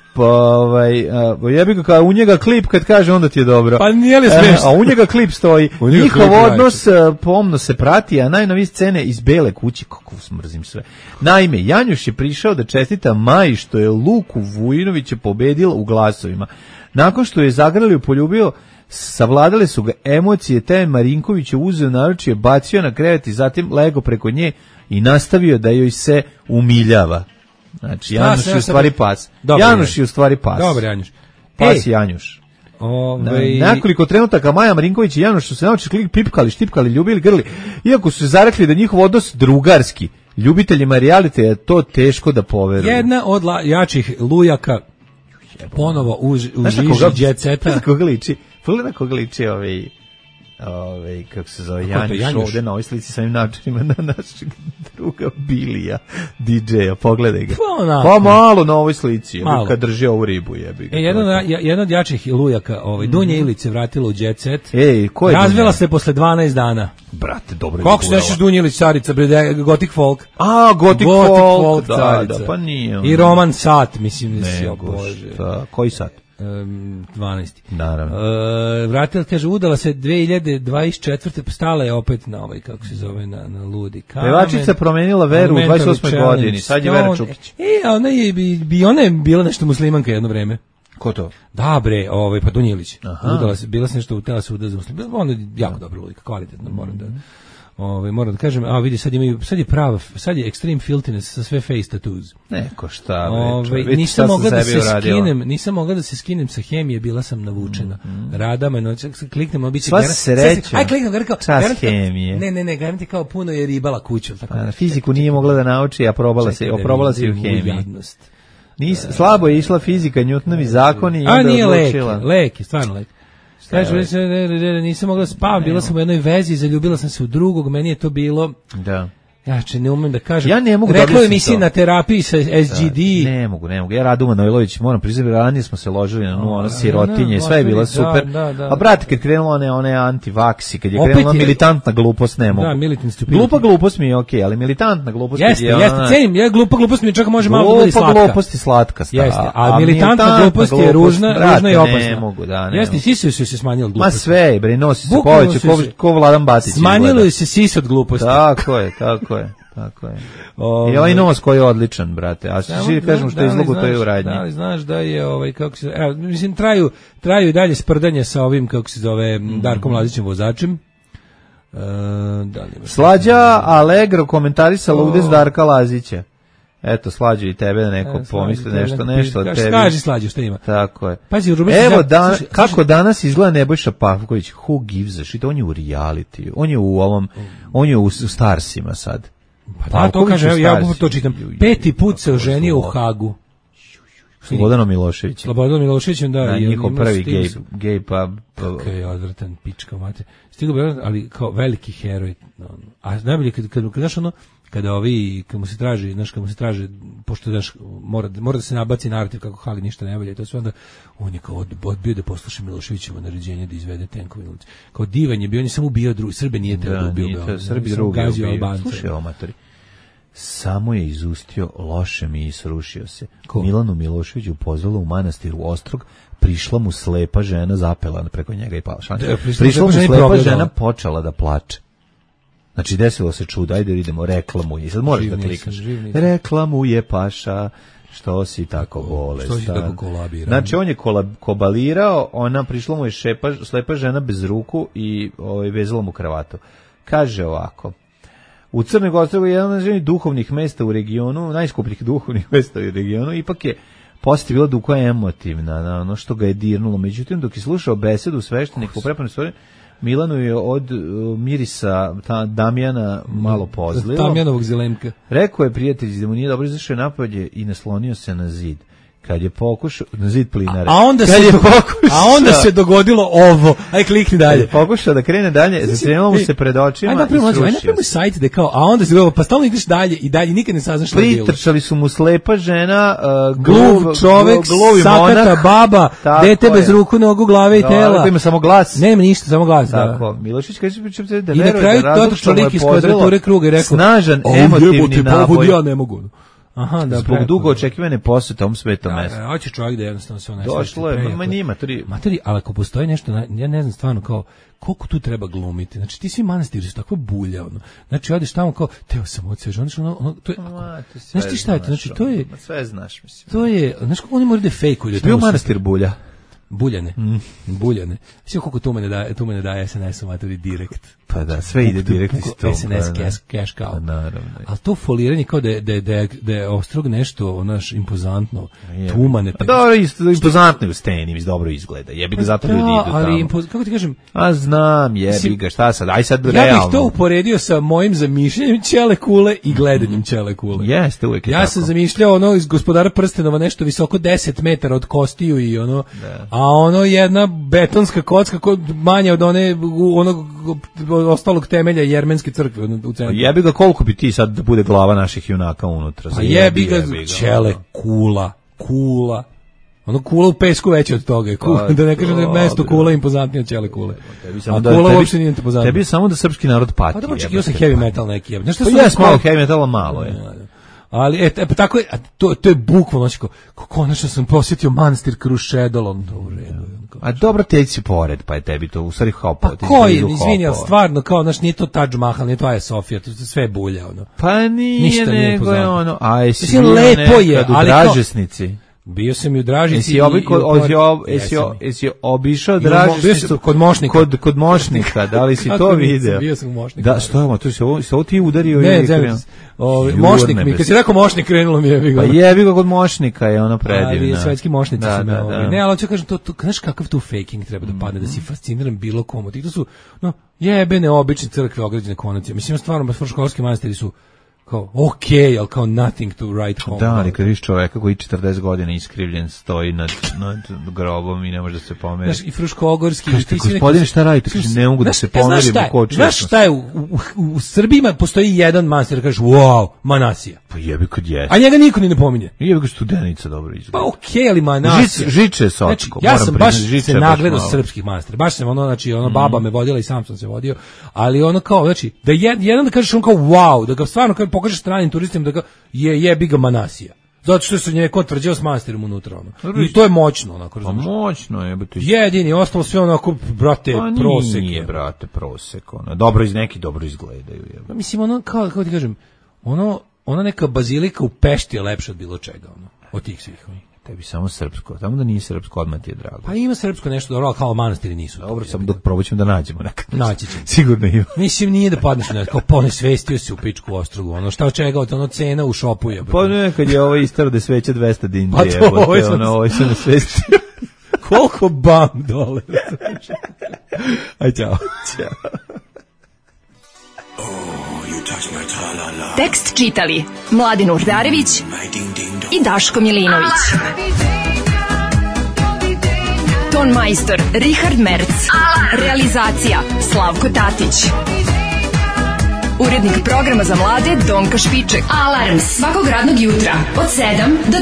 Speaker 6: ja bih kao u njega klip kad kaže onda ti je dobro.
Speaker 7: Pa nije li smešno?
Speaker 6: A u njega klip stoji. Njihov odnos pomno se prati, a najnovije scene iz Bele kuće, kako smrzim sve. Naime, Janjuš je prišao da čestita Maji što je Luku Vujinovića pobedila u glasovima. Nakon što je zagrlio, poljubio, savladale su ga emocije, te Marinković je uzeo naručje, bacio na krevet i zatim lego preko nje i nastavio da joj se umiljava. Znači, Januš je u stvari pas. Januš je u stvari pas.
Speaker 7: Dobar Januš.
Speaker 6: Pas Januš. Nekoliko trenutaka Maja Marinković i Januš su se naučili pipkali, štipkali, ljubili, grli. Iako su se zarekli da njihov odnos drugarski, ljubiteljima realite je to teško da poveruju.
Speaker 7: Jedna od jačih lujaka ponovo u žiži Jet Seta.
Speaker 6: Znaš koga liči? Pogledaj na koga liči kako se zove, Janjuš ovde na ovoj slici sa ovim načinima na našeg druga Bilija, DJ-a, pogledaj ga. Pa malo na ovoj slici, kad drži ovu ribu, jebi ga.
Speaker 7: Jedna od jačih lujaka, Dunja Ilić se vratila u Jet Set.
Speaker 6: Ko je
Speaker 7: razvela se posle 12 dana.
Speaker 6: Brate, dobro je.
Speaker 7: Kako se nešiš Dunja Ilić, carica, Gothic Folk?
Speaker 6: Gothic Folk,
Speaker 7: carica.
Speaker 6: Pa nije.
Speaker 7: I Roman Sat, mislim da si, bože.
Speaker 6: Koji sat?
Speaker 7: 12.
Speaker 6: Naravno.
Speaker 7: Vratila, kaže, udala se 2024. Stala je opet na kako se zove, na ludi kamen.
Speaker 6: Pevačica promenila veru u 28. godini, sad je Vera Čukić.
Speaker 7: Ona je bila nešto muslimanka jedno vreme.
Speaker 6: Ko to?
Speaker 7: Da bre, pa Dunja Ilić. Udala se, bila se nešto utela se udala za muslimanka. Ona je jako dobra ludika, kvalitetno, moram da kažem, vidi, sad je extreme filthiness sa sve face tattoos.
Speaker 6: Neko šta,
Speaker 7: nisam mogla da se skinem sa hemije, bila sam navučena. Rada me noć, kliknem, bit će
Speaker 6: sva sreća.
Speaker 7: Aj, kliknem,
Speaker 6: čas hemije.
Speaker 7: Ne, garanti kao puno je ribala kuću.
Speaker 6: Fiziku nije mogla da nauči, a probala se i u hemiji. Slabo je išla fizika, Newtonovi zakoni i onda odlučila.
Speaker 7: Lek je, stvarno lek. Kaže, nisam mogla spavam, bila sam u jednoj vezi, zaljubila sam se u drugog, meni je to bilo...
Speaker 6: Da.
Speaker 7: Znači, ne umem da kažem.
Speaker 6: Ja ne mogu da
Speaker 7: rekao emisiji na terapiji sa SGD.
Speaker 6: Ne mogu. Ja Radu Manojlović, moram priznati, ranije smo se ložili na ono sirotinje, sve je bilo super. A brate, kad krenulo one antivaksi, kad je krenula militantna glupost, ne mogu.
Speaker 7: Da, militant stupidity.
Speaker 6: Glupa glupost mi je okej, ali militantna glupost
Speaker 7: jeste, cenim, glupa glupost mi čak može malo da bude slatka.
Speaker 6: Glupa glupost je slatka.
Speaker 7: Jeste, a militantna glupost je ružna i opasna.
Speaker 6: Ne mogu, da, ne.
Speaker 7: Jeste, sisi su se smanjili glupost.
Speaker 6: Ma sve, bre, nosi se poveće, ko Vladan Batić.
Speaker 7: Smanjilo se sisi od gluposti.
Speaker 6: Tako je. I ovaj nos koji je odličan, brate. A svi kažemo što je izlogu, to je u radnji.
Speaker 7: Da li znaš da je, kako se, mislim, traju i dalje sprdanje sa ovim, kako se zove, Darkom Lazićem vozačem.
Speaker 6: Slađa Allegro komentarisa ludes Darka Lazića. Eto, Slađa i tebe da neko pomisli nešto od tebi.
Speaker 7: Kaži Slađa, šta ima?
Speaker 6: Tako je.
Speaker 7: Pazi,
Speaker 6: evo, kako danas izgleda Nebojša Pavković, who gives a shit, on je u reality, on je u Starsima sad.
Speaker 7: Pa da, to kaže, ja to čitam. 5. put se oženio u Hagu.
Speaker 6: Slobodanom Miloševićem, da.
Speaker 7: Na
Speaker 6: njihov prvi gay pub.
Speaker 7: Kako je odvratan, pička mate. Stigo bi, ali kao veliki heroj. A najbolje, kada mu se traži, pošto mora da se nabaci narativ kako Hag ništa ne valja, i to sve onda, on je kao odbio da posluša Miloševićevo naređenje da izvede tenkovi na ulici. Kao divan je bio, on je samo ubio Srbe, nije trebao da ubio.
Speaker 6: Srbi drugi ubio. Slušaj, amatori. Samo je izustio loše mi i srušio se. Milanu Miloševiću pozvala u manastiru Ostrog, prišla mu slepa žena, zapela preko njega i pala. Prišla mu slepa žena, počela da plače. Znači, desilo se čudo, ajde idemo, reklamuje. Sad moraš da klikaš. Reklamuje Paša, što si tako bolestan.
Speaker 7: Što si tako kolabiran.
Speaker 6: Znači, on je kobalirao, ona prišla mu je slepa žena bez ruku i vezala mu kravatu. Kaže ovako, u Crnoj Gori je jedan od duhovnih mesta u regionu, najskupljih duhovnih mesta u regionu, ipak je poslije bila dugo emotivna na ono što ga je dirnulo. Međutim, dok je slušao besedu sveštenika u prepanoj stvari, Milanu je od mirisa Damjana malo pozlilo.
Speaker 7: Damjanovog zelenka.
Speaker 6: Rekao je prijatelj da mu nije dobro, izašao je napolje i naslonio se na zid. Kad je pokušao, na zid plinare.
Speaker 7: A onda se dogodilo ovo. Aj klikni dalje.
Speaker 6: Pokušao da krene dalje, zatrenulo mu se pred očima i srušio.
Speaker 7: Aj napravimo sajt da kao, a onda se dogodilo, pa stalno ideš dalje i dalje, nikad ne saznaš šta je bilo.
Speaker 6: Pritrčali su mu slepa žena,
Speaker 7: gluv čovek, sakata baba, dete bez ruku, nogu, glave i tela.
Speaker 6: Ima samo glas.
Speaker 7: Nema ništa, samo glas.
Speaker 6: Tako, Milošić kaže da
Speaker 7: veruje da razlog. I na kraju došao lik iz kvadrature kruga i rekao,
Speaker 6: snažan emotivni naboj.
Speaker 7: Ja ne mogu. Aha, da,
Speaker 6: zbog dugo očekivane posete ovom svetom mestu.
Speaker 7: Hoće čovjek da jednostavno se
Speaker 6: došlo je,
Speaker 7: materi, ali ako postoji nešto, ja ne znam stvarno kao, koliko tu treba glumiti. Znači, ti svi manastiri su takva bulja, ono. Znači, odeš tamo kao, teo sam odsvež, ono, to je, znaš ti šta je to? Znači, to je,
Speaker 6: sve znaš, mislim.
Speaker 7: To je, znaš kako oni moraju da fejkuju.
Speaker 6: Bio manastir bulja.
Speaker 7: Buljane. Sve koliko tu mene daje SNS u maturi direkt.
Speaker 6: Pa da, sve ide direkt iz toga.
Speaker 7: SNS cash kao.
Speaker 6: Naravno.
Speaker 7: Ali to foliranje kao da je Ostrog nešto, onaš, impozantno, tumane.
Speaker 6: Pa dobro, impozantno je u steni, dobro izgleda. Jebi ga, zato ljudi idu tamo.
Speaker 7: Ali, kako ti kažem?
Speaker 6: A znam, jebi ga, šta sad, aj sad realno.
Speaker 7: Ja bih to uporedio sa mojim zamišljanjem ćele kule i gledanjem ćele kule.
Speaker 6: Jeste, uvijek je tako.
Speaker 7: Ja sam zamišljao ono iz Gospodara prstenova, nešto visoko 10 metara od kostiju i ono, a ono jedna betonska kocka manja od onog ostalog temelja jermenske crkve u centru.
Speaker 6: Jebi ga, koliko bi ti sad da bude glava naših junaka unutra?
Speaker 7: Pa jebi ga, ćele kula. Ono kula u pesku veće od toga. Da ne kažem da je mesto kula impozantnije od ćele kule. A kula uopšte nije impozantnije.
Speaker 6: Tebi je samo da srpski narod pati.
Speaker 7: Pa da očekio sam heavy metal neki.
Speaker 6: Pa jes malo heavy metala, malo je.
Speaker 7: Ali tako je, to je bukvalno konačno sam posjetio manastir Krušedol, u redu.
Speaker 6: A dobro, teći si pored, pa je tebi to u stvari hopao.
Speaker 7: Pa koji, izvini, ali stvarno, kao, znaš, nije to Taj Mahal, nije to Aja Sofija, to sve bulja, ono.
Speaker 6: Pa nije, nego je ono, a jesi
Speaker 7: bio nekad
Speaker 6: u Dražesnici?
Speaker 7: Bio sam i u Dražici.
Speaker 6: Jesi obišao Dražišnicu kod Mošnika, da li si to video?
Speaker 7: Bio sam u Mošniku.
Speaker 6: Da, što je, to si ovo ti udario?
Speaker 7: Ne, Mošnik mi, kad si rekao Mošnik, krenulo mi je.
Speaker 6: Pa jebi ga kod Mošnika je ono predivno.
Speaker 7: Ali svetski mošnici su me. Ne, ali hoću kažem, znaš kakav tu faking treba da padne, da si fasciniran bilo komu. I to su jebene obične crkve ograđene konacije. Mislim, stvarno, školski manastiri su kao okej, ali kao nothing to write home.
Speaker 6: Da, ali kad viš čoveka koji 40 godina iskrivljen stoji nad grobom i ne može da se pomeri.
Speaker 7: Znaš, i Fruškogorski...
Speaker 6: Kažete, gospodine, šta radite? Ne mogu da se pomerim u kočiju.
Speaker 7: Znaš šta je, u Srbiji postoji jedan manastir, kažeš, wow, Manasija.
Speaker 6: Pa jebi kad je.
Speaker 7: A njega niko ni ne pominje.
Speaker 6: Jebi kad Studenica dobro izgleda.
Speaker 7: Pa okej, ali Manasija.
Speaker 6: Žiče Socko.
Speaker 7: Znači, ja sam baš se nagledao srpskih manastira. Baš sam znači, baba me vodila i sam sam se vodio, ali ono kao, znači, da jedan da kažeš on kao wow, da ga stvarno kao pokažeš stranim turistima da ga jebi ga Manasija. Zato što se njeko tvrđao s manastirom unutra, ono. I to je moćno, onako, razumiješ.
Speaker 6: Pa moćno je.
Speaker 7: Jedini, ostalo sve onako, brate, prosek.
Speaker 6: Nije, brate, prosek, ono. Neki dobro izgledaju.
Speaker 7: Pa mislim, ono, kako ti kažem, ona neka bazilika u Pešti je lepša od bilo čega, ono, od tih svih.
Speaker 6: Tebi samo srpsko, tamo da nije srpsko, odmah ti je drago.
Speaker 7: Pa ima srpsko nešto dobro, kao manastiri nisu.
Speaker 6: Dobro, samo dok probat ćemo da nađemo nekad.
Speaker 7: Naći ćemo.
Speaker 6: Sigurno ima.
Speaker 7: Mislim, nije da padneš na kao ponesvestio se u pičku Ostrogu, ono šta od čega, ono cena u šopu je.
Speaker 6: Pa nekad je ovo istaro da sveća 200 dinara.
Speaker 7: Pa to,
Speaker 6: ovo se nasvestio.
Speaker 7: Koliko bam dole. Aj, čao.
Speaker 4: Tekst čitali Mladin Urdarević i Daško Milinović. Ton majstor Richard Merc. Realizacija Slavko Tatić. Urednik programa za mlade Donka Špiček. Alarms svakog radnog jutra od 7 do 10.